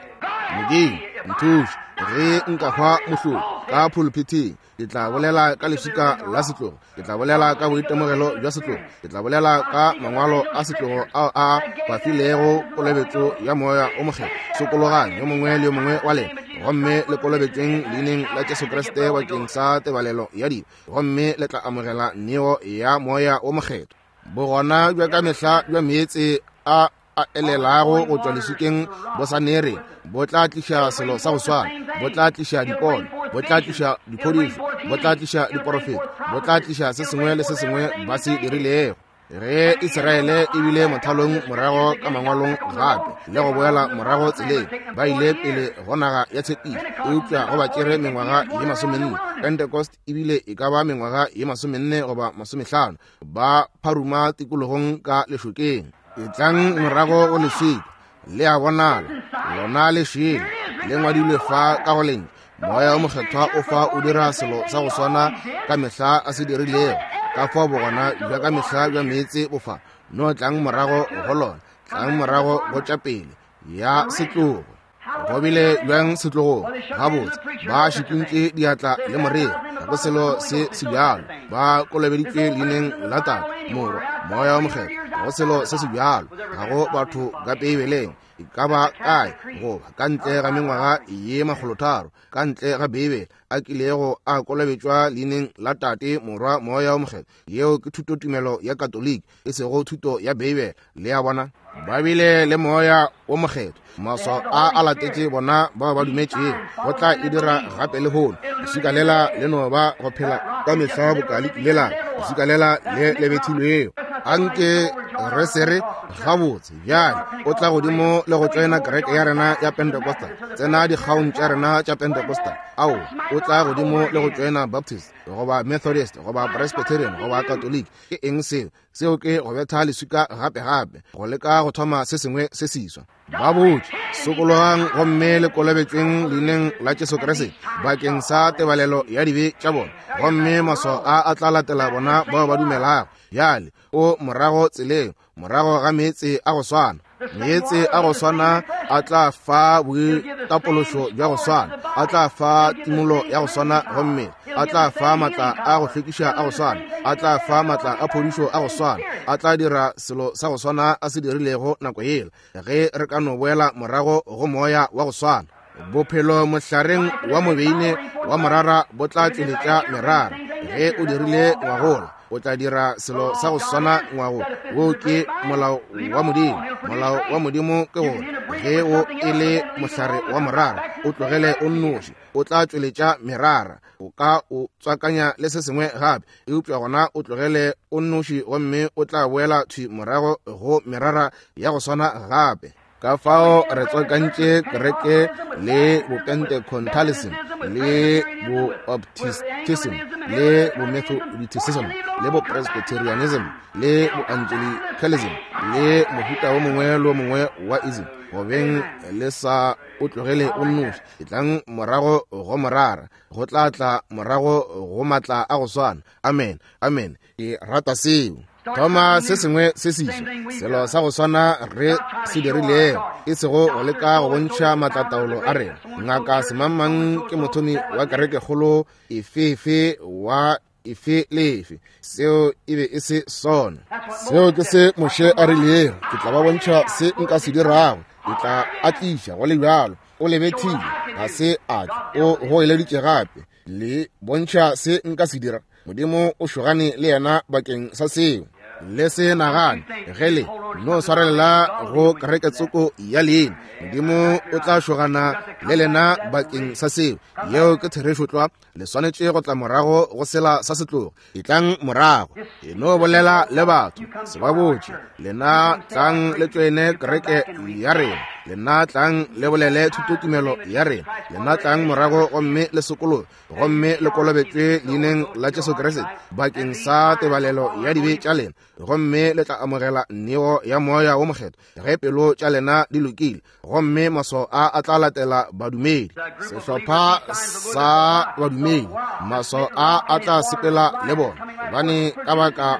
Modimo, nthuše ge nka hwa mohlolo ka pulpiteng, ke tla bolela ka leswika la setlogo, ke tla bolela ka boitemogelo bja setlogo, ke tla bolela ka mangwalo a setlogo ao a ba filego kolobetšo ya Moya o Mokgethwa. Sokologang yo mongwe le yo mongwe wa lena, gomme le kolobetšweng leineng la Jesu Kriste bakeng sa tebalelo ya dibe, gomme le tla amogela neo ya Moya o Mokgethwa. Bogona bja ka mehla bja meetse a a elelago go tšwa leswikeng bo sa nere, bo tla tliša selo sa go swana, bo tla tliša dipono, bo tla tliša diphodišo, bo tla tliša diporofeto, bo tla tliša se sengwe le se sengwe ba se dirilego. Ge Israele e bile mothalong morago ka mangwalong gape le go boela morago tseleng, ba ile pele go naga ya tshepišo, eupša go ba tšere mengwaga ye masomenne. Pentecost e bile e ka ba mengwaga ye masomenne goba masomehlano, ba pharuma tikologong ka lešokeng. Etlang morago go leswika, le a bonala, lona le šele, le ngwadilwe fa ka go lentšu. Moya o Mokgethwa o fa o dira selo sa go swana ka mehla a se dirilego. Ka fao bogona bja ka mehla bja meetse bo fa. No tlang morago go lona, tlang morago go tša pele ya setlogo. Go bile bjang setlogong? Gabotse, ba šikintše diatla le moreri, ga go selo se se bjalo. Ba kolobeditšwe leineng la Tate, Morwa, Moya o Mokgethwa, ga go selo se se bjalo. Ga go batho ka Beibeleng e ka ba kae goba ka ntle ga mengwaga ye makgolotharo ka ntle ga Beibele a kilego a kolobetšwa leineng la Tate, Morwa, Moya o Mokgethwa. Yeo ke thutotumelo ya Katoliki, e sego thuto ya Beibele. Le a bona, ba bile le Moya o Mokgethwa, maswao a a latetše bona bao ba dumetšego. Go tla e dira gape lehono. Leswika lela le no ba go phela ka mehla boka le kile la leswika lela le le bethilwego. Anke re se re gabotse bjale o tla godimo le go tšoena kereke ya rena ya Pentecostal, tsena dikgaong tša rena tša Pentecostal. Ao, o tla godimo le go tšoena Baptist goba Methodist goba Presbyterian goba Catholic. Ke eng seo? Seo ke go betha leswika gape gape, go leka go thoma se sengwe se seswa. Ba botše, sokologang gomme le kolobetšweng leineng la Jesu Kriste bakeng sa tebalelo ya dibe tša bona, gomme maswao a a tla latela bona bao ba dumelago. Bjale o morago tseleng, morago ga meetse a go swana. Meetse a go swana a tla fa boitapološo bja go swana, a tla fa timolo ya go swana go mmele, a tla fa matla a go hlwekiša a go swana, a tla fa matla a phodišo a go swana, a tla dira selo sa go swana a se dirilego nako yela, ge re ka no boela morago go moya wa go swana. Bophelo mohlareng wa mobeine wa morara bo tla tšweletša merara. Ge o dirile ngwagola, O tla dira selo sa go swana ngwago. Wo ke molao wa Modimo. Molao wa Modimo ke gore ge o e le mohlare wa morara, o tlogele o nnoši, o tla tšweletša merara. O ka o tswakanya le se sengwe gape, eupša gona o tlogele o nnoši gomme o tla boela thwi morago go merara ya go swana gape. Ka fao re tswakantše kereke le bopentecontalism le booptistism le bomethodism le bopresbyterianism le boangelicalism le mohuta wo mongwe le wo mongwe wa ism. Gobeng le sa o tlogele o nnoši, e tlang morago go morara, go tla tla morago go matla a go swana. Amen, amen. Ke rata seo. Thoma se sengwe se seswa, selo sa go swana re se dirilego, e sego go leka go bontšha maatlataolo a rena. Ngaka semangmang ke mothomi wa kerekekgolo efefe wa efe le efe. Seo e be e se sona. Seo ke se Moshe a rilego, ke tla ba bontšha se nka se dirago, ke tla atliša go le bjalo. O lebethile, ga se a tle, o goeleditše gape, le bontšha se nka se dira. Modimo o šogane le yena bakeng sa seo. Le se nagane ge le no swarelela go kereketsoko ya leina, Modimo o tla šogana le lena bakeng sa seo. Yeo ke therešo tlwa. Le swanetše go tla morago go sela sa setlogo. E tlang morago, e no bolela le batho, se ba botše. Lena tlang le tšoene kereke ya rena, lena tlang le bolele thutotumelo ya rena, lena tlang morago gomme le sokologe gomme le kolobetšwe leineng la Jesu Kriste bakeng sa tebalelo ya dibe tša lena, gomme le tla amogela neo ya moya wo mokgethwa ge pelo tša lena di lokile, gomme maswao a a tla latela badumedi. Sehlopha sa badumedi, maswao a a tla sepela le bona. Gobane ka baka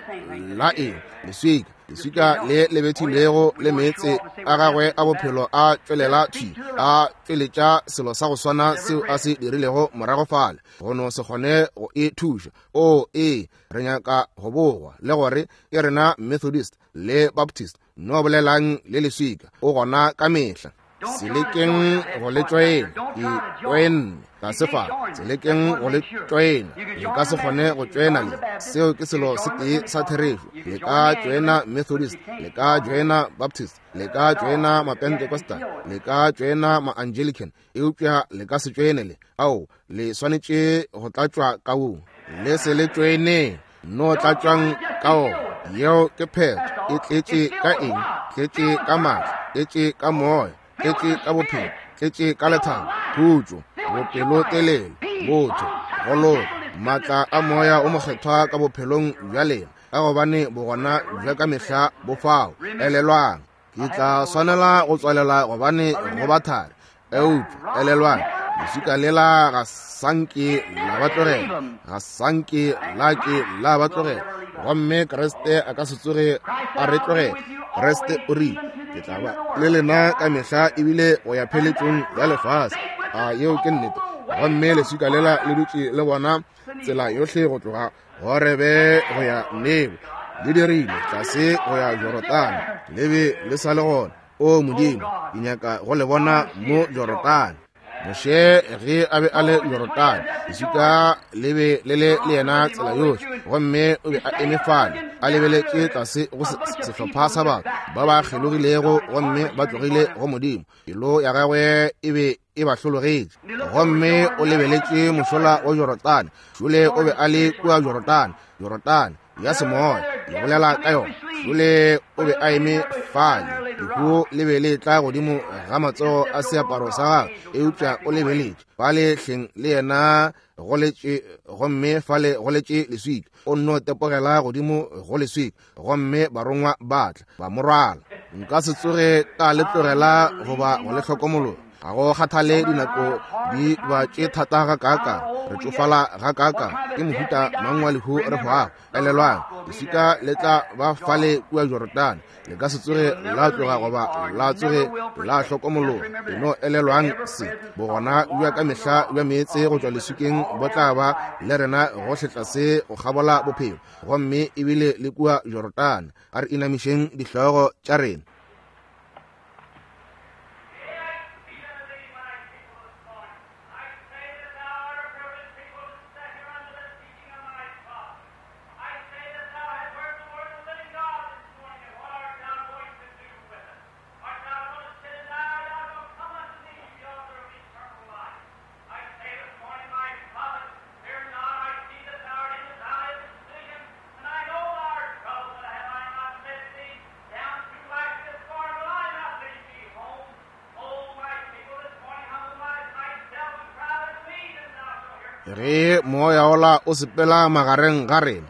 la eng? Leswika, leswika le le bethilwego le meetse a gagwe a bophelo a tšwelela thwi, a tšweletša selo sa go swana seo a se dirilego morago fale. Go no se kgone go e thuša. O ee, re nyaka go bogwa le gore ke rena Methodist le Baptist. No bolelang le leswika, o gona ka mehla. Se lekeng go le tšoena, ke tšoenne tlase fa. Se lekeng go le tšoena, le ka se kgone go tšoena le. Seo ke selo se tee sa therešo. Le ka tšoena Methodist, le ka tšoena Baptist, le ka tšoena Mapentecostal, le ka tšoena Maangelican, eupša le ka se tšoene le. Ao, le swanetše go tlatšwa ka wo. Le se le tšoeneng, no tlatšwang ka wo. Yeo ke phetho. E tletše ka eng? Tletše ka matla, tletše ka moya, tletše ka bophelo, tletše ka lethabo, khutšo, bopelotelele, botho, go loka, matla a moya o mokgethwa ka bophelong bja lena, ka gobane bogona bja ka mehla bo fao. Elelwang, ke tla swanela go tswalela gobane go ba thari. Eupša elelwang, leswika lela ga sanke la ba tlogela, ga sanke la ke la ba tlogela, gomme Kriste a ka se tsoge a re tlogela. Kriste o rile, ke tla ba le lena ka mehla ebile go ya pheletšong ya lefase. A yeo ke nnete. Gomme leswika lela le dutše le bona tsela yohle go tloga Horebe go ya Nebo, le dirile tlase go ya Jorodane, le be le sa le gona. O Modimo, ke nyaka go le bona mo Jorodane. Moshe ge a be a le Jorodane, leswika le be le le le yena tsela yohle, gomme o be a eme fale a lebeletše tlase go sehlopha sa batho ba ba kgelogilego gomme ba tlogile go Modimo. Pelo ya gagwe e be e ba hlologetše, gomme o lebeletše mošola wa Jorodane. Šole o be a le kua Jorodane, Jorodane ya semoya, ke bolela ka yona. Šole o be a eme fale, lehu le be le tla godimo ga matsogo a seaparo sa gagwe, eupša o lebeletše fale hleng le yena go letše, gomme fale go letše leswika. O nno tepogela godimo go leswika, gomme barongwa ba tla ba mo rwala. Nka se tsoge ka le tlogela goba go le hlokomologa. Ga go kgathale dinako di ba tše thata gakaakang, re tšofala gakaakang, ke mohuta mang wa lehu re hwago. Elelwang, leswika le tla ba fale kua Jorodane, le ka se tsoge la tloga goba la tsoge la hlokomologa. E no elelwang se, bogona bja ka mehla bja meetse go tšwa leswikeng bo tla ba le rena gohle tlase go kgabola bophelo, gomme ebile le kua Jorodane. A re inamišeng dihlogo tša rena. Ge moya ola o sepela magareng ga rena,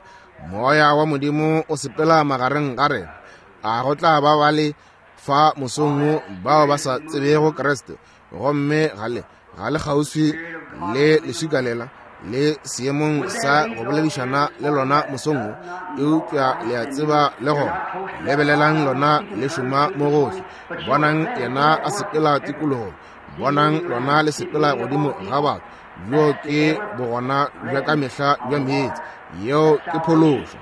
moya wa Modimo o sepela magareng ga rena, a go tla ba ba le fa mosong wo bao ba sa tsebego Kriste, gomme ga le ga le kgauswi le leswika lela le seemong sa go boledišana le lona mosong wo, eupša le a tseba le gona. Lebelelang lona le šoma mo gohle, bonang yena a sepela tikologong, bonang lona le sepela godimo ga batho. Bjo ke bogona bja ka mehla bja meetse, yeo ke phološo.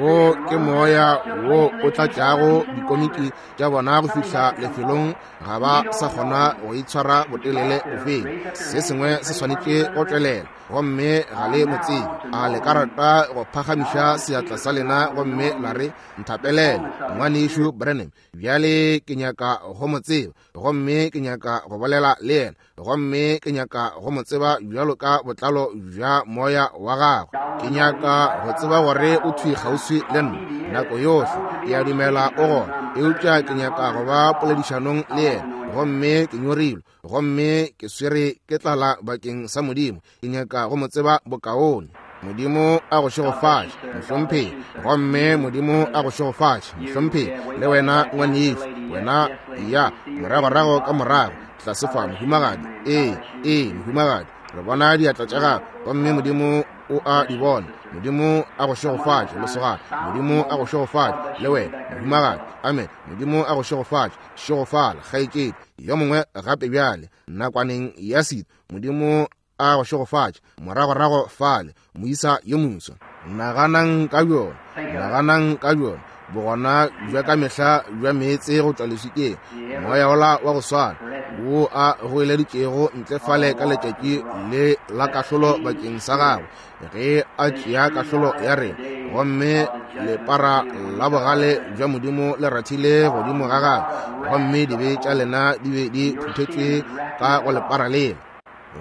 Wo ke moya wo o tlatšago dikomiki tša bona go fihla lefelong ga ba sa kgona go itshwara botelele bofeng. Se sengwe se swanetše go tšwelela, gomme ga le mo tsebe. A le ka rata go phagamiša seatla sa lena gomme la re, nthapelele ngwanešu Branham, bjale ke nyaka go mo tseba, gomme ke nyaka go bolela le yena, gomme ke nyaka go mo tseba bjalo ka botlalo bja moya wa gagwe. Ke nyaka go tseba gore o thwi kgauswi le nna nako yohle. Ke a dumela o gona, eupša ke nyaka go ba poledišanong le yena, gomme ke nyorilwe, gomme ke swere ke tlala bakeng sa Modimo. Ke nyaka go mo tseba bokaone. Modimo a go šegofatše, mohlomphegi. Gomme Modimo a go šegofatše, mohlomphegi. Le wena ngwanešu, wena ya moragorago ka morago tlase fa, mohumagadi. Ee, ee, mohumagadi, re bona diatla tša gago, gomme Modimo o a di bona. Modimo a go šegofatše, lesogana. Modimo a go šegofatše, le wena mohumagadi. Amen. Modimo a go šegofatše. Šegofala, kgaetšedi. Yo mongwe gape bjale nakwaneng ya sito. Modimo a go šegofatše, moragorago fale, moisa yo moswa. Naganang ka bjona, naganang ka bjona, bogona bja ka mehla bja meetse go tšwa leswikeng, moya ola wa go swana wo a goeleditšego ntle fale ka letšatši le la kahlolo bakeng sa gagwe, ge a tšea kahlolo ya rena, gomme lepara la bogale bja Modimo le rathile godimo ga gagwe, gomme dibe tša lena di be di phuthetšwe ka go lepara lela,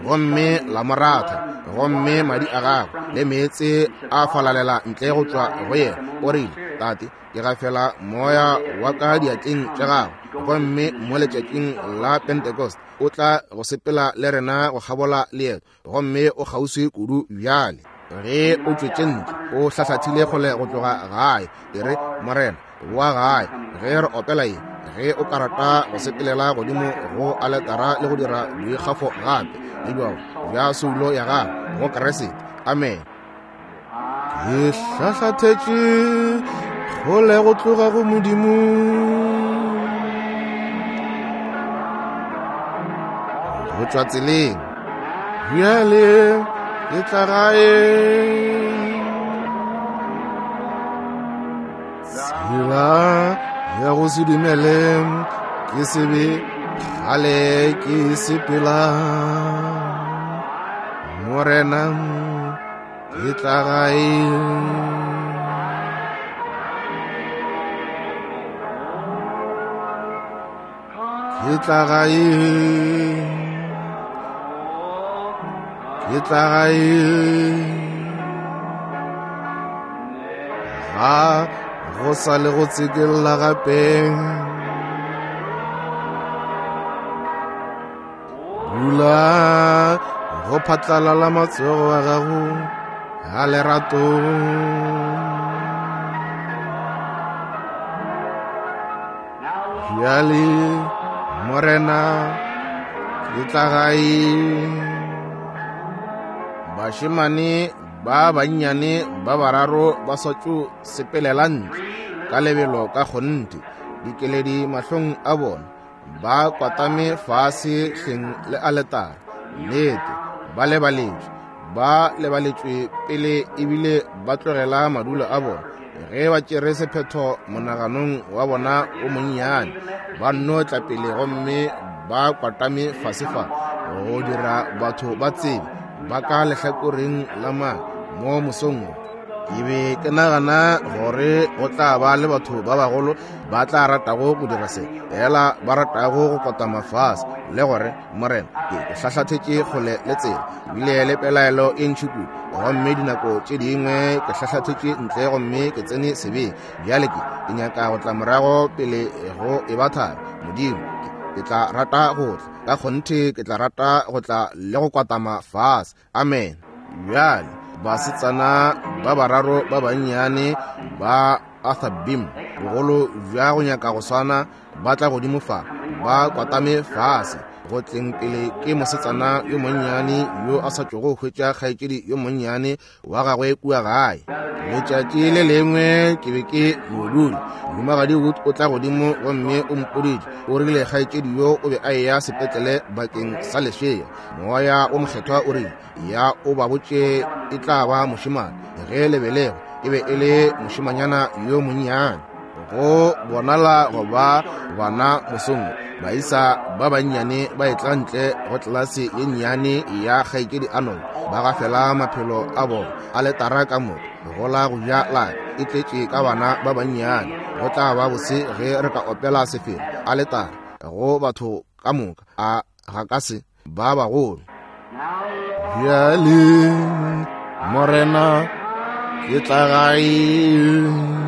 gomme la mo ratha, gomme madi a gagwe le meetse a falalela ntle go tšwa go yena. O rile, Tate, ke gafela moya wa ka diatleng tša gago. Gomme mo letšatšing la Pentecost o tla go sepela le rena go kgabola leeto, gomme o kgauswi kudu bjale. Ge o tšwetše ntle, o hlahlathile kgole go tloga gae, e re, Morena, boa gae. Ge re opela ye, ge o ka rata go sepelela godimo go aletara le go dira boikgafo gape le bjao bja soulo ya gago go Kriste. Amen. Ke hlahlathetše kgole go tloga go Modimo, go tšwa tseleng, bjale ke tla gae. Tsela ya go se dumele ke sebe kgale ke sepela, Morena, ke tla gae. Ke tla gae, ke tla gae. Ga go sa le go tsekella gape, bula go phatlalala matsogo a gago a lerato. Bjale Morena, ke tla gae. Bašemane ba bannyane ba bararo ba sa tšo sepelela ntle ka lebelo ka kgonthe, dikeledi mahlong a bona, ba kwatame fase hleng le aletare. Nnete, ba lebaletšwe, ba lebaletšwe pele ebile ba tlogela madulo a bona. Ge ba tšere sephetho monaganong wa bona o monnyane, ba nno tla pele gomme ba kwatame fase fa go dira batho ba tsebe ba ka lehlakoreng la mang mo mosong wo. Ke be ke nagana gore go tla ba le batho ba bagolo ba tla ratago go dira se, fela ba ratago go kotama fase le gore, Morena, ke hlahlathetše kgole le tsela, ebile le pelaelo e ntši kudu, gomme dinako tše dingwe ke hlahlathetše ntle gomme ke tsene sebeng. Bjale ke ke nyaka go tla morago pele go e ba thari. Modimo, ke tla rata go tla ka kgonthe, ke tla rata go tla le go kwatama fase. Amen. Bjale basetsana ba bararo ba bannyane ba Arthur Beam, bogolo bja go nyaka go swana, ba tla godimo fa, ba kwatame fase. Go tleng pele ke mosetsana yo monnyane yo a sa tšogo hwetša kgaetšedi yo monnyane wa gagwe kua gae. Letšatši le lengwe ke be ke no dula, Mohumagadi Wood o tla godimo gomme o mpoditše, o rile kgaetšedi yo o be a eya sepetlele bakeng sa lešea. Moya o mokgethwa o rile, ya o ba botše e tla ba mošemane. Ge le belego e be e le mošemanyana yo monnyane. Go bonala go ba bana mosong, baisa ba bannyane ba etla ntle go tlelase ye nnyane ya kgaetšedi Arnold, ba gafela maphelo a bona aletara ka moka go la go ja la e tletše ka bana ba bannyane. Go tla ba bose ge re ka opela sefela aletara go batho ka moka, a ga ka se ba bagolo. Bjale Morena ke tla gae.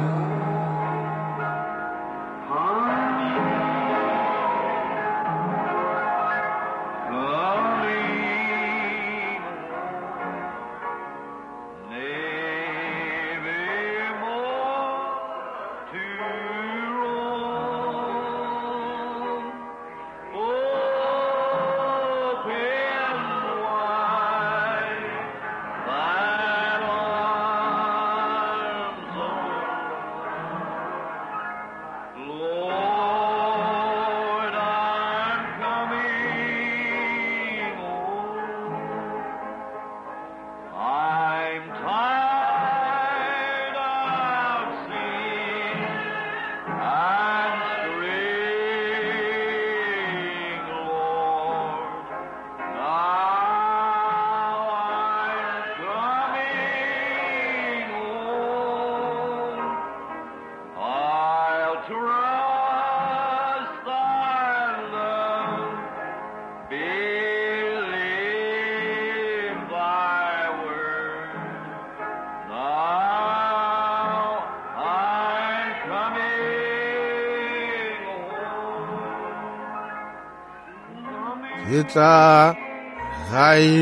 Ke tla gae.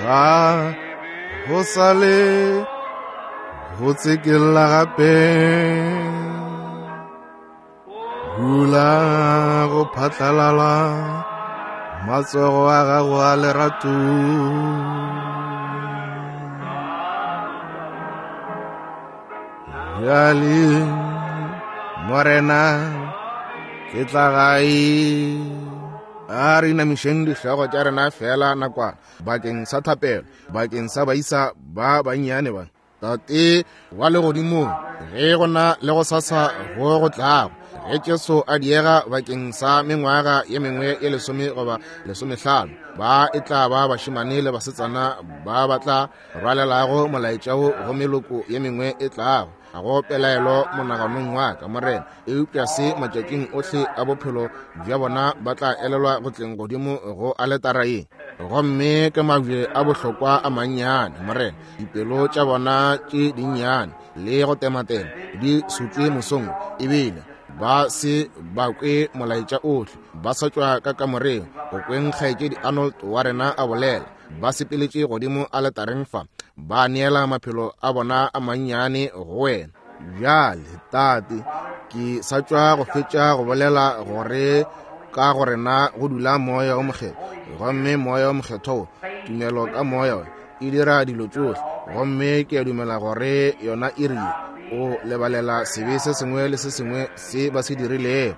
Ga go sa le go tsekella gape, hula go phatlalala matsogo a gago a lerato. Bjale Morena ke tla gae. A re inamišeng dihlogo tša rena fela nakwana bakeng sa thapelo, bakeng sa baisa ba bannyane ba. Tate wa legodimong, ge go na le go sasa go go tlago, ge Jesu a diega bakeng sa mengwaga ye mengwe ye lesome goba lesomehlano, ba e tla ba bašemane le basetsana ba ba tla rwalelago molaetša wo go meloko ye mengwe e tlago. Ga go pelaelo monaganong wa ka, Morena, eupša se matšatšing ohle a bophelo bja bona ba tla elelwa go tleng godimo go aletara ye. Gomme ke mabje a bohlokwa a mannyane, Morena, dipelo tša bona tše dinnyane le go tematema di sutšwe mosong, ebile ba se ba kwe molaetša ohle, ba sa tšwa ka kamoreng go kweng kgaetšedi Arnold wa rena a bolela. Ba sepeletše godimo aletareng fa, ba neela maphelo a bona a mannyane go wena. Bjale Tate, ke sa tšwa go fetša go bolela gore ka go rena go dula moya o mokgethwa, gomme moya o mokgethwa wo, tumelo ka moya e dira dilo tšohle, gomme ke a dumela gore yona e rile o lebalela sebe se sengwe le se sengwe se ba se dirilego.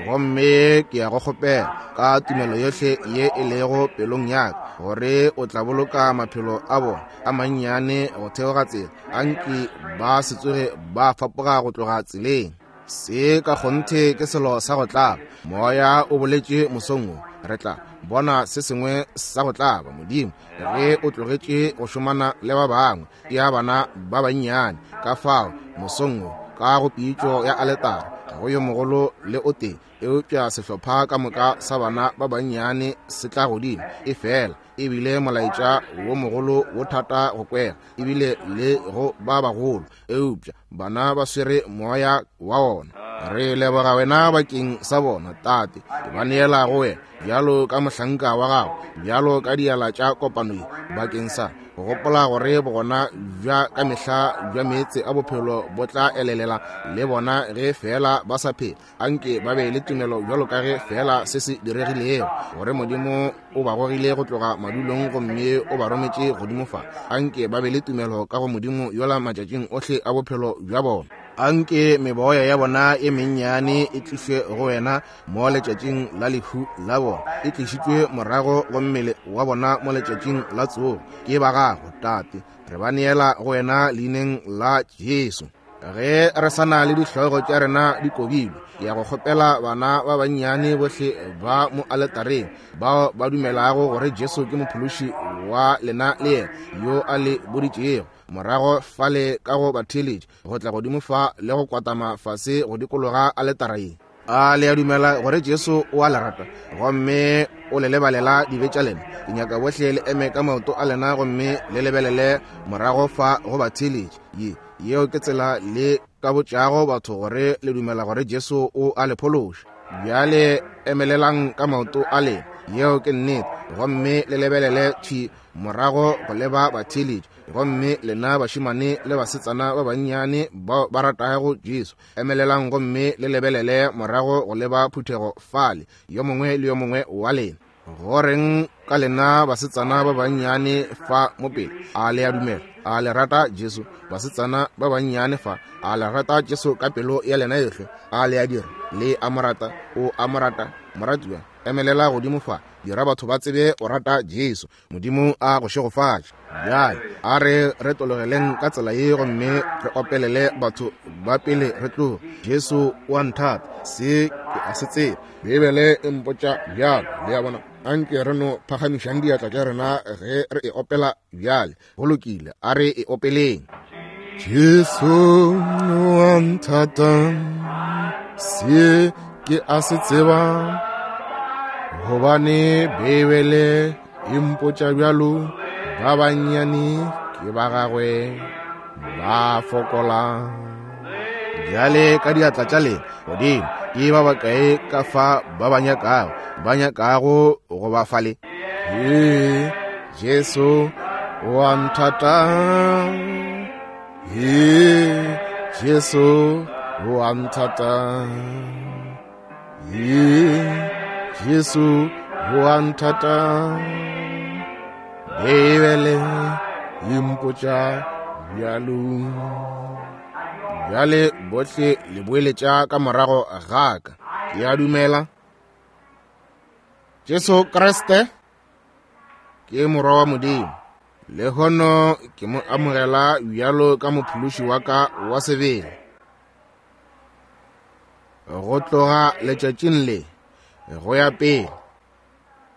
Gomme ke ya go kgopela ka tumelo yohle ye e lego pelong ya ka gore o tla boloka maphelo a bona a mannyane go theoga tsela, anke ba se tsoge ba fapoga go tloga tseleng. Se ka kgonthe ke selo sa go tlaba. Moya o boletše mosong wo, re tla bona se sengwe sa go tlaba. Modimo, ge o tlogetše go šomana le ba bangwe ya bana ba bannyane, ka fao mosong wo ka go pitšo ya aletara go yo mogolo le o tee Eupša sehlopha ka moka sa bana ba bannyane se tla godimo. Efela ebile molaetša wo mogolo wo thata go kwega, ebile le go ba bagolo, eupša bana ba swere moya wa ona. Re leboga wena bakeng sa bona, Tate. Ke ba neela go wena bjalo ka mohlanka wa gago, bjalo ka diala tša kopano ye, bakeng sa go gopola gore bogona bja ka mehla bja meetse a bophelo bo tla elelela le bona ge fela ba sa phela. Anke ba be le tumelo bjalo ka ge fela se se diregilego, gore Modimo o ba gogile go tloga madulong gomme o ba rometše godimo fa. Anke ba be le tumelo ka go Modimo yola matšatšing ohle a bophelo bja bona. Anke meboya ya bona e mennyane e tlišwe go wena mo letšatšing la lehu la bona, e tlišitšwe morago go mmele wa bona mo letšatšing la tsogo. Ke ba gago, Tate. Re ba neela go wena leineng la Jesu. Ge re sa na le dihlogo tša rena di kobilwe, ke ya go kgopela bana ba bannyane bohle ba mo aletareng bao ba dumelago gore Jesu ke mophološi wa lena le yena yo a le boditšego morago fale ka go batheeletši go tla godimo fa le go kwatama fase go dikologa aletara ye. A le a dumela gore Jesu o a le rata gomme o le lebalela dibe tša lena? Ke nyaka bohle le eme ka maoto a lena gomme le lebelele morago fa go batheeletši. Ye yeo ke tsela le ka botšago batho gore le dumela gore Jesu o a le phološa. Bjale emelelang ka maoto a lena, yeo ke nnete, gomme le lebelele thwi morago go leba batheeletši. Gomme lena bašemane le basetsana ba bannyane bao ba ratago Jesu, emelelang gomme le lebelele morago go leba phuthego fale, yo mongwe le yo mongwe wa lena. Goreng ka lena basetsana ba bannyane fa mo pele? A le a dumela? A le rata Jesu? Basetsana ba bannyane fa, a le rata Jesu ka pelo ya lena yohle? A le a dira? Le a mo rata? O a mo rata? Moratiwa, emelela godimo fa, dira batho ba tsebe o rata Jesu. Modimo a go šegofatše. Bjale a re re tologeleng ka tsela ye gomme re opelele batho ba pele re tloga. Jesu o a nthata, se ke a se tseba, Beibele e mpotša bjalo. Le a bona? Anke re no phagamišang diatla tša rena ge re e opela bjale. Go lokile, a re e opeleng. Jesu o a nthata, se ke a se tseba, gobane Beibele e mpotša bjalo. Ba bannyane ke ba gagwe, ba fokola. Bjale ka diatla tša lena godimo, ke ba bakae ka fa ba ba nyakago, ba nyakago go ba fale? Ee, Jesu o a nthata. Ee, Jesu o a nthata. Ee, Jesu o a nthata. Beibele e mpotša bjalo. Bjale bohle le boeletša ka morago ga ka. Ke a dumela Jesu Kriste ke morwa wa Modimo. Lehono ke mo amogela bjalo ka mophološi wa ka wa sebele. Go tloga letšatšing le go ya pele,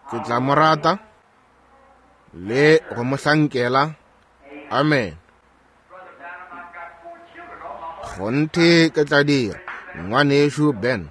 ke tla mo rata le go mo hlankela. Amen. Kgonthe ke tla dira, ngwanešu Ben.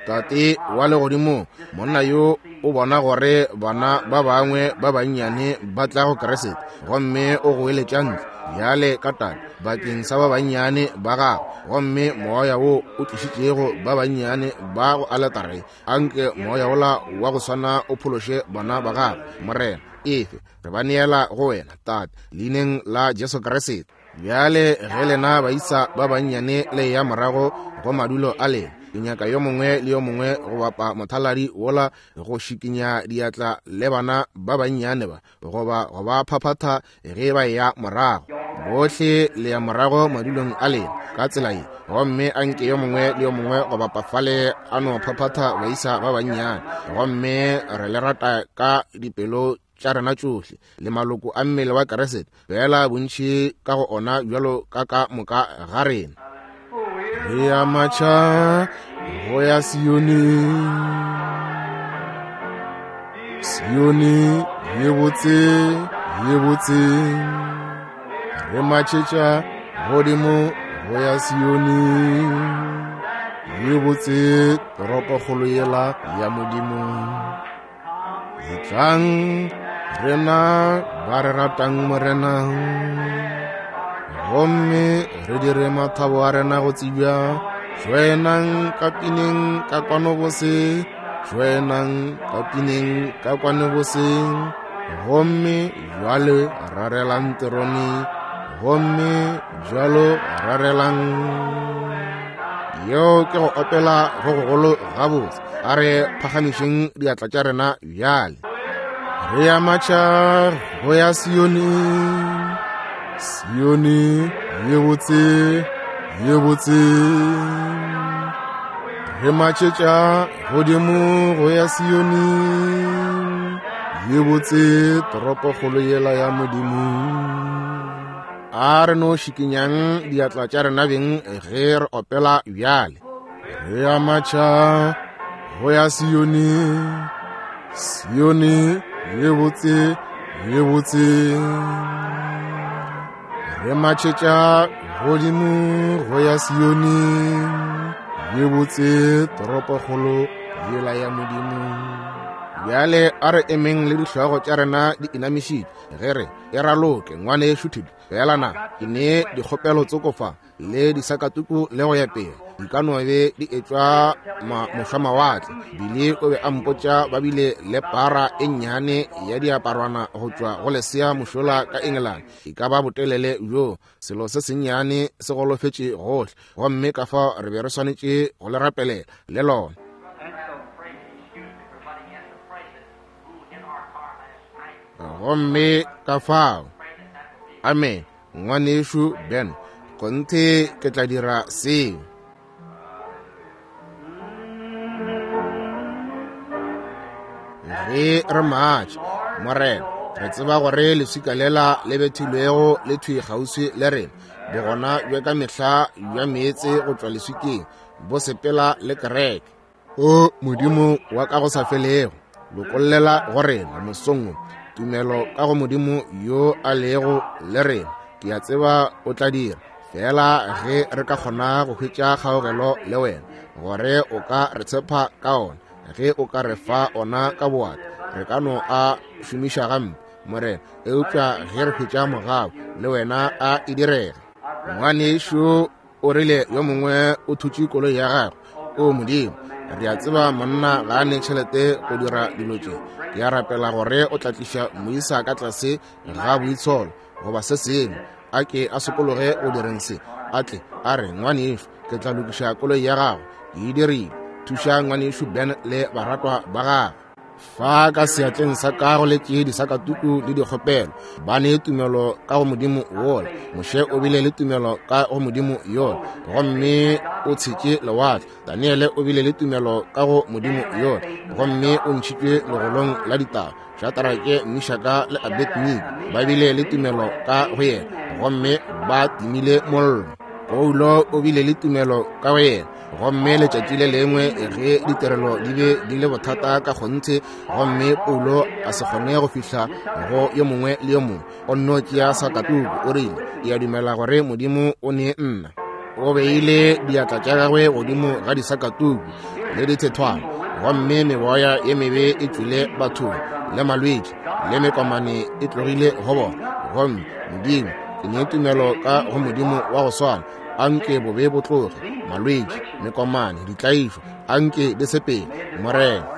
Tate wa legodimo, monna yo o bona gore bana ba bangwe ba bannyane ba tla go Kriste, gomme o goeletša ntle bjale ka tate bakeng sa ba bannyane ba gago, gomme moya wo o tlišitšego ba bannyane ba go aletare, anke moya wola wa go swana o phološe bana ba gago. Morena, efe re ba neela go wena, Tate, leineng la Jesu Kriste. Bjale ge lena baisa ba bannyane le ya morago go madulo a lena, ke nyaka yo mongwe le yo mongwe go bapa mothaladi wola go šikinya diatla le bana ba bannyane ba, goba go ba phaphatha ge ba ya morago. Bohle le ya morago madulong a lena ka tsela ye, gomme anke yo mongwe le yo mongwe go bapa fale a no phaphatha baisa ba bannyane. Gomme re le rata ka dipelo tša rena tšohle le maloko a mmele wa Kriste, fela bontši ka go ona bjalo ka ka moka ga rena. Re ya matšha go ya Sione, Sione ye botse ye botse, re matšhetša godimo go ya Sione. ye botse toropokgolo yela ya Modimo. Etlang rena ba re ratang Morena, gomme re dire mathabo a rena go tsebja. Joinang ka pineng ka kwano bose, joinang ka pineng ka kwano bose, gomme jwale rarelang terone, gomme jwalo rarelang. Yeo ke go opela go gogolo gabotse. A re phagamišeng diatla tša rena bjale. Re ya matšha go ya Sione, Sione ye botse, ye botse. Re matšhetša godimo go ya Sione, ye botse toropokgolo yela ya Modimo. A re no šikinyang diatla tša rena beng ge re opela bjale. Re ya matšha go ya Sione, Sione ye botse, ye botse. Re matšhetša godimo go ya Sione, ye botse toropokgolo yela ya Modimo. Bjale a re emeng le dihlogo tša rena di inamišitše ge re e raloke ngwanešu Thedi. Fela na ke ne dikgopelo tsoko fa le disakatuku le go ya pele di ka no be di etšwa mošwamawatle. Bile o be a mpotša ba bile le para e nnyane ya diaparwana go tšwa go lesea mošola ka England, e ka ba botelele bjo selo se sennyane se golofetše gohle, gomme ka fao re be re swanetše go le rapelela le lona. Gomme ka fao, amen, ngwanešu Ben, kgonthe ke tla dira seo. Ge re matša, Morena, re tseba gore leswika lela le bethilwego le thwi kgauswi le rena. Bogona bja ka mehla bja meetse go tšwa leswikeng bo sepela le kereke. O Modimo wa ka go sa felego, lokollela go rena mosong wo tumelo ka go Modimo yo a lego le rena. Ke a tseba o tla dira fela ge re ka kgona go hwetša kgaogelo le wena, gore o ka re tshepa ka ona. Ge o ka re fa ona ka boata, re ka no a šomiša gampe, Morena, eupša ge re hwetša mogau le wena a e direge. Ngwanešu o rile yo mongwe o thutše koloi ya gagwe. O Modimo, re a tseba monna ga a ne tšhelete go dira dilo tše. Ke a rapela gore o tla tliša moisa ka tlase ga boitsholo goba se sengwe, a ke a sokologe go direng se, a tle a re, ngwanešu, ke tla lokiša koloi ya gago, ke e dirile. Thuša ngwanešu Ben le baratwa ba gagwe. Fa ka seatleng sa ka go letše disakatuku le dikgopelo. Ba ne tumelo ka go Modimo wola. Moshe o bile le tumelo ka go Modimo yola, gomme o tshetše lewatle. Daniele o bile le tumelo ka go Modimo yola, gomme o ntšhitšwe legolong la ditaba. Shadrake, Meshaka le Abednego ba bile le tumelo ka go yena, gomme ba timile mollo. Paulo o bile le tumelo ka go yena, gomme letšatši le lengwe ge ditirelo di be di le bothata ka kgonthe, gomme Paulo a se kgone go fihla go yo mongwe le yo mongwe, o nno tšea sakatuku, o rile, ke a dumela gore Modimo o ne nna. O beile diatla tša gagwe godimo ga disakatuku le dithethwana, gomme meboya ye mebe e tšwile bathong, le malwetši le mekomane e tlogile go bona. Gomme Modimo, ke ne tumelo ka go Modimo wa go swana. Anke bobe bo tloge, malwetši, mekomane, ditlaišo, anke di sepele, Morena.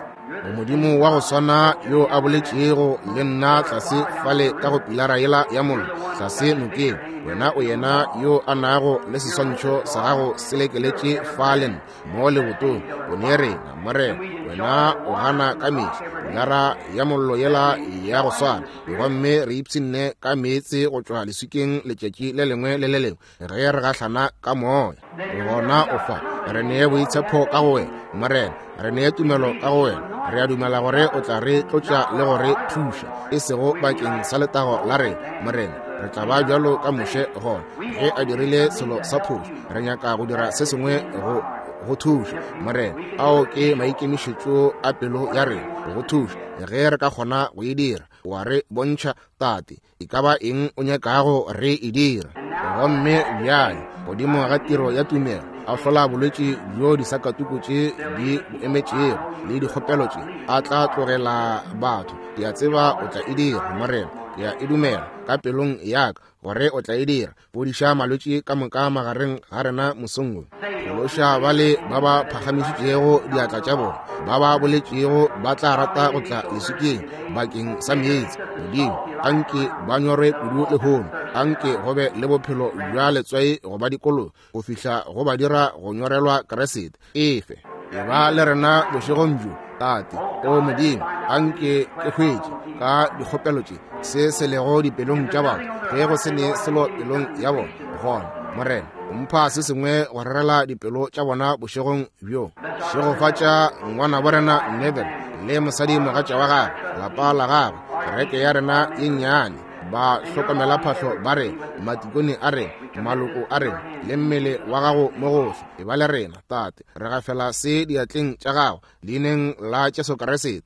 O Modimo wa go swana yo a boletšego le nna tlase fale ka go pilara yela ya mollo tlase nokeng, wena o yena yo a nago le seswantšho sa gago se lekeletše fale mo lebotong. O ne rena, Morena, wena o gana ka mehla pilara ya mollo yela ya go swana, gomme re ipshinne ka meetse go tšwa leswikeng letšatši le lengwe le le lengwe ge re gahlana ka moya. Gona o fa re nee boitshepo ka go wena, Morena, re nee tumelo ka go wena. Re a dumela gore o tla re tlotša le go re thuša, e sego bakeng sa letago la rena, Morena. Re tla ba bjalo ka Moshe gona ge a dirile selo sa phošo. Re nyaka go dira se sengwe go go thuša, Morena. Ao ke maikemišetšo a pelo ya rena, go thuša ge re ka kgona go e dira. Wa re bontšha, Tate, e ka ba eng o nyakago re e dira. Gomme bjale godimo ga tiro ya tumelo, a hlola bolwetši bjo disakatuku tše di bo emetšego le dikgopelo tše a tla tlogela batho. Ke a tseba o tla e dira, Morena. Ke a e dumela ka pelong ya ka gore o tla e dira. Fodiša malwetši ka moka magareng ga rena mosong wo. Phološa bale ba ba phagamišitšego diatla tša bona, ba ba boletšego ba tla rata go tla leswikeng bakeng sa meetse. Modimo, anke ba nyorwe kudu lehono, anke go be le bophelo bja letswai go ba dikolo go fihla go ba dira go nyorelwa Kriste. Efe e ba le rena bošegong bjo, Tate. O Modimo, anke ke hwetše ka dikgopelo tše se se lego dipelong tša batho, ge go se ne selo pelong ya bona. Gona, Morena, mpha se sengwe go rerela dipelo tša bona bošegong bjo. Šegofatša ngwana bo rena Neville le mosadi mogatša wa gagwe, lapa la gagwe, kereke ya rena ye nnyane, ba hlokomela phahlo ba re, matikone a re, maloko a re, le mmele wa gago mo gohle. E ba le rena, Tate. Re gafela se diatleng tša gago leineng la Jesu Kriste.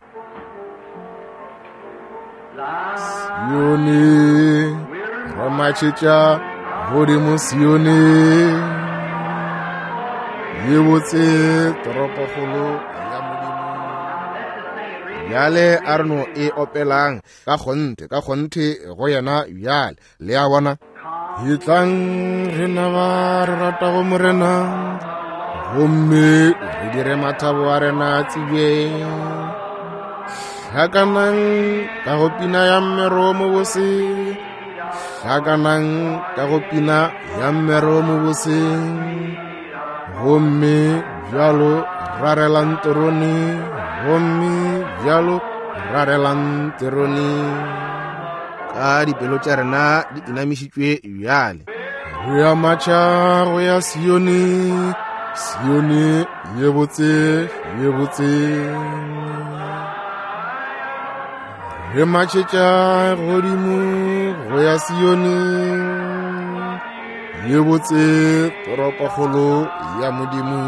Sione, re matšhetša godimo Sione, ye botse toropokgolo ya Modimo. Bjale a re no e opelang ka kgonthe, ka kgonthe go yena bjale. Le a bona? Etlang rena ba re ratago Morena, gomme re dire mathabo a rena tsebje. Hlakanang ka go pina ya mmero mobose, hlakanang ka go pina ya mmero mobose, gomme bjalo rarelang terone, gomme bjalo rarelang terone. Ka dipelo tša rena di inamišitšwe bjale. Re ya matšha go ya Sione, Sione ye botse, ye botse. Re matšhetša godimo go ya Sione, ye botse toropokgolo ya Modimo.